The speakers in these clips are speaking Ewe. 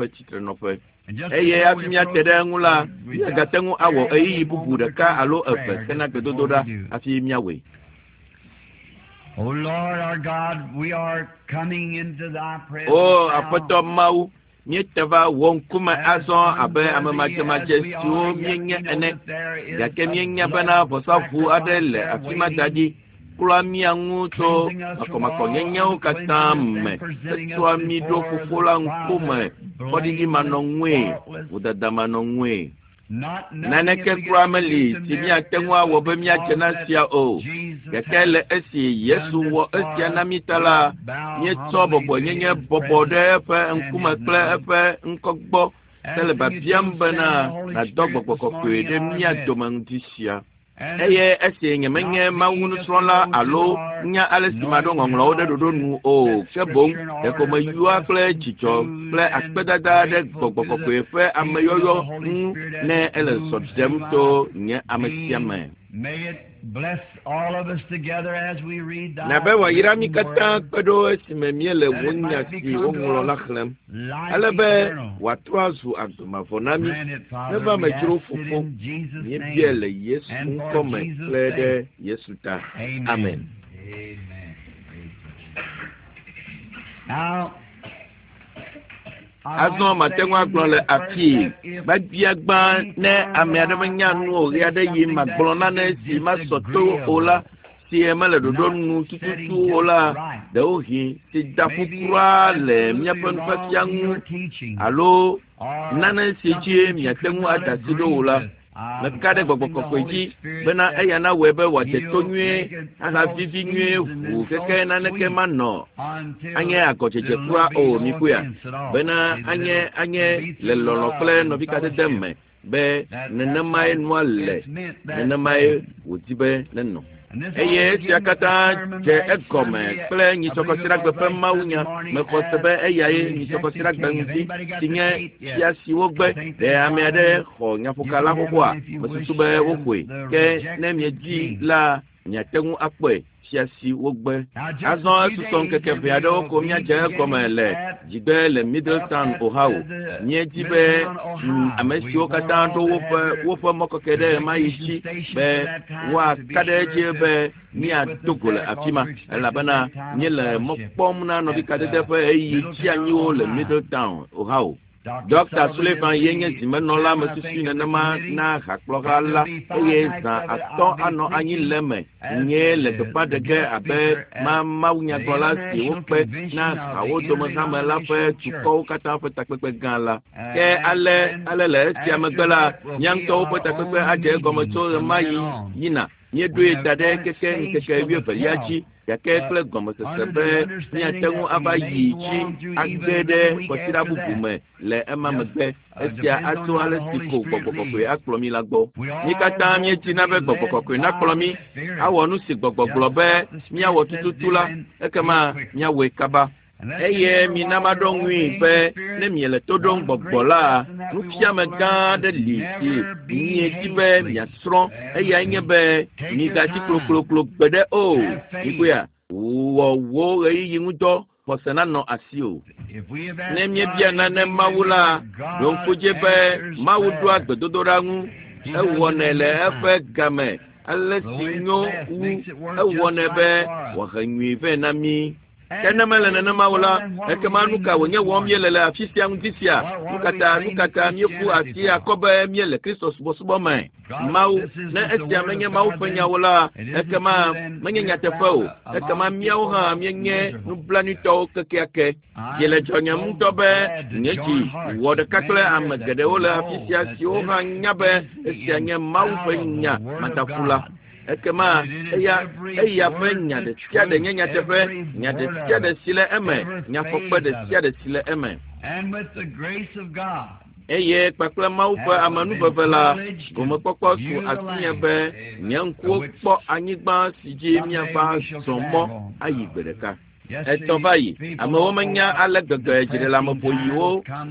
míaƒe tsitrenɔƒe. Eye hafi míate ɖe eŋu la, míagate ŋu awɔ ɣeyiɣi bubu ɖeka alo eve hena gbedodoɖa hafi míawɔe. O Lord our God, we are coming into thy presence O now. Aƒetɔ Mawu, Míete va wò ŋkume azɔ abe ame madzemadze siwo míenye ene, gake míenya bena vɔsaʋu aɖe le afi ma da ɖi klɔa mía ŋu tso makɔmakɔnyenyewo katã me hetsɔa mí ɖo Fofo la ŋkume fɔɖiɖimanɔŋue, vodadamanɔŋue. Naneke kura meli si míate ŋu awɔ be míadze na esia o. Gake le esi Yesu wɔ esia na mí ta la, míetsɔ bɔbɔenyenye bɔbɔ ɖe eƒe ŋkume kple eƒe ŋkɔ gbɔ hele biabiam bena nàdɔ Gbɔgbɔ Kɔkɔe ɖe mía dome ŋdi sia. Eye esi nyemenye Mawu nusrɔ̃la alo nya ale si maɖo ŋɔŋlɔwo ɖe ɖoɖo nu o, ke boŋ ɖeko meyɔa kple dzidzɔ kple akpedada ɖe Gbɔgbɔ Kɔkɔe ƒe ameyɔyɔ ŋu ne ele zɔ ɖem to nye ame sia me. Na be wòayra mí katã kpe ɖo esime míele wò nya si woŋlɔ la xlẽm, ale be wòatrɔ azu agbe mavɔ na mí. Neva eme dzro, Fofo, míebiae le Yesu ŋkɔ me kple ɖe Yesu ta. Amen. Azɔ mate ŋu agblɔ le afii gbagbia-gbã ne ame aɖe menya nu o ɣeaɖeɣi magblɔ nane si masɔ to o la, si mele ɖoɖo nu tututu o la, ɖewohĩ si da ƒu kura le míaƒe nufiafia ŋu alo nane si dzi miate ŋu ada asi ɖo o la. Meka ɖe Gbɔgbɔ Kɔkɔe dzi bena eya nawɔe be wòadze to nyuie ahavivi nyuie ʋuu keke naneke manɔ anye agɔdzedze kura o, mikpɔea, bena anye, anye le lɔlɔ̃ kple nɔvikadede me be nenemae nua le, nenemae wòdi be nenɔ. Eye esia katã dze egɔme kple nyitsɔkɔsiɖagbe ƒe mawunya. Mexɔ se be eyae nyitsɔkɔsiɖagbe ŋdi si nye fia si wogbe. Ɖe ame aɖe xɔ nyaƒoka la xoxoa? Mesusu be woxɔe. Ke ne miedii la, miate ŋu akpɔe, fia si wogbe. Azɔ esusɔ ŋkeke ʋɛ aɖewo ko míadze egɔme le dzigbe le Middletown, Ohio. Míedi be ame siwo katã ɖo woƒe woƒe mɔkeke ɖe ɣemaɣi dzi be woaka ɖe edzi be míado go le afi ma, elabena míele mɔ kpɔm na nɔvikadede ƒe ɣeyiɣi tsianyiwo le Middletown, Ohio. Ɖɔkta Sullivan ye nye zimenɔla mesusui nenema na hakplɔha la eye zã atɔ̃ anɔ anyi le eme nyee le gbeƒã ɖe ge abe ma mawunyagblɔla si wokpe na hawo dome hame la ƒe dukɔwo katã ƒe takpekpe gã la. Ke ale, ale le esia megbe la, mía ŋutɔwo ƒe takpekpe adze egɔme tso ɣemaɣi yina. Míeɖoe da ɖe keke ŋkeke wuievelia dzi, gake kple gɔmesese be míate ŋu ava yi dzi age ɖe kwasiɖa bubu me le ema megbe. Esia atso ale si ko Gbɔgbɔ Kɔkɔe akplɔ mí la gbɔ. Mí katã míedina be Gbɔgbɔ Kɔkɔe nakplɔ mí awɔ nu si Gbɔgbɔ gblɔ be míawɔ tututu la, ekema míawɔe kaba. Eye mina maɖo ŋui be ne miele to ɖom gbɔgbɔ la, nufiame gã aɖe li si miedi be miasrɔ̃. Eyae nye be migatsi klokloklo gbeɖe o. Mikpɔea? Wɔ wò ɣeyiɣi ŋudɔ, xɔse nanɔ asiwò. Ne míebia nane Mawu la, ɖo ŋku dzi be Mawu ɖoa gbedodoɖa ŋu. Ewɔnɛ le eƒe game ale si nyo wu. Ewɔnɛ be wòahe nyui vɛ na mí. Ke ne mele nenema o la, ekema nu ka wònye wɔm míele le afi sia ŋdi sia? Nu ka ta, nu ka ta míeƒu asi akɔ be míele Kristo subɔsubɔ me? Mawu, ne esia menye Mawu ƒe nya o la, ekema menye nyateƒe o. Ekema míawo hã míenye nublanuitɔwo kekeake. Dzi le dzɔnyem ŋutɔ be nye dzi wɔ ɖeka kple ame geɖewo le afi sia siwo hã nya be esia nye Mawu ƒe nya madaƒu la. Ekema eya, eya ƒe nya ɖe sia ɖe nye nyateƒe, nya ɖe sia ɖe si le eme, nyafɔkpe ɖe sia ɖe si le eme. Eye kpakple Mawu ƒe amenuveve la, gomekpɔkpɔ su asinye be nye ŋkuwo kpɔ anyigba si dzi míava zɔ mɔ ayi gbe ɖeka. Etɔ̃ va yi. Amewo menya ale gbegbe dziɖeleameƒoɣiwo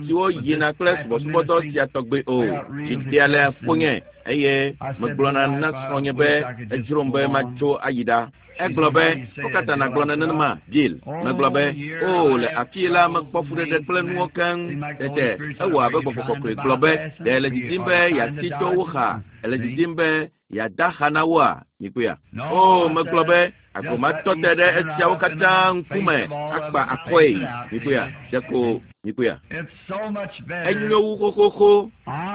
siwo yina kple subɔsubɔdɔ sia tɔgbe o. Dzi ɖea le ƒonye eye megblɔna na srɔ̃nye be edzrom be matso ayi ɖa. Egblɔ be, Nukata nàgblɔ nenema, Bill? Megblɔ be, Oo, le afii la mekpɔ fuɖeɖe kple nuwo keŋ. Tete ewɔ abe Gbɔgbɔ Kɔkɔe gblɔ be, Ɖe èle didim be yeasi to wo xa? Èle didim be. Yeada xa na woa? Mikpɔea? O, megblɔ be agbo matɔ te ɖe esiawo katã ŋkume akpa akɔe. Mikpɔea? Ɖeko mikpɔea? Enyo wu xoxoxo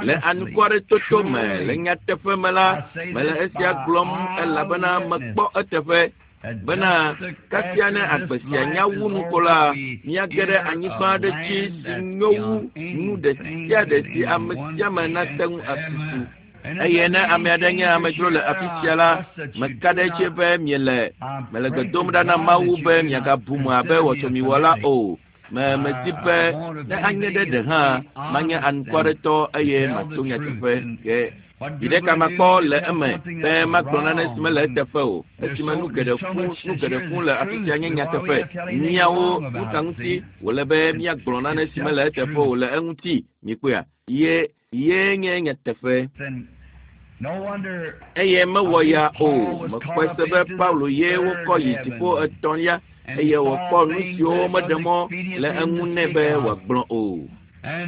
le anukwaretoto me le nyateƒe me la, mele esia gblɔm elabena mekpɔ eteƒe bena kasia ne agbe sia nya wu nu ko la, míage ɖe anyigba aɖe dzi si nyo wu nu ɖe sia ɖe si ame sia ame nate ŋu asusu. Eye ne ame aɖe nye amedzro le afi sia la, meka ɖe edzi be miele mele gbe dom ɖa na Mawu be miagabu me abe wɔtsɔmiwɔla o. Me medi be ne anye ɖe ɖe hã manye anukwaretɔ eye mato nyateƒe ke. Viɖe ka makpɔ le eme be magblɔ nane si mele eteƒe o esime nu geɖe fũ nu geɖe fũ le afi sia nye nyateƒe. Míawo nu ka ŋuti wòle be míagblɔ nane si mele eteƒe o le eŋuti? Mikpɔea? Ye ye nye nyateƒe. Eye mewɔ ya o. Mekpɔe se be Paulo ye wokɔ yi dziƒo etɔ̃lia eye wòkpɔ nu siwo meɖe mɔ le eŋu nɛ be wòagblɔ o.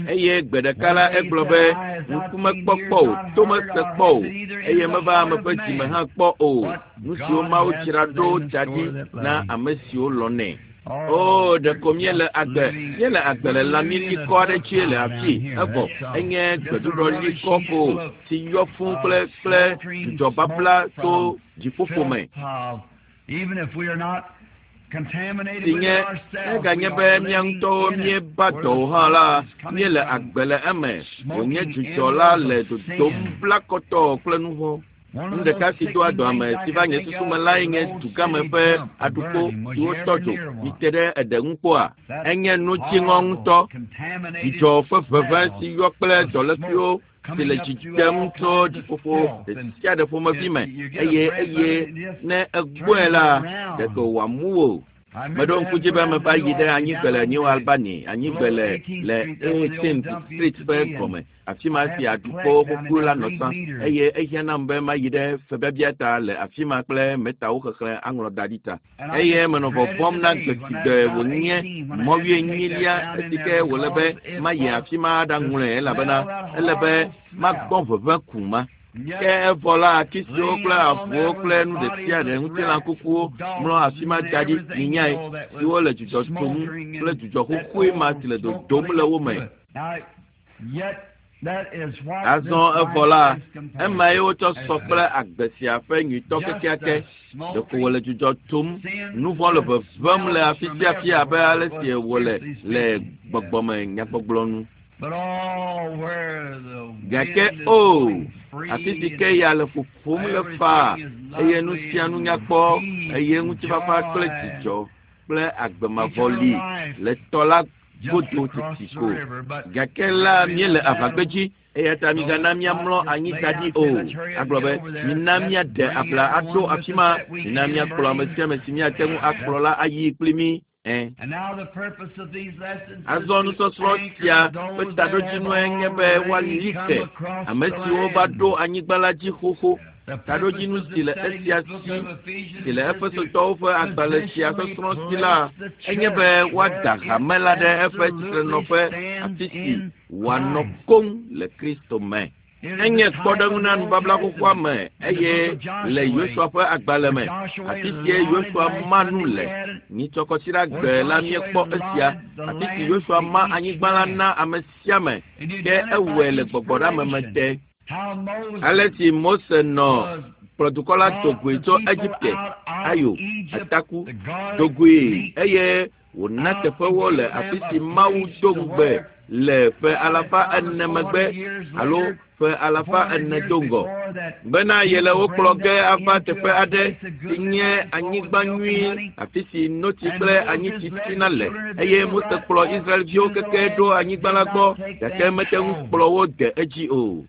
Eye gbe ɖeka la egblɔ be ŋku mekpɔ kpɔ o, to mese kpɔ o, eye meva ame ƒe dzime hã kpɔ o. Nu siwo Mawu dzra ɖo da ɖi na ame siwo lɔ̃nɛ. O, ɖeko míele agbe, míele agbe le lãmi likɔ aɖe dzi le afi, evɔ enye gbeɖuɖɔ likɔ ko si yɔ fũu kple kple dzudzɔ babla tso dziƒoƒo me. Si nye eganye be mía ŋutɔwo míeba dɔ o hã la, míele agbe le eme wònye dzudzɔ la le dodom blakɔtɔ kple nu vɔ̃. Nu ɖeka si doa dɔ ame si va nye susu me lae nye dugãme ƒe aɖukpo siwo tɔ dzo mite ɖe eɖe ŋu kpɔa. Enye nu dziŋɔ ŋutɔ. Dzidzɔ ƒe ʋeʋẽ si yɔ kple dɔlékuiwo si le dzi dem tso dziƒoƒo ɖe sia ɖe ƒomevi me eye eye ne egbɔe la, ɖeko wòamu wò. Meɖo ŋku dzi be meva yi ɖe anyigbe le New Albany, anyigbe le le 18th Street ƒe gɔme, afi ma si aɖukpo xoxo la nɔ tsã eye ehiã nam be mayi ɖe febiabia ta le afi ma kple metawo xexlẽ aŋlɔ da ɖi ta. Eye menɔ vɔvɔ̃m na gbe si gbe wònye mɔ wuienyilia esi ke wòle be mayi afi ma aɖaŋlɔe elabena ele be magbɔ ʋeʋẽ ku ma. Ke evɔ la ati siwo kple avuwo kple nu ɖe sia ɖe ŋutilã kukuwo mlɔ afi ma da ɖi minyae siwo le dzudzɔ tom kple dzudzɔ xoxoe ma si le dodom le wo me. Azɔ evɔ la, emae wotsɔ sɔ kple agbe sia ƒe nyuitɔ kekeake. Ɖeko wòle dzudzɔ tom, nu vɔ̃ le ʋeʋẽm le afi sia afi abe ale si wòle le gbɔgbɔme nyagbɔgblɔ nu. Gake o, afi si ke ya le ƒoƒom le faa eye nu sia nu nyakpɔ eye ŋutifafa kple dzidzɔ kple agbe mavɔ li le tɔ la godo teti ko. Gake la míele aʋagbedzi eya ta migana míamlɔ anyi da ɖi o. Agblɔ be mina míaɖe abla aɖo afi ma, mina míakplɔ ame sia ame si míate ŋu akplɔ la ayi kpli mí. Azɔ nusɔsrɔ̃ sia ƒe taɖodzinue nye be woali ke ame siwo va ɖo anyigba la dzi xoxo. Taɖodzinu si le esia si si le Efesotɔwo ƒe agbalẽ sia sɔsrɔ̃ si la, enye be woada hame la ɖe eƒe tsitrenɔƒe afi si wòanɔ koŋ le Kristo me. Enye kpɔɖeŋu na nubabla xoxoa me eye le Yosua ƒe agbalẽ me, afi sie Yosua ma nu le. Nyitsɔkɔsiɖa gbe la míekpɔ esia, afi si Yosua ma anyigba la na ame sia ame, ke ewɔe le gbɔgbɔɖeameme te. Ale si Mose nɔ kplɔ dukɔ la dogoe tso Egipte, ayo, ataku, dogoe eye wòna teƒewo le afi si Mawu do ŋugbe le ƒe alafa ene megbe alo ƒe alafa ene do ŋgɔ bena yele wo kplɔ ge ava teƒe aɖe si nye anyigba nyui afi si notsi kple anyitsi tsina le eye Mose kplɔ Israelviwo keke ɖo anyigba la gbɔ gake mete ŋu kplɔ wo de edzi o.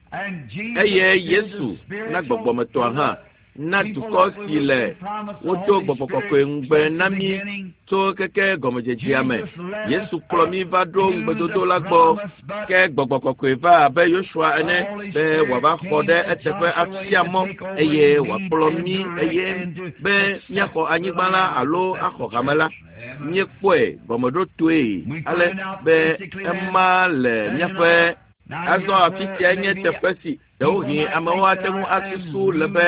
Eye Yesu na gbɔgbɔmetɔa hã na dukɔ si le wodo gbɔgbɔ kɔkɔe ŋugbe na mí tso keke gɔmedzedzea me. Yesu kplɔ mí va ɖo ŋugbedodo la gbɔ ke gbɔgbɔ kɔkɔe va abe Yosua ene be wòava xɔ ɖe eteƒe afia mɔ eye wòakplɔ mí eye be míaxɔ anyigba la alo axɔ hame la. Míekpɔe gɔmeɖotoe ale be ema le míaƒe Azɔ afi sia nye teƒe si ɖewohĩ amewo ate ŋu asusu le be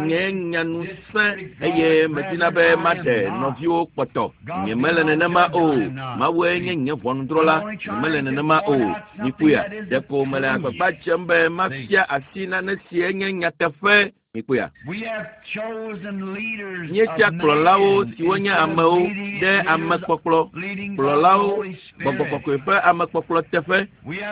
nye nyanu sẽ eye medina be maɖe nɔviwo kpɔtɔ. Nyemele nenema o. Mawue nye nye ʋɔnudrɔ̃la. Nyemele nenema o. Mikpɔea, ɖeko mele agbagba dzem be mafia asi nane sie nye nyateƒe. Mikpɔea. Míetia kplɔlawo siwo nye amewo ɖe amekpɔkplɔ, kplɔlawo, gbɔgbɔ kɔkɔe ƒe amekpɔkplɔ teƒe.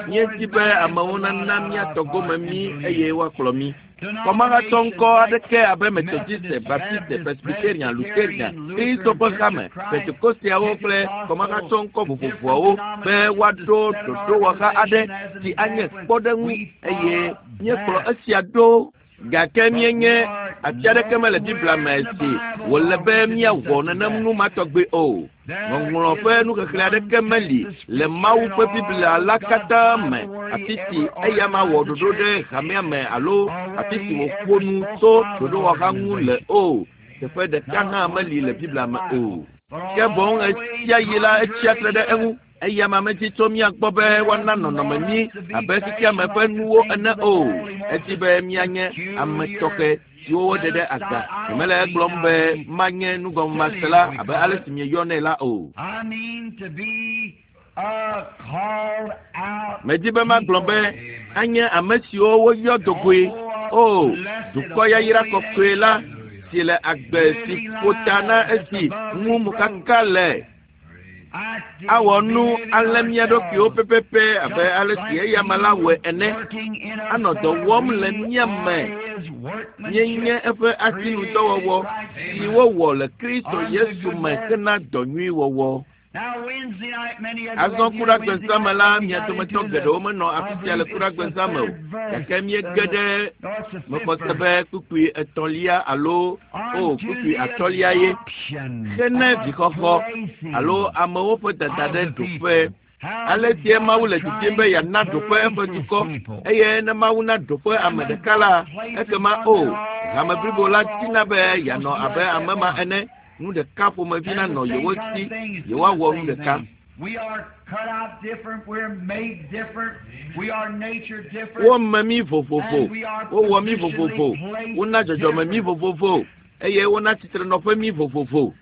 Míedi be amewo nana míatɔ gome mí eye woakplɔ mí. Kɔmahatsɔ ŋkɔ aɖeke abe Methodiste, Baptiste, Presbyterian, Lutherian, Kristo ƒe hame, Pentekosteawo kple kɔmahatsɔ ŋkɔ vovovoawo be woaɖo ɖoɖowɔha aɖe si anye kpɔɖeŋu eye míekplɔ esia ɖo. Gake míenye afi aɖeke mele Biblia me si wòle be míawɔ nenem nu ma tɔgbi o. Ŋɔŋlɔ ƒe nuxexlẽ aɖeke meli le Mawu ƒe Biblia la katã me afi si eya ma wɔ ɖoɖo ɖe hamea me alo afi si wòƒo nu tso ɖoɖowɔha ŋu le o. Teƒe ɖeka hã meli le Biblia me o. Ke boŋ ɣesiaɣi la etsia tre ɖe eŋu. Eya ma medi tso mía gbɔ be woana nɔnɔme mí abe xexeame ƒe nuwo ene o. Edi be míanye ame tɔxɛ siwo woɖe ɖe aga. Nyemele egblɔm be manye nugɔmemasela abe ale si mieyɔnɛ la o. Medi be magblɔ be anye ame siwo woyɔ do goe. O, dukɔ yayra kɔkɔe la si le agbe si ƒo ta na esi ŋu mokaka le. Awɔ nu alé mía ɖokuiwo pɛpɛpɛ abe ale si eyama la wɔe ene. Anɔ dɔ wɔm le mía me. Míenye eƒe asinudɔwɔwɔ si wowɔ le Kristo Yesu me hena dɔ nyui wɔwɔ. Azɔ kuɖagbezã me la, mia dometɔ geɖewo menɔ afi sia le kuɖagbezã me o, gake míege ɖe mexɔ se be kpukpui etɔ̃lia alo o kpukpui atɔ̃lia ye hene vixɔxɔ alo amewo ƒe dada ɖe ɖoƒe. Ale sie Mawu le didim be yeana ɖoƒe eƒe dukɔ eye ne Mawu na ɖoƒe ame ɖeka la, ekema o hame blibo la dina be yeanɔ abe ame ma ene. Nu ɖeka ƒomevi nanɔ yewo si, yewoawɔ nu ɖeka. Wome mí vovovo, wowɔ mí vovovo, wona dzɔdzɔme mí vovovo eye wona tsitrenɔƒe mí vovovo.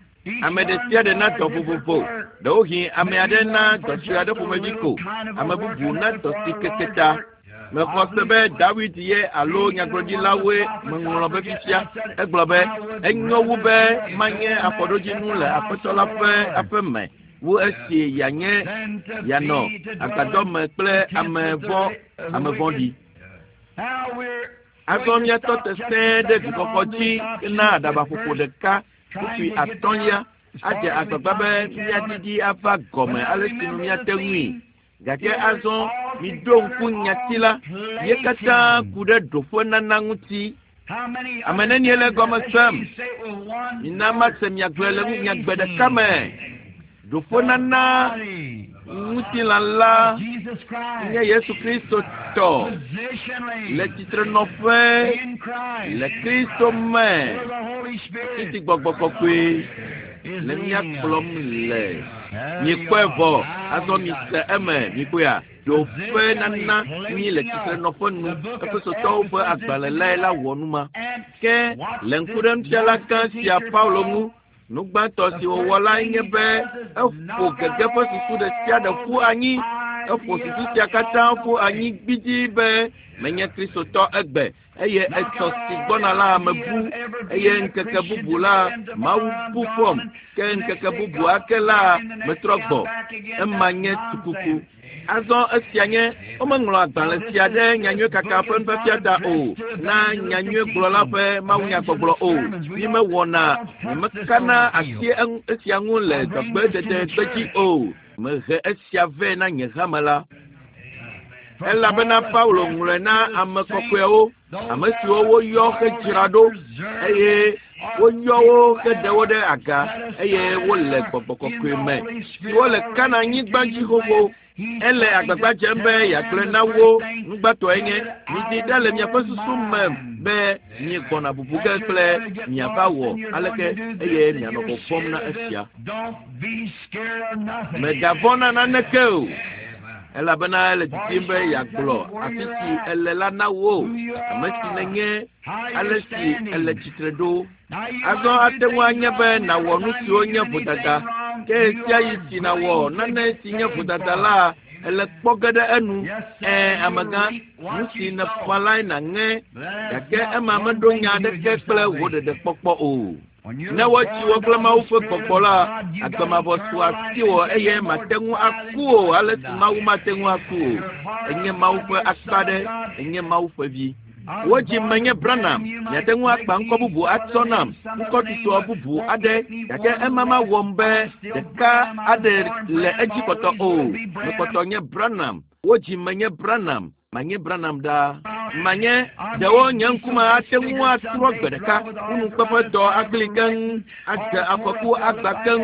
Ame ɖe sia ɖe na dɔ vovovo. Ɖewohĩ ame aɖe na dɔ sue aɖe ƒomevi ko, ame bubu na dɔ si keke ta. Mexɔ se be Dawid ye alo nyagblɔɖilawoe meŋlɔ be fifia. Egblɔ be, enyo wu be manye afɔɖodzinu le Aƒetɔ la ƒe aƒe me wu esi yeanye yeanɔ agbadɔ me kple ame vɔ̃ ame vɔ̃ɖi. Azɔ míatɔ te sẽe ɖe vixɔxɔ dzi hena aɖabaƒoƒo ɖeka kpukpui atɔ̃lia adze agbagba be míaɖiɖi ava gɔme ale si nu míate ŋui. Gake azɔ miɖo ŋku nyati la, ye katã ku ɖe ɖoƒenana ŋuti. Ame nenie le egɔme sem? Mina mase miagblɔe le nyagbe ɖeka me. Ɖoƒenana ŋutilã la nye Yesu Kristo tɔ le tsitrenɔƒe le Kristo me. Titi gbɔgbɔ kɔkɔe le mía kplɔm le. Miekpɔe vɔ, azɔ mise eme, mikpɔea? Ɖoƒe nana mí le tsitrenɔƒe nu. Efesotɔwo ƒe agbalẽ lae la wɔ nu ma. Ke le ŋku ɖe nufiala gã sia Paulo ŋu, nu gbãtɔ si wòwɔ lae nye be eƒo gege ƒe susu ɖe sia ɖe ƒu anyi. Eƒo susu sia katã ƒu anyi gbidii be menye Kristotɔ egbe eye etsɔ si gbɔna la mebu eye ŋkeke bubu la Mawu bu fɔm ke ŋkeke bubu ake la metrɔ gbɔ. Ema nye tukuku. Azɔ esia nye womeŋlɔ agbalẽ sia ɖe nyanyuiekaka ƒe nufiafia ta o na nyanyuiegblɔla ƒe mawunyagbɔgblɔ o. Mímewɔna nyemekana asi esia ŋu le dɔgbedede gbedzi o. Mehe esia vɛ na nye hame la. Elabena Paulo ŋlɔe na ame kɔkɔewo, ame siwo woyɔ hedzra ɖo eye woyɔ wo heɖe wo ɖe aga eye wole gbɔgbɔ kɔkɔe me siwo le Kana-nyigba dzi xoxo. Ele agbagba dzem be yeagblɔe na wo nugbãtɔe nye, midi ɖa le miaƒe susu me be miegbɔna bubu ge kple miava wɔ aleke eye mianɔ vɔvɔ̃m na esia. Mègavɔ̃ na naneke o. Elabena ele didim be yeagblɔ afi si ele la na wò, ame si nènye, ale si ele tsitre ɖo. Azɔ ate ŋu anye be nàwɔ nu siwo nye vodada, ke ɣesiaɣi si nàwɔ nane si nye vodada la, ele kpɔ ge ɖe enu. Ɛ̃, amegã, nu si nèƒã lae nàŋe, gake ema meɖo nya aɖeke kple wò ɖeɖekpɔkpɔ o. Ne woatsi wò kple Mawu ƒe gbɔgbɔ la, agbe mavɔ su asiwò eye màte ŋu aku o ale si Mawu mate ŋu aku o. Ènye Mawu ƒe akpa aɖe, ènye Mawu ƒe vi. Wodzi menye Branham, miate ŋu akpa ŋkɔ bubu atsɔ nam, ŋkɔ tutɔ bubu aɖe, gake ema mawɔm be ɖeka aɖe le edzi kpɔtɔ o. Mekpɔtɔ nye Branham. Wodzi menye Branham, manye Branham ɖaa. Manye, ɖewo nye ŋkume ate ŋu atrɔ gbe ɖeka, ŋunukpeƒedɔ agli keŋ, adze afɔku agba keŋ,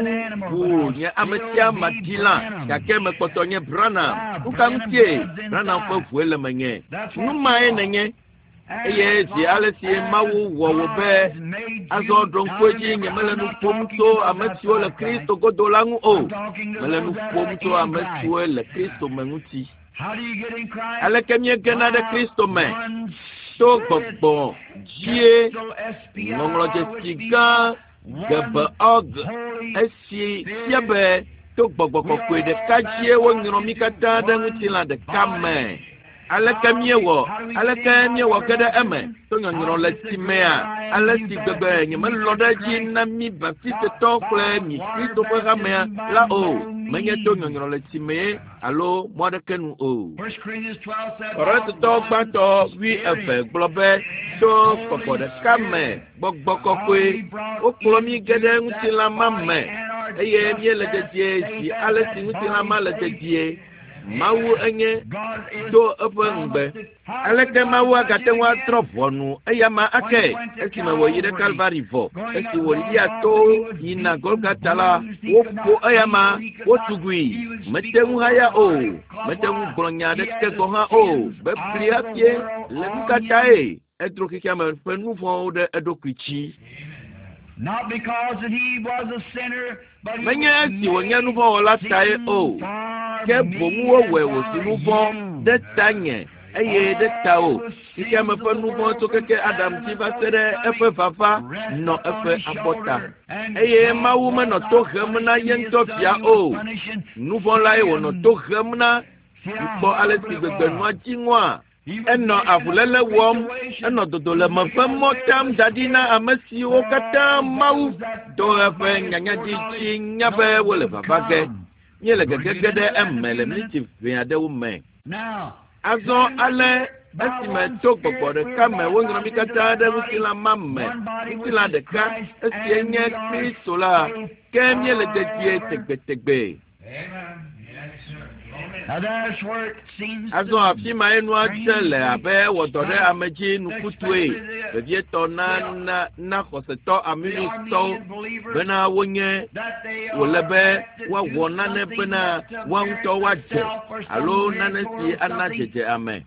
ʋuu nye ame sia madi lã, gake mekpɔtɔ nye Branham. Nu ka ŋutie? Branham ƒe ʋue le menye. Nu mae nènye. Eye zi ale si Mawu wɔ wò be, azɔ ɖo ŋku edzi, nyemele nu ƒom tso ame siwo le Kristo godo la ŋu o. Mele nu ƒom tso ame siwo le Kristo me ŋuti. Aleke míegena ɖe Kristo me? To gbɔgbɔ dzie. Ŋɔŋlɔdzesi gã Gebeog, esi fia be to gbɔgbɔ kɔkɔe ɖeka dzie wonyrɔ mí katã ɖe ŋutilã ɖeka me. Aleke míewɔ? Aleke míewɔ ge ɖe eme? To nyɔnyrɔ le tsi mea? Ale si gbegbe nyemelɔ̃ ɖe edzi na mí Baptistetɔ kple mi Kristo ƒe hamea la o. Menye to nyɔnyrɔ le tsi mee alo mɔ aɖeke nu o. Korintotɔ gbãtɔ wuieve gblɔ be, To gbɔgbɔ ɖeka me, gbɔgbɔ kɔkɔe, wokplɔ mí ge ɖe ŋutilã ma me, eye míele dedie zi ale si ŋutilã ma le dedie. Mawu enye do eƒe ŋugbe. Aleke Mawu agate ŋu atrɔ ʋɔnu eyama ake esime wòyi ɖe Kalvari vɔ? Esi wòlia to yina Golgata la, woƒo eyama, wotugui. Mete ŋu haya o, mete ŋu gblɔ nya aɖeke gɔ̃ hã o. Bebli hafie le nu ka tae? Edro xexeame ƒe nu vɔ̃wo ɖe eɖokui dzi. Menye esi wònye nuvɔ̃wɔla tae o, ke boŋ wowɔe wòzu nuvɔ̃ ɖe tanye eye ɖe tawò. Xexeame ƒe nuvɔ̃ tso keke Adam dzi va se ɖe eƒe vava nɔ eƒe abɔta. Eye Mawu menɔ to hem na ye ŋutɔ Via o. Nuvɔ̃ lae wònɔ to hem na. Mikpɔ ale si gbegbe nua dzi ŋɔa? Enɔ avuléle wɔm, enɔ dodo le me ƒe mɔ tam da ɖi na ame siwo katã Mawu to eƒe nyanyadzi dzi nya be wole vava ge. Míele gegege ɖe eme le miniti ʋɛ aɖewo me. Azɔ ale esime to gbɔgbɔ ɖeka me wonyrɔ mí katã ɖe ŋutilã ma me, ŋutilã ɖeka, esie nye Kristo la, ke míele dedie tegbetegbe. Azɔ afi mae nua dze le abe ewɔ dɔ ɖe ame dzi nukutɔe, vevietɔ na na na xɔsetɔ Arminiustɔwo bena wonye wòle be woawɔ nane bena woa ŋutɔ woadze alo nane si ana dzedze ame.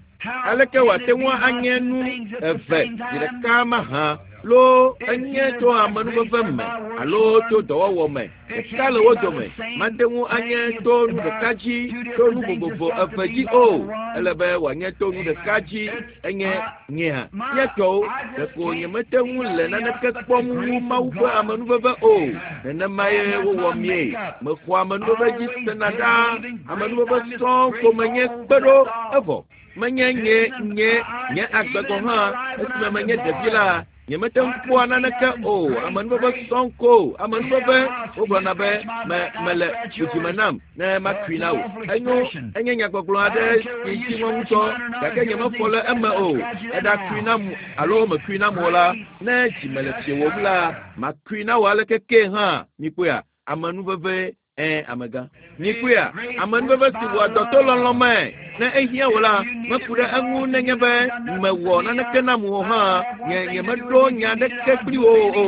Aleke wòate ŋu anye nu eve zi ɖeka mahã loo enye tso amenuveve me alo tso dɔwɔwɔ me? Ɖeka le wo dome. Mate ŋu anye to nu ɖeka dzi to nu vovovo eve dzi o. Ele be wòanye to nu ɖeka dzi enye nyea mía tɔwo. Ɖeko nyemete ŋu le naneke kpɔm wu Mawu ƒe amenuveve o. Nenemae wowɔ míe. Mexɔa amenuveve dzi sena ɖaa. Amenuveve sɔŋ ko menye kpe ɖo evɔ. Menye nye nye nye agbe gɔ̃ hã esime menye ɖevi la, nyemete ŋu kpɔa naneke o. Amenuveve sɔŋ ko. Amenuveve, wogblɔna be me mele dudzime nam ne makui na wò. Enyo, enye nyagbɔgblɔ aɖe si dzi ŋɔ ŋutɔ, gake nyemefɔ le eme o. Èɖakui nam alo mèkui nam o la, ne dzi mele fiewòm la, makui na wò aleke kee hã. Mikpɔea? Amenuveve Ẽ, amegã. Mikpɔea, amenuveve si wɔa dɔ to lɔlɔ̃ me. Ne ehiã wò la, meku ɖe eŋu nenye be mewɔ naneke nam o hã. Nye nyemeɖo nya aɖeke kpli wò o.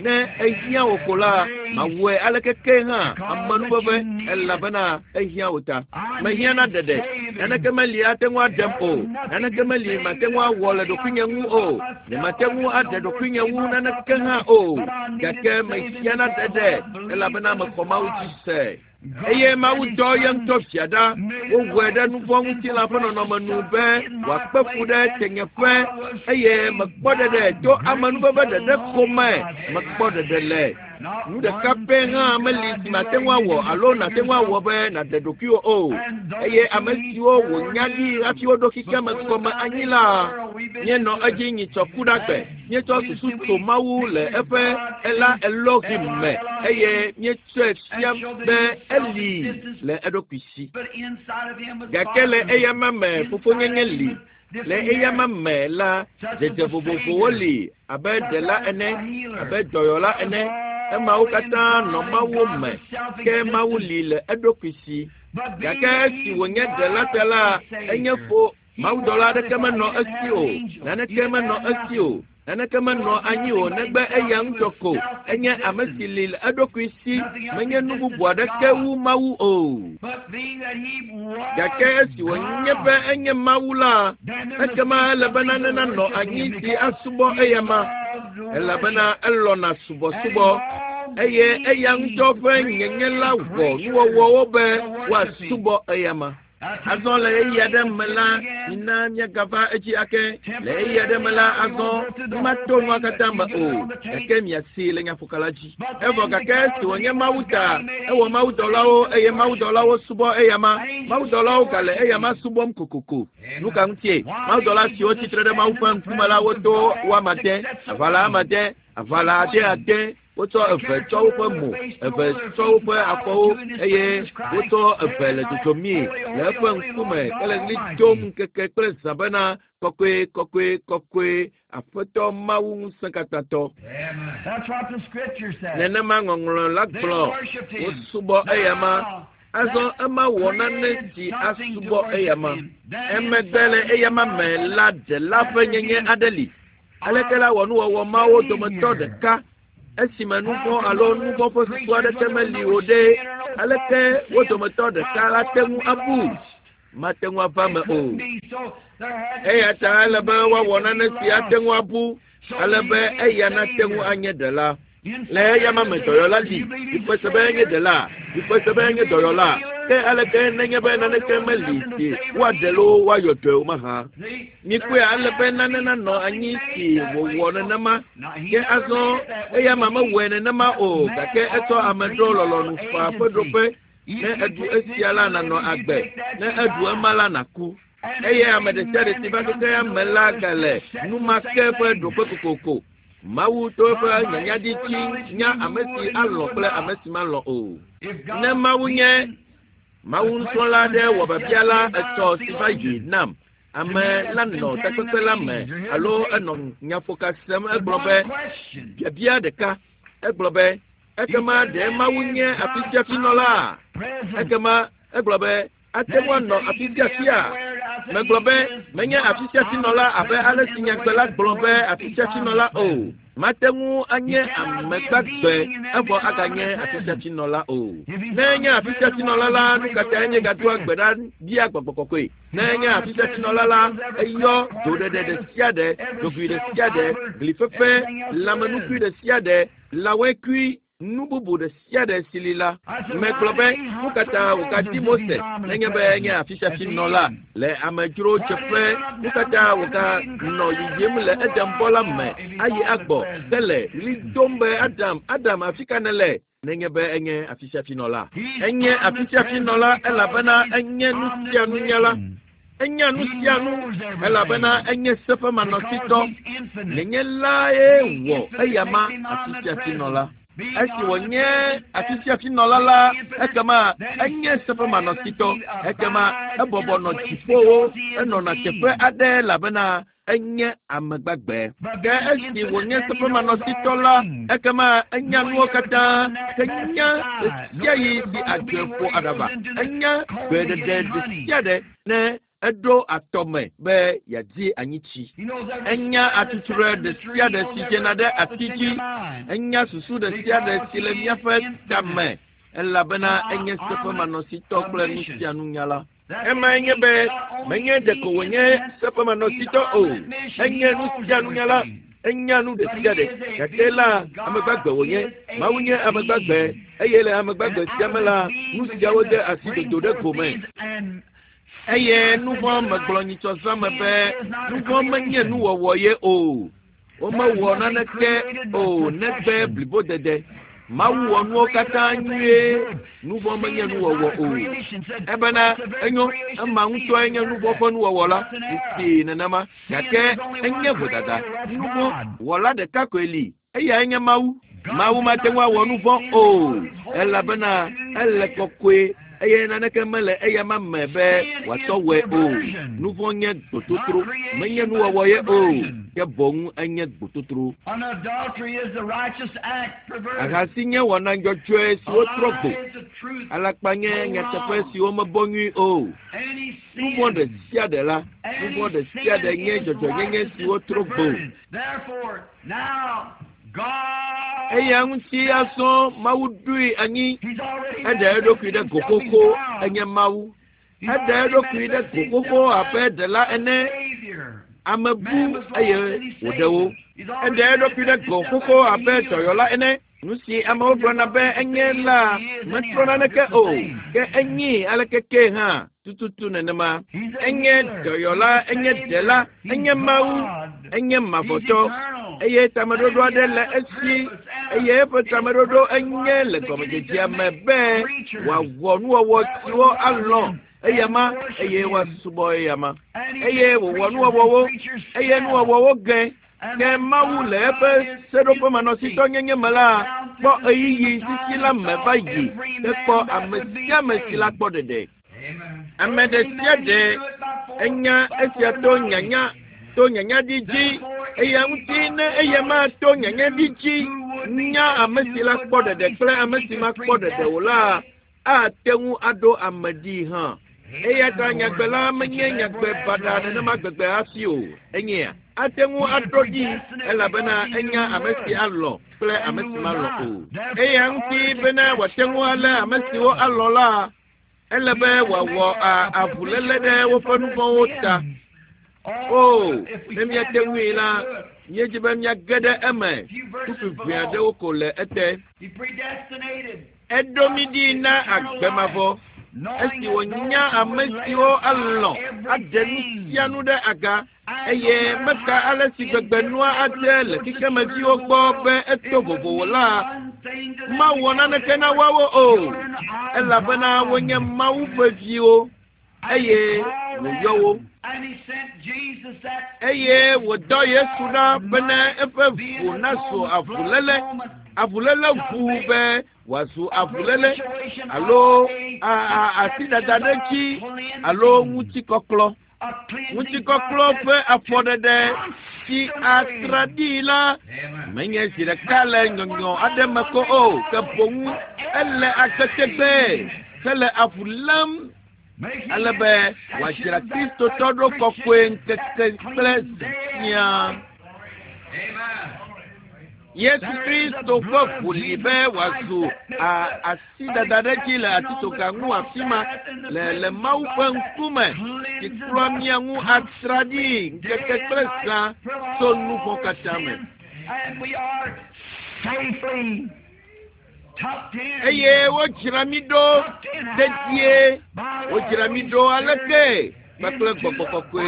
Ne ehiã wò ko la, mawɔe aleke ke hã, amenuveve, elabena ehiã wò ta. Mehiã na ɖeɖe. Naneke meli ate ŋu aɖem o. Naneke meli mate ŋu awɔ le ɖokuinye ŋu o. Nyemate ŋu aɖe ɖokuinye ŋu naneke hã o. Gake mehiã na ɖeɖe, elabena mexɔ Mawu dzi se. Eye Mawu dɔ ye ŋutɔ fia ɖa, wowɔe ɖe nuvɔ̃ ŋutilã ƒe nɔnɔme nu be wòakpe fu ɖe tenyeƒe eye mekpɔ ɖeɖe to amenuveve ɖeɖe ko me mekpɔ ɖeɖe le. Nu ɖeka pɛ hã meli si mate ŋu awɔ alo nàte ŋu awɔ be nàɖe ɖokuiwò o. Eye ame siwo wònya ɖi hafi woɖo xexeame gɔme anyi la, míenɔ edzi nyitsɔ ku ɖe agbe. Míetsɔ susu to Mawu le eƒe ela Elohim me eye míetsɔe fia be eli le eɖokui si. Gake le eyama me fofonyenye li. Le eyama me la, dzedze vovovowo li abe ɖela ene, abe dɔyɔla ene. Emawo katã nɔ Mawu me, ke Mawu li le eɖokui si. Gake esi wònye ɖela ta la, enye fo Mawudɔla aɖeke menɔ esi o, naneke menɔ esi o, naneke menɔ anyi o negbe eya ŋutɔ ko. Enye ame si li le eɖokui si, menye nu bubu aɖeke wu Mawu o. Gake esi wònye be enye Mawu la, ekema ele be nane nanɔ anyi si asubɔ eyama, elabena elɔ̃na subɔsubɔ eye eya ŋutɔ ƒe nyenye la wɔ nuwɔwɔwo be woasubɔ eyama. Azɔ le ɣeyiɣi aɖe me la, mina míagava edzi ake. Le ɣeyiɣi aɖe me la, azɔ mímato nua katã me o, gake miasee le nyaƒoka la dzi. Evɔ gake esi wònye Mawu ta, ewɔ mawudɔlawo eye mawudɔlawo subɔ eyama. Mawudɔlawo gale eyama subɔm kokoko. Nu ka ŋutie? Mawudɔla siwo tsitre ɖe Mawu ƒe ŋkume la wodo wo ame ade, aʋala ame ade, aʋala ade ade, wotsɔ eve tsɔ woƒe mo, eve tsɔ woƒe afɔwo eye wotsɔ eve le dzodzomii le eƒe ŋkume hele ɣli dom ŋkeke kple zã bena kɔkɔe kɔkɔe kɔkɔe Aƒetɔ Mawu ŋusẽkatãtɔ. Nenema ŋɔŋlɔ la gblɔ, wosubɔ eyama. Azɔ ema wɔ nane si asubɔ eyama. Emegbe le eyama me la ɖela ƒe nyenye aɖe li. Aleke la wɔ nuwɔwɔ mawo dometɔ ɖeka esime nuvɔ̃ alo nuvɔ̃ ƒe susu aɖeke meli o ɖe? Aleke wo dometɔ ɖeka la te ŋu abu? Mate ŋu ava eme o. Eya ta ele be woawɔ nane si ate ŋu abu ale be eya nate ŋu anye ɖela. Le eyama me dɔyɔla li, mikpɔe se be enye ɖela, mikpɔe se be enye dɔyɔla. Ke aleke nenye be naneke meli si woaɖe loo woayɔ dɔe o mahã? Mikpɔe ale be nane nanɔ anyi si wòwɔ nenema. Ke azɔ eyama mewɔe nenema o, gake etsɔ ame ɖo lɔlɔ̃nu faa ƒe ɖoƒe. Ne èɖu esia la, nànɔ agbe. Ne èɖu ema la, nàku. Eye ame ɖe sia ɖe si va xexea me la gale nu ma ke ƒe ɖoƒe kokoko. Mawu to eƒe nyanyadi dzi nya ame si alɔ̃ kple ame si malɔ̃ o. Ne Mawu nye Mawu nusrɔ̃la aɖe wɔ biabia la etsɔ si va yi nam. Ame la nɔ takpekpe la me alo enɔ nyaƒoka sem egblɔ be biabia ɖeka. Egblɔ be ekema ɖe Mawu nye afisiafinɔla? Ekema egblɔ be ate ŋu anɔ afi sia afia. Megblɔ be menye afi sia afi nɔla abe ale si nyagbe la gblɔ be afi sia afi nɔla o. Mate ŋu anye ame gbagbe evɔ aganye afi sia afi nɔla o. Ne enye afi sia afi nɔla la, nu ka tae míegadoa gbe ɖa bia gbɔgbɔ kɔkɔe? Ne enye afi sia afi nɔla la, eyɔ doɖeɖe ɖe sia ɖe, dzogoe ɖe sia ɖe, glifefe, lãmenukui ɖe sia ɖe, lãwɔekui, nu bubu ɖe sia ɖe si li la. Megblɔ be, nu ka ta wògadi Mose nenye be enye afisiafi nɔla le amedzro dzeƒe? Nu ka ta wòganɔ yiyim le Edenbɔ la me ayi agbɔ ke le ɣli dom be, Adam, Adam, afi ka nèle? Nenye be enye afisiafi nɔla. Enye afisiafi nɔla elabena enye nu sia nunyala. Enya nu sia nu elabena enye seƒemanɔsitɔ. Nenye lae wɔ eyama afisiafinɔla. Esi wònye afisiafinɔla la, ekema enye seƒemanɔsitɔ. Ekema ebɔbɔ nɔ dziƒowo, enɔna teƒe aɖe elabena enye ame gbagbe. Ke esi wònye seƒemanɔsitɔ la, ekema enya nuwo katã, ke nya ɣesiaɣi si adzɔe ƒo aɖaba. Enya gbeɖeɖe ɖesiaɖe ne eɖo atɔ me be yeadi anyitsi. Enya atutsrɔe ɖesiaɖe si dzena ɖe ati dzi. Enya susu ɖesiaɖe si le míaƒe tame elabena enye seƒemanɔsitɔ kple nusianunyala. Emae nye be menye ɖeko wònye seƒemanɔsitɔ o, enye nusianunyala. Enya nu ɖe sia ɖe. Gake la, ame gbagbe wònye. Mawu nye ame gbagbe eye le ame gbagbe sia me la, nu siawo de asi dodo ɖe go me. Eye nu vɔ̃ megblɔ nyitsɔ zã me be nu vɔ̃ menye nuwɔwɔ ye o. Womewɔ naneke o negbe blibodede. Mawu wɔ nuwo katã nyuie. Nu vɔ̃ menye nuwɔwɔ o. Ebena enyo ema ŋutɔe nye nu vɔ̃ ƒe nuwɔwɔ la si nenema. Gake enye vodada. Nu vɔ̃ wɔla ɖeka koe li. Eyae nye Mawu. Mawu mate ŋu awɔ nu vɔ̃ o elabena ele kɔkɔe eye naneke mele eyama me be wòatsɔ wɔe o. Nu vɔ̃ nye gbototro, menye nuwɔwɔ ye o, ke boŋ enye gbototro. Ahasi nye wɔna dzɔdzɔe siwo trɔ gbo. Alakpa nye nyateƒe siwo mebɔ nyui o. Nu vɔ̃ ɖe sia ɖe la, nu vɔ̃ ɖe sia ɖe nye dzɔdzɔenyenye siwo trɔ gbo. Eya ŋuti azɔ Mawu ɖoe anyi. Eɖe eɖokui ɖe go xoxo enye Mawu. Eɖe eɖokui ɖe go xoxo abe ɖela ene. Ame bu eye wòɖe wo. Eɖe eɖokui ɖe go xoxo abe dɔyɔla ene. Nu si amewo gblɔna be enye la metrɔ naneke o, ke enyi aleke ke hã tututu nenema. Enye dɔyɔla, enye ɖela, enye Mawu, enye mavɔtɔ eye tameɖoɖo aɖe le esi eye eƒe tameɖoɖo enye le gɔmedzedzea me be wòawɔ nuwɔwɔ siwo alɔ̃ eyama eye woasubɔ eyama eye wòwɔ nuwɔwɔwo eye nuwɔwɔwo ge. Ke Mawu le eƒe seɖoƒemanɔsitɔnyenye me la kpɔ ɣeyiɣi sisi la me va yi hekpɔ ame sia ame si la kpɔ ɖeɖe. Ame ɖe sia ɖe enya esia to nyanya to nyanyaɖi dzi eya ŋuti ne eya ma to nyanyaɖi dzi nya ame si la kpɔ ɖeɖe kple ame si ma kpɔ ɖeɖe o la ate ŋu aɖo ame ɖi hã. Eya ta nyagbe la menye nyagbe baɖa nenema gbegbe hafi o. Enyea ate ŋu aɖo ɖi elabena enya ame si alɔ̃ kple ame si malɔ̃ o. Eya ŋuti bena wòate ŋu alé ame siwo alɔ̃ la, ele be wòawɔ avuléle ɖe woƒe nu vɔ̃wo ta. O, ne míate ŋui la, míedzi be míage ɖe eme. Kpukpui ʋɛ aɖewo ko le ete. Eɖo mí ɖi na agbe mavɔ esi wònya ame siwo alɔ̃ aɖe nu sia nu ɖe aga eye meka ale si gbegbe nua ade le xexemeviwo gbɔ be eto vovovo la, mawɔ naneke na woawo o elabena wonye Mawu ƒe viwo eye wòyɔ wo. Eye wòdɔ Yesu ɖa bena eƒe ʋu nazu avuléle, avuléle ʋu be wòazu avuléle alo asidada ɖe dzi alo ŋutikɔklɔ. Ŋutikɔklɔ ƒe afɔɖeɖe si atra ɖi la menye zi ɖeka le nyɔnyɔ aɖe me ko o, ke boŋ ele agbe tegbee hele avu lém ale be wòadzra Kristotɔ ɖo kɔkɔe ŋkeke kple zã siaa. Yesu Kristo ƒe ʋu li be wòazu asidada ɖe dzi le atitsoga ŋu afi ma le le Mawu ƒe ŋkume si kplɔa mía ŋu atra ɖi ŋkeke kple zã tso nu vɔ̃ katã me. Eye wodzra mí ɖo dedie, wodzra mí ɖo aleke kpakple gbɔgbɔ kɔkɔe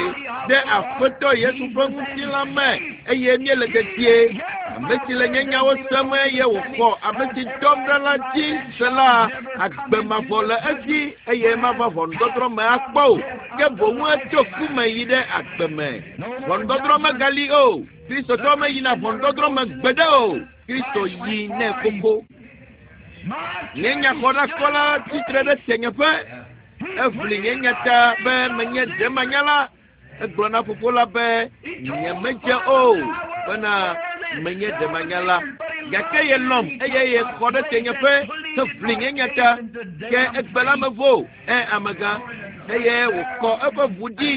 ɖe Aƒetɔ Yesu ƒe ŋutilã me eye míele dedie. Ame si le nye nyawo sem eye wòxɔ ame si dɔm ɖa la dzi se la, agbe mavɔ le esi eye mava ʋɔnudɔdrɔ̃ me akpɔ o, ke boŋ etso ku me yi ɖe agbe me. Ʋɔnudɔdrɔ̃ megali o. Kristotɔ meyina ʋɔnudɔdrɔ̃ me gbeɖe o. Kristo yi nɛ xoxo. Nye nyaxɔɖakɔla tsitre ɖe tenyeƒe. Eʋli nye nya ta be menye ɖemanyala. Egblɔ na fofo la be nyemedze o bena menye ɖemanyala. Gake yelɔ̃m eye yexɔ ɖe tenyeƒe heʋli nye nya ta. Ke egbe la mevo ɛ amegã eye wòkɔ eƒe ʋu ɖi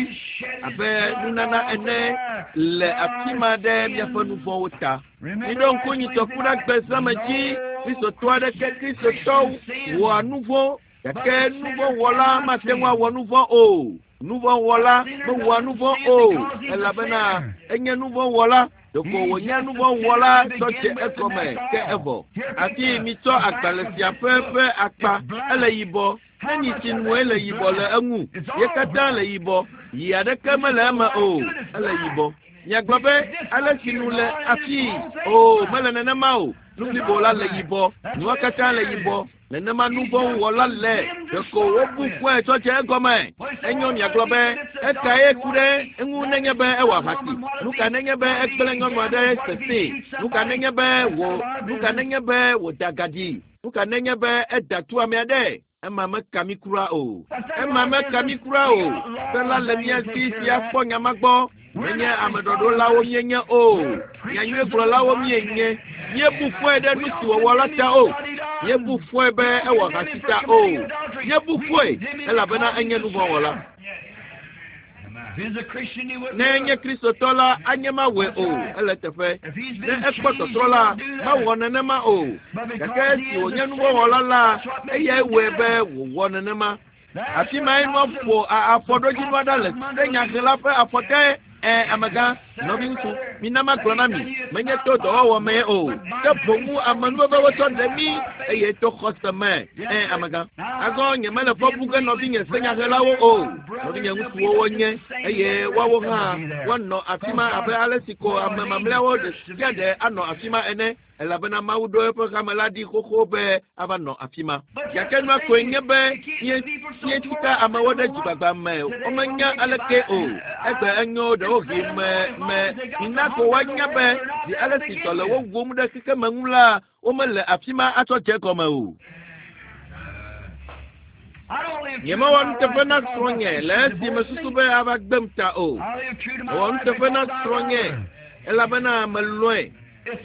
abe nunana ene le afi ma ɖe míaƒe nu vɔ̃wo ta. Miɖo ŋku nyitɔku ɖe agbe zã me dzi. Kristotɔ aɖeke Kristotɔ wɔa nu vɔ̃ gake nu vɔ̃ wɔla mate ŋu awɔ nu vɔ̃ o. Nuvɔ̃wɔla mewɔa nuvɔ̃ o elabena enye nuvɔ̃wɔla. Ɖeko wònye nuvɔ̃wɔla tsɔ dze egɔme ke evɔ. Afi mitsɔ agbalẽ sia ƒe akpa ele yibɔ. Ne nyitsi nue le yibɔ le eŋu. Ye katã le yibɔ. Yi aɖeke mele eme o. Ele yibɔ. Miagblɔ be ale si nu le afii. O, mele nenema o. Nu blibo la le yibɔ. Nua katã le yibɔ. Nenema nuvɔ̃wɔla le. Ɖeko wobu fɔe tsɔ dze egɔme. Enyo miagblɔ be ekae ku ɖe eŋu nenye be ewɔ ahasi. Nu ka nenye be egblẽ nyɔnu aɖe sesẽ. Nu ka nenye be wò nu ka nenye be wòda gaɖi. Nu ka nenye be eda tu ame aɖe. Ema meka mi kura o. Ema meka mi kura o. Se la le mía si si akpɔ nya ma gbɔ. Menye ameɖɔɖolawo míenye o. Nyanyuiegblɔlawo míenye. Míebu fɔe ɖe nu si wòwɔ la ta o. Míebu fɔe be ewɔ ahasi ta o. Míebu fɔe elabena enye nuvɔ̃wɔla. Ne enye Kristotɔ la, anye mawɔe o. Ele teƒe. Ne ekpɔ tɔtrɔ la, mawɔ nenema o. Gake esi wònye nuvɔ̃wɔla la, eyae wɔe be wòwɔ nenema. Afi mae nua ƒo afɔɖodzinua ɖa le senyahela ƒe afɔ te. Ẽ, amegã, nɔviŋutsu, mina magblɔ na mi, menye to dɔwɔwɔ mee o, ke boŋ amenuveve wotsɔ ɖe mí eye to xɔse me. Ẽ, amegã. Azɔ nyemele fɔ bu ge nɔvinye senyahelawo o. Nɔvinye ŋutsuwo wonye eye woawo hã woanɔ afi ma abe ale si ko ame mamlɛawo ɖe sia ɖe anɔ afi ma ene. Elabena Mawu ɖo eƒe hame la ɖi xoxo be ava nɔ afi ma. Gake nua koe nye be míetsika amewo ɖe dzigbagba me womenya aleke o. Egbe enyo ɖewohĩ me me mina ko woanya be zi ale si dɔ le wo wum ɖe xexeme ŋu la, womele afi ma atsɔ dze gɔme o. Nyemewɔ nuteƒe na srɔ̃nye le esi mesusu be ava gbem ta o. Mewɔ nuteƒe na srɔ̃nye elabena melɔ̃e.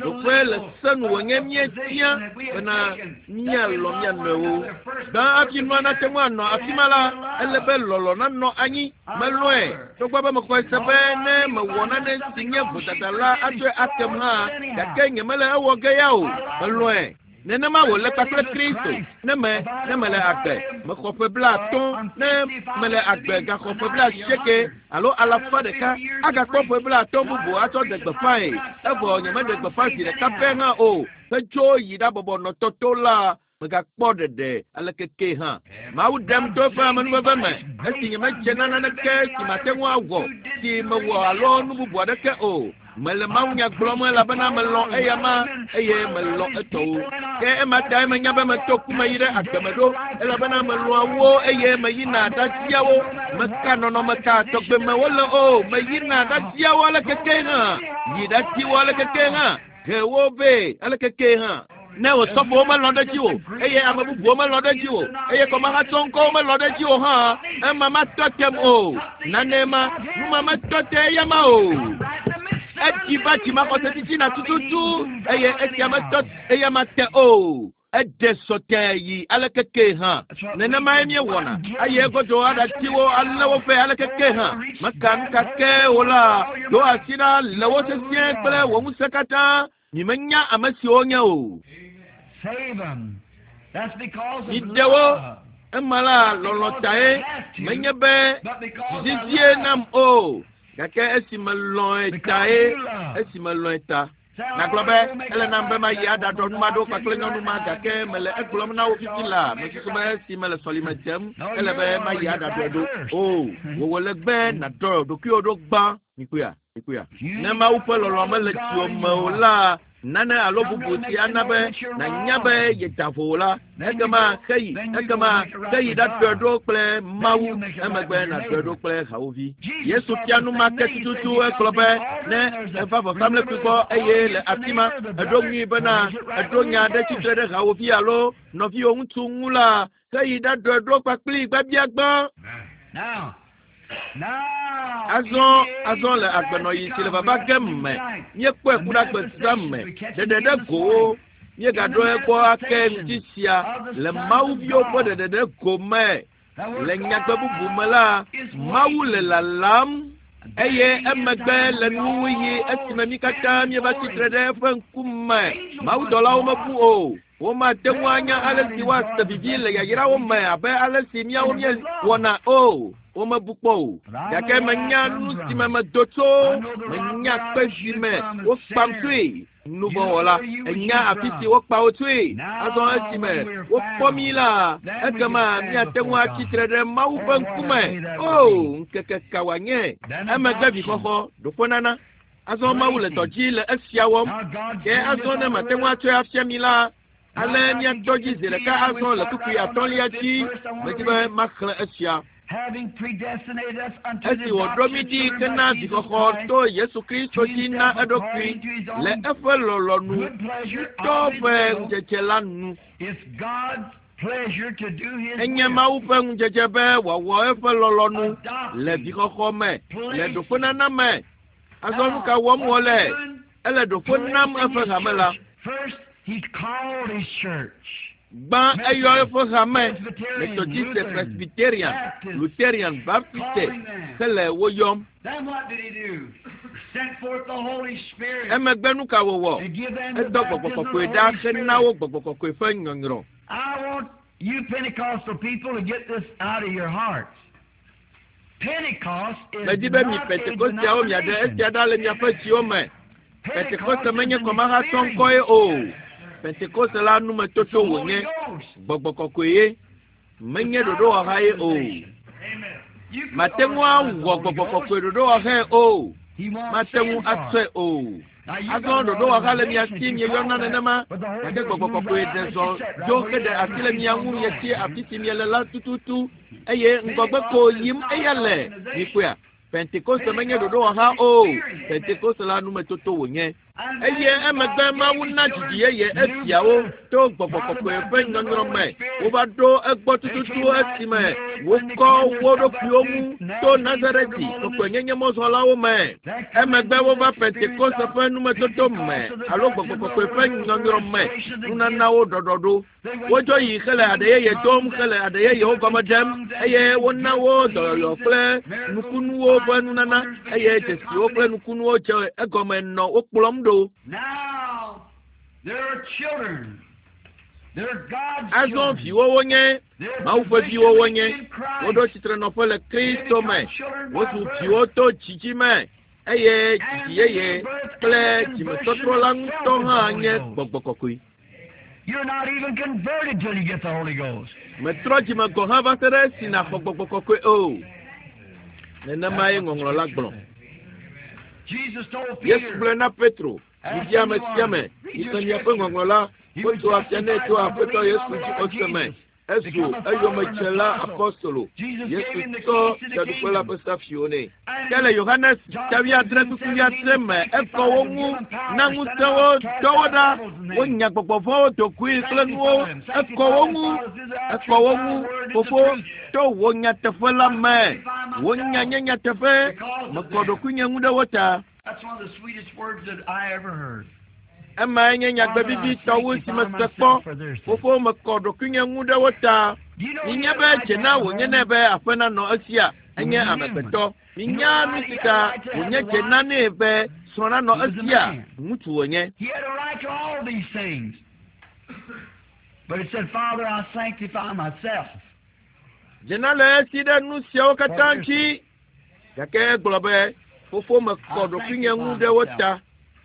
Ɖoƒe le se nu wònye míetia bena míalɔ̃ mía nɔewo. Gbã hafi nua nate ŋu anɔ afi ma la, ele be lɔlɔ̃ nanɔ anyi. Melɔ̃e togbɔ be mexɔe se be ne mewɔ nane si nye vodada la atsɔe akem hã, gake nyemele ewɔ ge ya o. Melɔ̃e. Nenema wòle kpakple Kristo. Ne me, ne mele agbe, mexɔ ƒe 50, ne mele agbe gaxɔ ƒe 80 alo 100, agakpɔ ƒe 50 bubu atsɔ ɖe gbeƒãe. Evɔ nyemeɖe gbeƒã zi ɖeka pɛ hã o. Hetso yi ɖabɔbɔ nɔ tɔto la, megakpɔ ɖeɖe aleke ke hã. Mawu ɖem to eƒe amenuveve me esi nyemedze na naneke si mate ŋu awɔ, si mewɔ alo nu bubu aɖeke o. Mele mawunya gblɔm elabena melɔ̃ eyama eye melɔ̃ etɔwo. Ke ema tae menya be meto ku me yi ɖe agbe me ɖo elabena melɔ̃a wo eye meyina ɖatia wo. Meka nɔnɔme ka tɔgbe me wole o, meyina ɖatia wo aleke ke hã, yi ɖati wo aleke ke hã, he wo vɛ aleke ke hã. Ne wòsɔfowo melɔ̃ ɖe dzi o eye ame bubuwo melɔ̃ ɖe dzi o eye kɔmahatsɔŋkɔwo melɔ̃ ɖe dzi o hã, ema matɔ tem o. Nane ma, nu ma metɔ te eyama o. Edzi va dzimaxɔse titina tututu eye esia metɔ eyama te o. Eɖe sɔte yi aleke ke hã. Nenemae míewɔna eye egodo aɖatiwo alé woƒe aleke ke hã. Meka nu ka ke o la, do asi ɖa le wo sesĩe kple wò ŋusẽ katã. Mímenya ame siwo nye o. Miɖe wo. Ema la lɔlɔ̃ tae menye be dzidzie nam o. Gake esi melɔ̃e tae, esi melɔ̃e ta. Nagblɔ be ele nam be mayi aɖaɖɔ nu ma ɖo kpakple nyɔnu ma gake mele egblɔm na wo fifi la mesusu be esi mele sɔlime dem ele be mayi aɖaɖɔe ɖo. O, wòwɔ legbe nàɖɔ ɖokuiwò ɖo gbã. Mikpɔea? Mikpɔea? Ne Mawu ƒe lɔlɔ̃ mele dziwò me o la, nane alo bubu si ana be nànya be yeda vo o la, ekema xeyi, ekema xeyi ɖaɖɔe ɖo kple Mawu, emegbe nàɖɔe ɖo kple hawòvi. Yesu fia nu ma ke tututu egblɔ be ne eva vɔsamlekpui gbɔ eye le afi ma eɖo ŋui bena eɖo nya ɖe tsitre ɖe hawòvi alo nɔviwò ŋutsu ŋu la, xeyi ɖaɖɔe ɖo kpakpli gbabiagbã. Azɔ le agbenɔɣi si le vava ge me, míekpɔe ku ɖe agbezã me, ɖeɖe ɖe gowo, míegaɖo egbɔ ake ŋuti sia le Mawuviwo ƒe ɖeɖe ɖe go me. Le nyagbe bubu me la, Mawu le lalam eye emegbe le nuwuɣi esime mí katã míeva tsitre ɖe eƒe ŋkume. Mawudɔlawo mebu o. Womate ŋu anya ale si woase vivi le yayrawo me abe ale si míawo míewɔna o. Womebu kpɔ o. Gake menya nu si me medo tso, menya kpe si me wokpam tsoe. Nuvɔ̃wɔla, ènya afi si wokpa wo tsoe. Azɔ esime wokpɔ mí la, ekema míate ŋu atsi tre ɖe Mawu ƒe ŋkume. O, ŋkeke ka wòanye! Emegbe vixɔxɔ, ɖoƒenana. Azɔ Mawu le dɔ dzi le esia wɔm. Ke azɔ ne mate ŋu atsɔe afia mi la, ale míatɔ dzi zi ɖeka azɔ le kpukpui atɔ̃lia dzi. Medi be maxlẽ esia. Esi wòɖo mí ɖi hena vixɔxɔ to Yesu Kristo dzi na eɖokui le eƒe lɔlɔ̃nu ŋutɔ ƒe ŋudzedze la nu. Enye Mawu ƒe ŋudzedze be wòawɔ eƒe lɔlɔ̃nu le vixɔxɔ me, le ɖoƒenana me. Azɔ nu ka wɔm wòle? Ele ɖoƒe nam eƒe hame la. Gbã eyɔ eƒe hame, Methodiste, Presbyterian, Lutheran, Baptiste, hele wo yɔm. Emegbe nu ka wòwɔ? Edɔ gbɔgbɔ kɔkɔe ɖa hena wo gbɔgbɔ kɔkɔe ƒe nyɔnyrɔ. You Pentecostal people to get this out of your hearts. Pentecost is Medi be mi not a Pentekosteawo miaɖe denomination. esia ɖa le miaƒe dziwo me. Pentecost Pentekoste is menye an kɔmahatsɔ ŋkɔe experience. o. Pentekoste la numetoto It's the Holy wònye. Ghost. Gbɔgbɔ kɔkɔe ye. Menye It's not ɖoɖowɔha ye o. organization. You can Mate ŋu organize the awɔ Holy gbɔgbɔ Ghost. kɔkɔe ɖoɖowɔhae o. He won't Mate ŋu stand for atsɔe it. o. Now you Azɔ got an ɖoɖowɔha le mia organization si that you mieyɔna call that, nenema. but the Holy Gake Ghost gbɔgbɔ moves kɔkɔe right out ɖe and zɔ lets you sit right dzo where heɖe you are. asi le You mia keep ŋu on mietsi going. afi si miele la tututu eye ŋgɔgbe ko yim eya le. Mikpɔea? Pentekoste menye ɖoɖowɔha o. Pentekoste la numetoto wònye. And Eye then emegbe God Mawu gave his na dzidzi children yeye new esiawo birth to gbɔgbɔ by the kɔkɔe ƒe baptism of the nyɔnyrɔ Holy me. Spirit. Wova ɖo egbɔ They tututu came right esime near it when they wokɔ cleansed wo themselves up ɖokuiwo to ŋu to Nazarene, Nazareti Pergamum, and kɔkɔenyenye mɔzɔlawo me. that come Emegbe into wova the experience Pentekoste of ƒe numetoto me Pentecost of the alo baptism gbɔgbɔ of the kɔkɔe ƒe Holy Ghost, the nyɔnyrɔ me restoration of the gifts. nunanawo ɖɔɖɔɖo. They went Wodzo forth yi hele speaking aɖe yeye in dom tongues hele and aɖe yeyewo gɔme interpreting ɖem tongues and eye giving wona gifts wo of dɔyɔyɔ healings kple and miracles and nukunuwo ƒe signs and nunana wonders eye began to dzesiwo kple accompany. nukunuwo dze egɔme nɔ wo kplɔm ɖo. Now they're children. They're God's Azɔ children. viwo wonye, They're Mawu ƒe viwo positioned wonye. in Woɖo Christ. tsitrenɔƒe le They Kristo become me. children by Wozu birth. viwo to dzidzi me eye And dzidzi the yeye new birth kple and the conversion dzimetɔtrɔ la itself ŋutɔ is the hã Holy nye Ghost. gbɔgbɔ kɔkɔe. You're not even converted till you get the Holy Ghost. Metrɔ dzime gɔ̃ hã va se ɖe esi nàxɔ gbɔgbɔ kɔkɔe o. Nenemae That's what the ŋɔŋlɔ la scripture gblɔ. says. Jesus told Yesu Peter, gblɔe na Petro, ask midia ame sia anyone, ame, read yi your xlẽ miaƒe scripture. ŋɔŋlɔ la, He was wotso afia nɛ justified tso by Aƒetɔ believing Yesu on the dzi Lord ose me. Jesus. Ezu Become a follower and eyomedzela apostle. apostolo. Jesus Yesu gave him the tsɔ keys to the fiaɖuƒe la kingdom. ƒe safiwo nɛ. And Ke le Yohanes John ta wuiadre 14, kpukpui 17 wuiadre and me, ekɔ 65 wo and ŋu, give them power na to send ŋusẽ them wo, out, cast dɔ wo out ɖa, devils in name. wonya gbɔgbɔ vɔ̃wo dogoe kple nuwo, Sanctify them. ekɔ Sanctify wo them, ŋu, Father, through thy ekɔ truth. wo Thy ŋu, word is the fofo, truth. to wò nyateƒe la I me. sanctify Wò nya myself nye nyateƒe, because of mekɔ them. ɖokuinye ŋu ɖe wo ta. That's one of the sweetest words that I ever heard. Emae nye nyagbe Father, I vivitɔ wu si sanctify mese myself kpɔ. for their sake. Fofo, mekɔ ɖokuinye ŋu ɖe wo ta. Do you know he Minya had a be right dze to na have a wònye home? nɛ be aƒe nanɔ esia, He enye was human. amegbetɔ. You know Minya the nu right, si he had ta a right to have wònye a dze na wife. nɛ be srɔ̃ nanɔ He was a esia, man. ŋutsu wònye. He had a right to all these things. But he said, Father, I sanctify myself Dze na le esi ɖe nu siawo for katã their ŋuti. sake. Gake egblɔ be, fofo mekɔ I ɖokuinye ŋu sanctify ɖe wo myself. ta.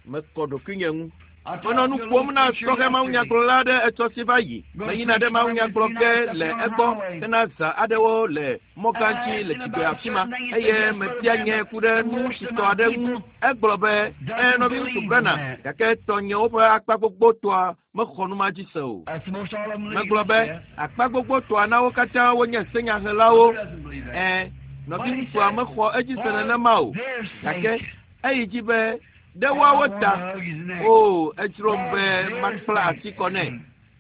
Mekɔ ɖokuinye ŋu. I Menɔ talked nu to a ƒom little na preacher sɔhɛ yesterday. mawunyagblɔla aɖe etsɔ si va yi. Going to Meyina ɖe preach for him mawunyagblɔ Wednesday ge night up le on the egbɔ highway. hena zã aɖewo le mɔgã And I dzi asked le him dzigbe about a afi ma certain thing. He said, eye Yes, Brother mebia Branham, nye but ku ɖe the nu most si of tɔ my aɖe ŋu. people Egblɔ be, "Ɛ, doesn't nɔviŋutsu believe in Branham, that. gake tɔnyewo ƒe akpa gbogbotɔa mexɔ nu ma dzi se o." That's the most all of them Megblɔ legalists, be, yes. akpa gbogbotɔa na wo katã wonye senyahelawo. Who doesn't believe that? Ɛ, But he nɔviŋutsua said, mexɔ edzi se for nenema o. their Gake sake, eyi dzi be ɖe and I woawo want to ta hug his neck. o edzrom For be their makpla sake, asi kɔ nɛ.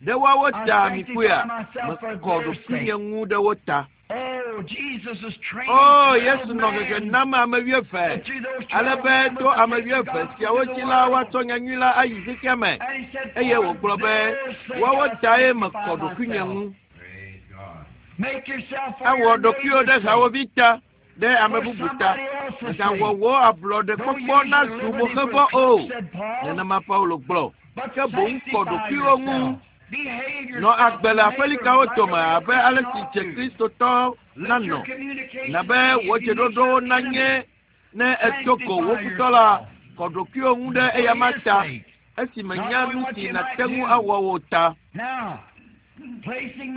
Ɖe woawo I ta mikpɔea, sanctify myself for mekɔ their ɖokuinye sake. ŋu ɖe wo ta. Oh, Jesus was training O 12 Yesu nɔ hehe men, nam ame wuieve and through those ale 12 be men to was to ame take the wuieve gospel siawo to the dzi la world. woatsɔ nyanyui la ayi xexea me. And he said, Eye For wògblɔ be their sake woawo I tae sanctify mekɔ ɖokuinye myself. ŋu. Praise God. Make yourself for Ewɔ your ɖokuiwò neighbor's ɖe sake, hawovi ta, ɖe ame for bubu ta. somebody else's Mègawɔ sake. wò ablɔɖe Don't kpɔkpɔ use your nazu liberty for moxevɔ a o. crutch, said Paul, Nenema Paulo gblɔ. but Ke boŋ kɔ sanctify ɖokuiwò ŋu yourself. Nɔ agbe le aƒelikawo dome abe ale si dze Kristotɔ nanɔ. Na be wò dzeɖoɖowo nanye ne èdo go wò futɔ la, kɔ ɖokuiwò ŋu ɖe eyama ta esi menya nu si nàte ŋu awɔ wò ta.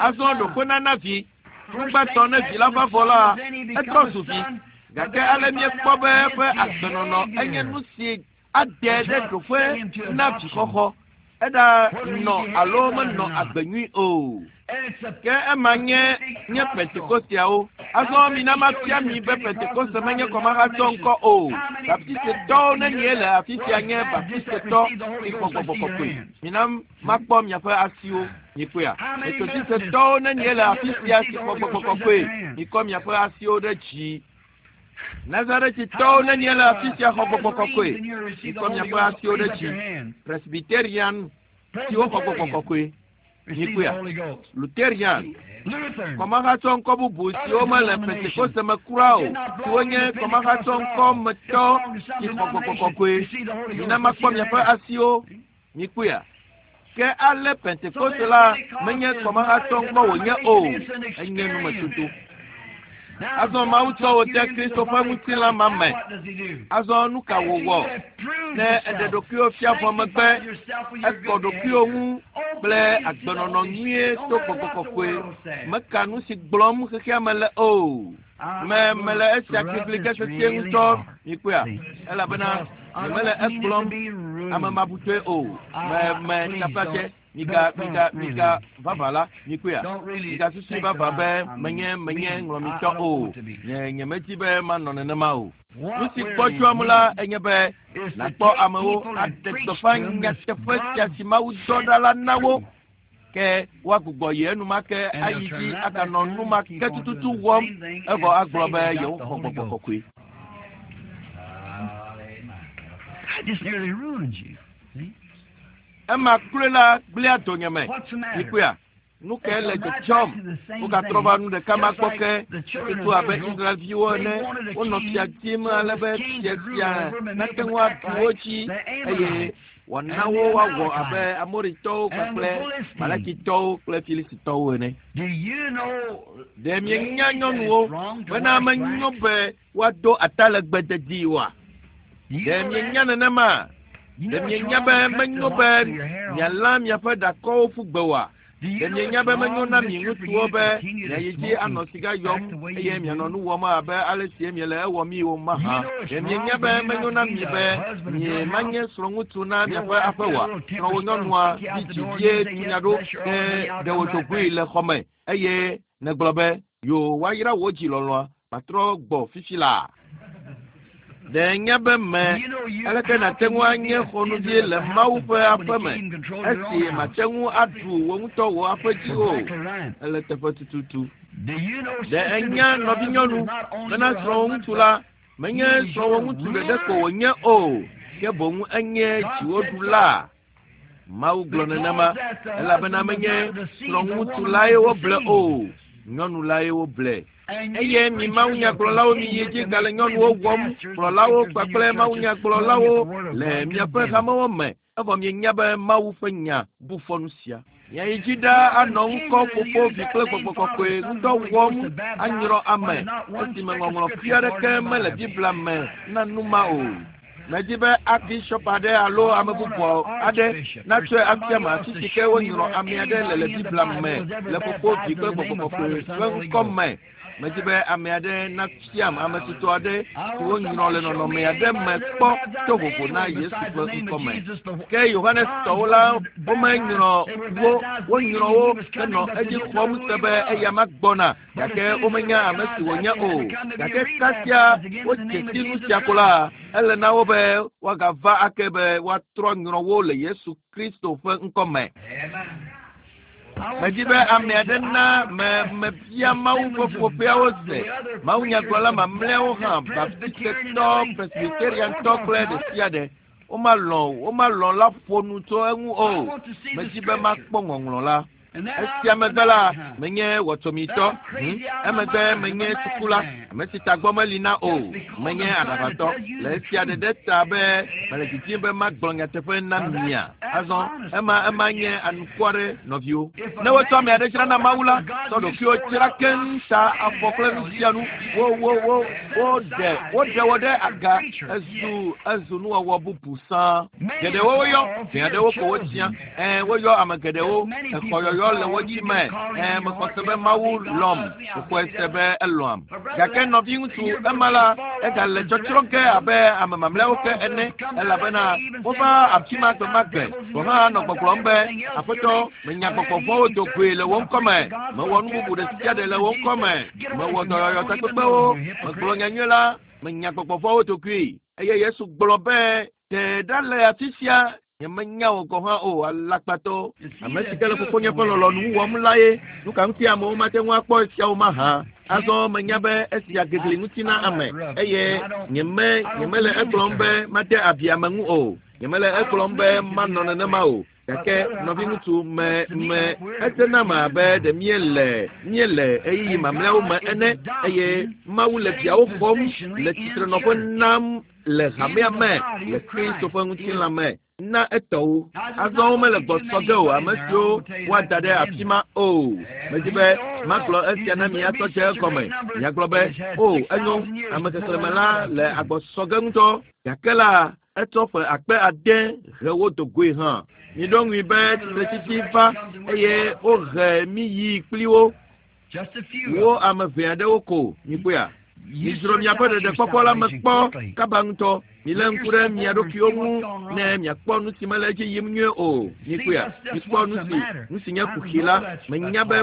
Azɔ ɖoƒe nana vi. Nugbãtɔ ne vi la va vɔ la, etrɔ zu vi. Gake ale míekpɔ be eƒe agbenɔnɔ enye nu si ade ɖe ɖoƒe na vixɔxɔ. Eɖa nɔ alo menɔ agbe nyui o. Ke ema nye nye Pentekosteawo. Azɔ mina mafia mi be Pentekoste menye kɔmahatsɔ ŋkɔ o. Baptistetɔwo nenie le afi sia nye Baptistetɔ si xɔ gbɔgbɔ kɔkɔe. Mina makpɔ miaƒe asiwo. Mikpɔea? Metodistetɔwo nenie le afi sia si xɔ gbɔgbɔ kɔkɔe. Mikɔ miaƒe asiwo ɖe dzi. Nazaretitɔwo nenie le afi sia xɔ gbɔgbɔ kɔkɔe. Mikɔ miaƒe asiwo ɖe dzi. Presbyterian siwo xɔ gbɔgbɔ kɔkɔe. Mikpɔea? Lutherian kɔmahatsɔ ŋkɔ bubu siwo mele Pentekoste me kura o, siwo nye kɔmahatsɔ ŋkɔ metɔ si xɔ gbɔgbɔ kɔkɔe. Mina makpɔ miaƒe asiwo. Mikpɔea? Ke ale Pentekoste la menye kɔmahatsɔ ŋkɔ wònye o, enye numetoto. Azɔ Mawu tsɔ wò de Kristo ƒe ŋutilã ma me. Azɔ nu ka wòwɔ? Ne eɖe ɖokuiwò fia vɔ megbe, ekɔ ɖokuiwò ŋu kple agbenɔnɔ nyuie to gbɔgbɔ kɔkɔe. Meka nu si gblɔm xexea me le o. Me mele esia kplikpli ke sesĩe ŋutɔ. Mikpɔea? Elabena nyemele egblɔm ame mabutɔe o. Me me taflatse miga miga miga vava la mikpɔea migasusui vava be menye menye ŋlɔmitɔ o. Nye nyemedi be manɔ nenema o. Nu si gbɔdzɔam la enye be nàkpɔ amewo aɖe gbeƒã nyateƒe sia si Mawu dɔ ɖa la na wo. Ke woagbugbɔ yi enumake ayi dzi aganɔ nu ma ke tututu wɔm evɔ agblɔ be yewoxɔ gbɔgbɔ kɔkɔe. That just nearly ruins you. See? Ema kloe la gblẽa donyeme. What's the matter? Mikpɔea? Nu kae le dzɔdzɔm? Wogatrɔ va nu ɖeka ma gbɔ ke tutu abe Israelviwo ene. Wonɔ fia dim ale be fia sia nate ŋu aɖu wo dzi eye wòana wo woawɔ abe Amoritɔwo kpakple Malakitɔwo kple Filistitɔwo ene. Do you know Ɖe mienya nyɔnuwo bena menyo be woado atalegbe dedie oa? Do you Ɖe know mienya that? nenema? You Ɖe know it's mienya be wrong to cut menyo the be locks of your hair off? mialã miaƒe ɖakɔwo ƒu gbe oa? Do you Ɖe know mienya it's be menyo wrong, na mi mister, for ŋutsuwo you to be continue to miayi dzi smoke anɔ and siga act yɔm the way eye you mianɔ do? nu wɔm abe ale si miele ewɔm yi o mahã? You know it's Ɖe mienya wrong be for you menyo not na to be mi the be husband of mie your manye house? srɔ̃ŋutsu na Your miaƒe wife aƒe get a oa? little temper Srɔ̃wò storm, nyɔnua kick you out vi the dzi door, and vie you say, tunya Yes, ɖo bless your ke heart, honey, I'll ɖe come wò right dzogoe back. le xɔ me eye nègblɔ be yo woayra wò dzi lɔlɔ̃a matrɔ gbɔ fifi laa. Ɖe nya be me Do you know you aleke how nàte can ŋu you be anye a xɔnuvi tender of le the house Mawu of ƒe God when aƒe you me can't even control your esi own house? màte ŋu aɖu wò ŋutɔ wò aƒe dzi o? Exactly right. Ele teƒe tututu. Do you know, Ɖe sister, that enya your husband nɔvinyɔnu is not only bena your srɔ̃wò husband, ŋutsu but la menye he is srɔ̃wò your ŋutsu ɖeɖe ko ruler? wònye o, ke boŋ enye God said so. dziwòɖula. Mawu gblɔ nenema Because that the elabena husband was menye not deceived, the srɔ̃ŋutsu woman lae was woble deceived. o, nyɔnu lae woble. And you Eye mi preachers will mawunyagblɔlawo miyi continue dzi to gale make nyɔnuwo women wɔm, pastors and kplɔlawo preachers in your kpakple churches, knowing that mawunyagblɔlawo the Word of le God miaƒe condemns it. hamewo me evɔ mienya be Mawu ƒe nya bu fɔ nu sia. Miayi dzi ɖaa You anɔ ŋkɔ continue to fofo use vi that kple name, gbɔgbɔ Father, kɔkɔe Son, and ŋudɔ Holy Ghost wɔm to baptize anyrɔ when ame there's not one esime speck of ŋɔŋlɔ scripture fi for it aɖeke in the mele Bible. Biblia me na nu ma o. Medi be archbishop aɖe alo I ame want bubu an aɖe archbishop or natsɔe afia somebody me else afi to si ke show me wonyrɔ where ame aɖe le le anybody in the Biblia Bible me was ever le fofo vi baptized kple in the gbɔgbɔ name of kɔkɔe Father, Son, ƒe and Holy ŋkɔ Ghost. me. Medi be ame aɖe nafiam ame tutu aɖe I si want wonyrɔ somebody le to show nɔnɔme me aɖe anybody me that's ever kpɔ baptized to vovo na anywhere Yesu besides ƒe the name ŋkɔ of me. Jesus. The Ke Yohanes John's tɔwo la wasn't baptized. womenyrɔ They were wo baptized wonyrɔ believing he wo was henɔ coming, but they edzi didn't xɔm know who se he be was. eyama gbɔna But as gake soon as they womenya ame si recognized that, wònye they had o. to come to be Gake kasia rebaptized again in the wodze name of si nu Jesus sia ko Christ. la, ele na wo be woagava ake be woatrɔ nyrɔ wo le Yesu Kristo ƒe ŋkɔ me. Amen. I want Medi be ame somebody aɖe to, na I me ask mebia the Mawu ƒe Assemblies of ƒoƒeawo God, se. the other preachers, Mawunyagblɔla the mamlɛawo hã, Baptist, Presbyterian, and Baptistetɔ, everything, they won't, they won't Presbyteriantɔ talk kple about ɖe it. sia ɖe. Womalɔ̃ womalɔ̃ la ƒo nu tso eŋu I o. want to see the Medi be scripture. makpɔ ŋɔŋlɔ la. And then I'm Esia a megbe la, fanatic, huh? menye Then wɔtsɔmitɔ. I'm crazy out of my Emegbe mind. I'm a menye sukula. madman. Ame si tagbɔ meli na o. Just because Menye I'm trying to aɖaʋatɔ. tell you Le the esia truth. ɖeɖe ta be mele didim be magblɔ nyateƒe na Now mia. that's Azɔ ema nye anukware nɔviwo. Ne wotsɔ ame aɖe dzra na Mawu la, tsɔ ɖokuiwo dzra keŋ ta afɔ kple nu sia nu. Woɖe wo ɖe aga ezu nuwɔwɔ bubu sãa. Geɖewo woyɔ, ʋɛ aɖewo ko wotia. Woyɔ ame geɖewo, exɔyɔyɔ le wo dzi me. Mexɔ se be Mawu lɔ̃m, mexɔe se be elɔ̃am. Gake nɔviŋutsu ema la, egale tsɔtsrɔ̃ ge abe ame mamlɛawo ke ene, elabena wova afi ma gbe ma gbe. Gɔ̃ hã nɔ gbɔgblɔm be, Aƒetɔ, menya gbɔgbɔ vɔ̃wo do goe le wò ŋkɔ me, mewɔ nu bubu ɖe sia ɖe le wò ŋkɔ me, mewɔ dɔyɔyɔ takpekpewo, megblɔ nyanyui la, menya gbɔgbɔ vɔ̃wo do goe. Eye Yesu gblɔ be, Te ɖa le afi sia, nyemenya wò gɔ̃ hã o, alakpatɔ. Ame si ke le fofonye ƒe lɔlɔ̃nu wɔm la ye. Nu ka ŋuti amewo mate ŋu akpɔ esiawo mahã? Azɔ menya be esia gegli ŋuti na ame, eye nyemele egblɔm be mate abi ame ŋu o. Nyemele egblɔm be manɔ nenema o. Gake nɔviŋutsu me ete nam abe ɖe míele ɣeyiɣi mamlɛawo me ene, eye Mawu le viawo xɔm le tsitrenɔƒe nam le hamea me le Kristo ƒe ŋutilã me na etɔwo. Azɔ womele gbɔsɔ ge o, ame siwo woada ɖe afi ma o. Medi be magblɔ esia na mi atsɔ dze egɔme. Miagblɔ be, o, enyo, ame xexlẽme la le agbɔsɔ ge ŋutɔ. Gake la, etsɔ ƒe akpe ade he wo do goe hã. Miɖo ŋui be tsitretsitsi va eye wohe mi yi kpli wo. Wo ame ʋɛ aɖewo ko, mikpɔea? Midzro miaƒe ɖeɖekpɔkpɔ la me kpɔ kaba ŋutɔ. Milé ŋku ɖe mia ɖokuiwo ŋu ne miakpɔ nu si mele edzi yim nyuie o. Mikpɔea? Mikpɔ nu si nye kuxi la. Menya be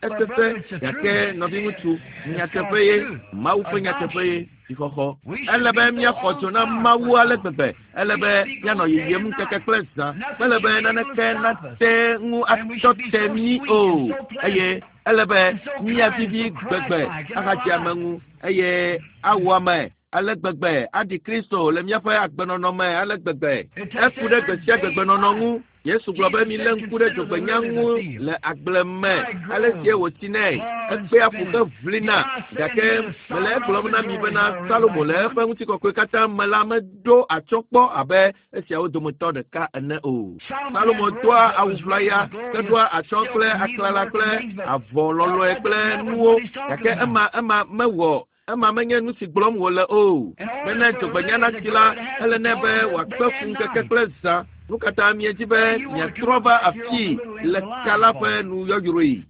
esesẽ, gake nɔviŋutsu, nyateƒe ye, Mawu ƒe nyateƒe ye. Dzixɔxɔ. Ele be míaxɔ dzo na Mawu ale gbegbe. Ele be míanɔ yiyim ŋkeke kple zã. Mele be naneke nate ŋu atɔ te mí o. Eye ele be míavivi gbegbe ahadze ame ŋu eye awɔ ame ale gbegbe aɖi Kristo le míaƒe agbenɔnɔ me ale gbegbe. Eku ɖe gbe sia gbegbenɔnɔ ŋu. Yesu gblɔ be milé ŋku ɖe dzogbenya ŋu le agble me ale sie wòtsinɛ. Ekpea ƒu ke ʋlina. Gake mele egblɔm na mi bena Salomo le eƒe ŋutikɔkɔe katã me la meɖo atsyɔ̃ kpɔ abe esiawo dometɔ ɖeka ene o. Salomo doa awu ʋlaya, ke ɖoa atsyɔ̃ kple aklala kple avɔ lɔlɔe kple nuwo. Gake ema mewɔ. Ema menye nu si gblɔm wòle o. Bene dzogbenya natsi la, ele nɛ be wòakpe fu ŋkeke kple zã. Nu katã miedzi be miatrɔ va afii le ka la ƒe nu yɔyrɔe.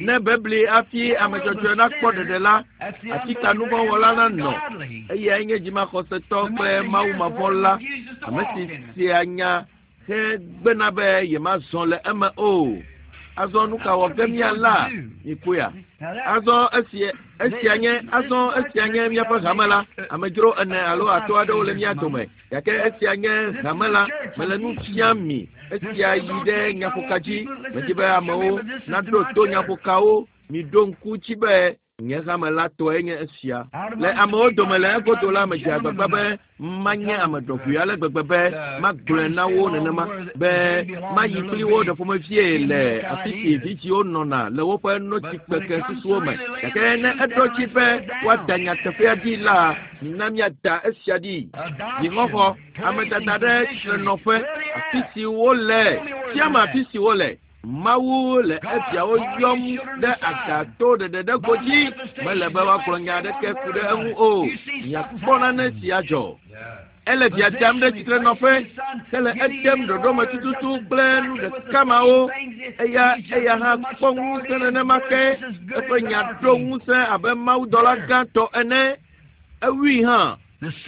Ne bebli hafi ame dzɔdzɔe nakpɔ ɖeɖe la, afi ka nuvɔ̃wɔla nanɔ? Eyae nye dzimaxɔsetɔ kple mawumavɔ̃la, ame si sea nya hegbena be yemazɔ le eme o. Azɔ nu ka wɔ ge míala? Mikpɔea? Azɔ esia nye míaƒe hame la. Amedzro ene alo atɔ̃ aɖewo le mía dome. Gake esia nye hame la. Mele nu fiam mi. Esia yi ɖe nyaƒoka dzi. Medi be amewo naɖo to nyaƒokawo. Miɖo ŋku dzi be nye hame la tɔe nye esia. Le amewo dome le egodo la, medze agbagba be manye ame ɖɔʋui ale gbegbe be magblɔe na wo nenema be mayi kpli wo ɖe ƒomevie le afi si vidziwo nɔna le woƒe notsikpeke susuwo me. Gake ne eɖo dzi be woada nyateƒea ɖi la, mina míada esia ɖi. Dzixɔxɔ, amedada ɖe tsitrenɔƒe, afi si wole, fiame afi si wole. Mawu le eviawo yɔm ɖe aga to ɖeɖe ɖe godzi. Mele be woagblɔ nya aɖeke ku ɖe eŋu o. Miakpɔ nane si adzɔ. Ele via dam ɖe tsitrenɔƒe, ke le edem ɖoɖome tututu kple nu ɖeka mawo. Eya hã kpɔ ŋusẽ nenema ke. Eƒe nya ɖo ŋusẽ abe mawudɔla gãtɔ ene. Ewui hã.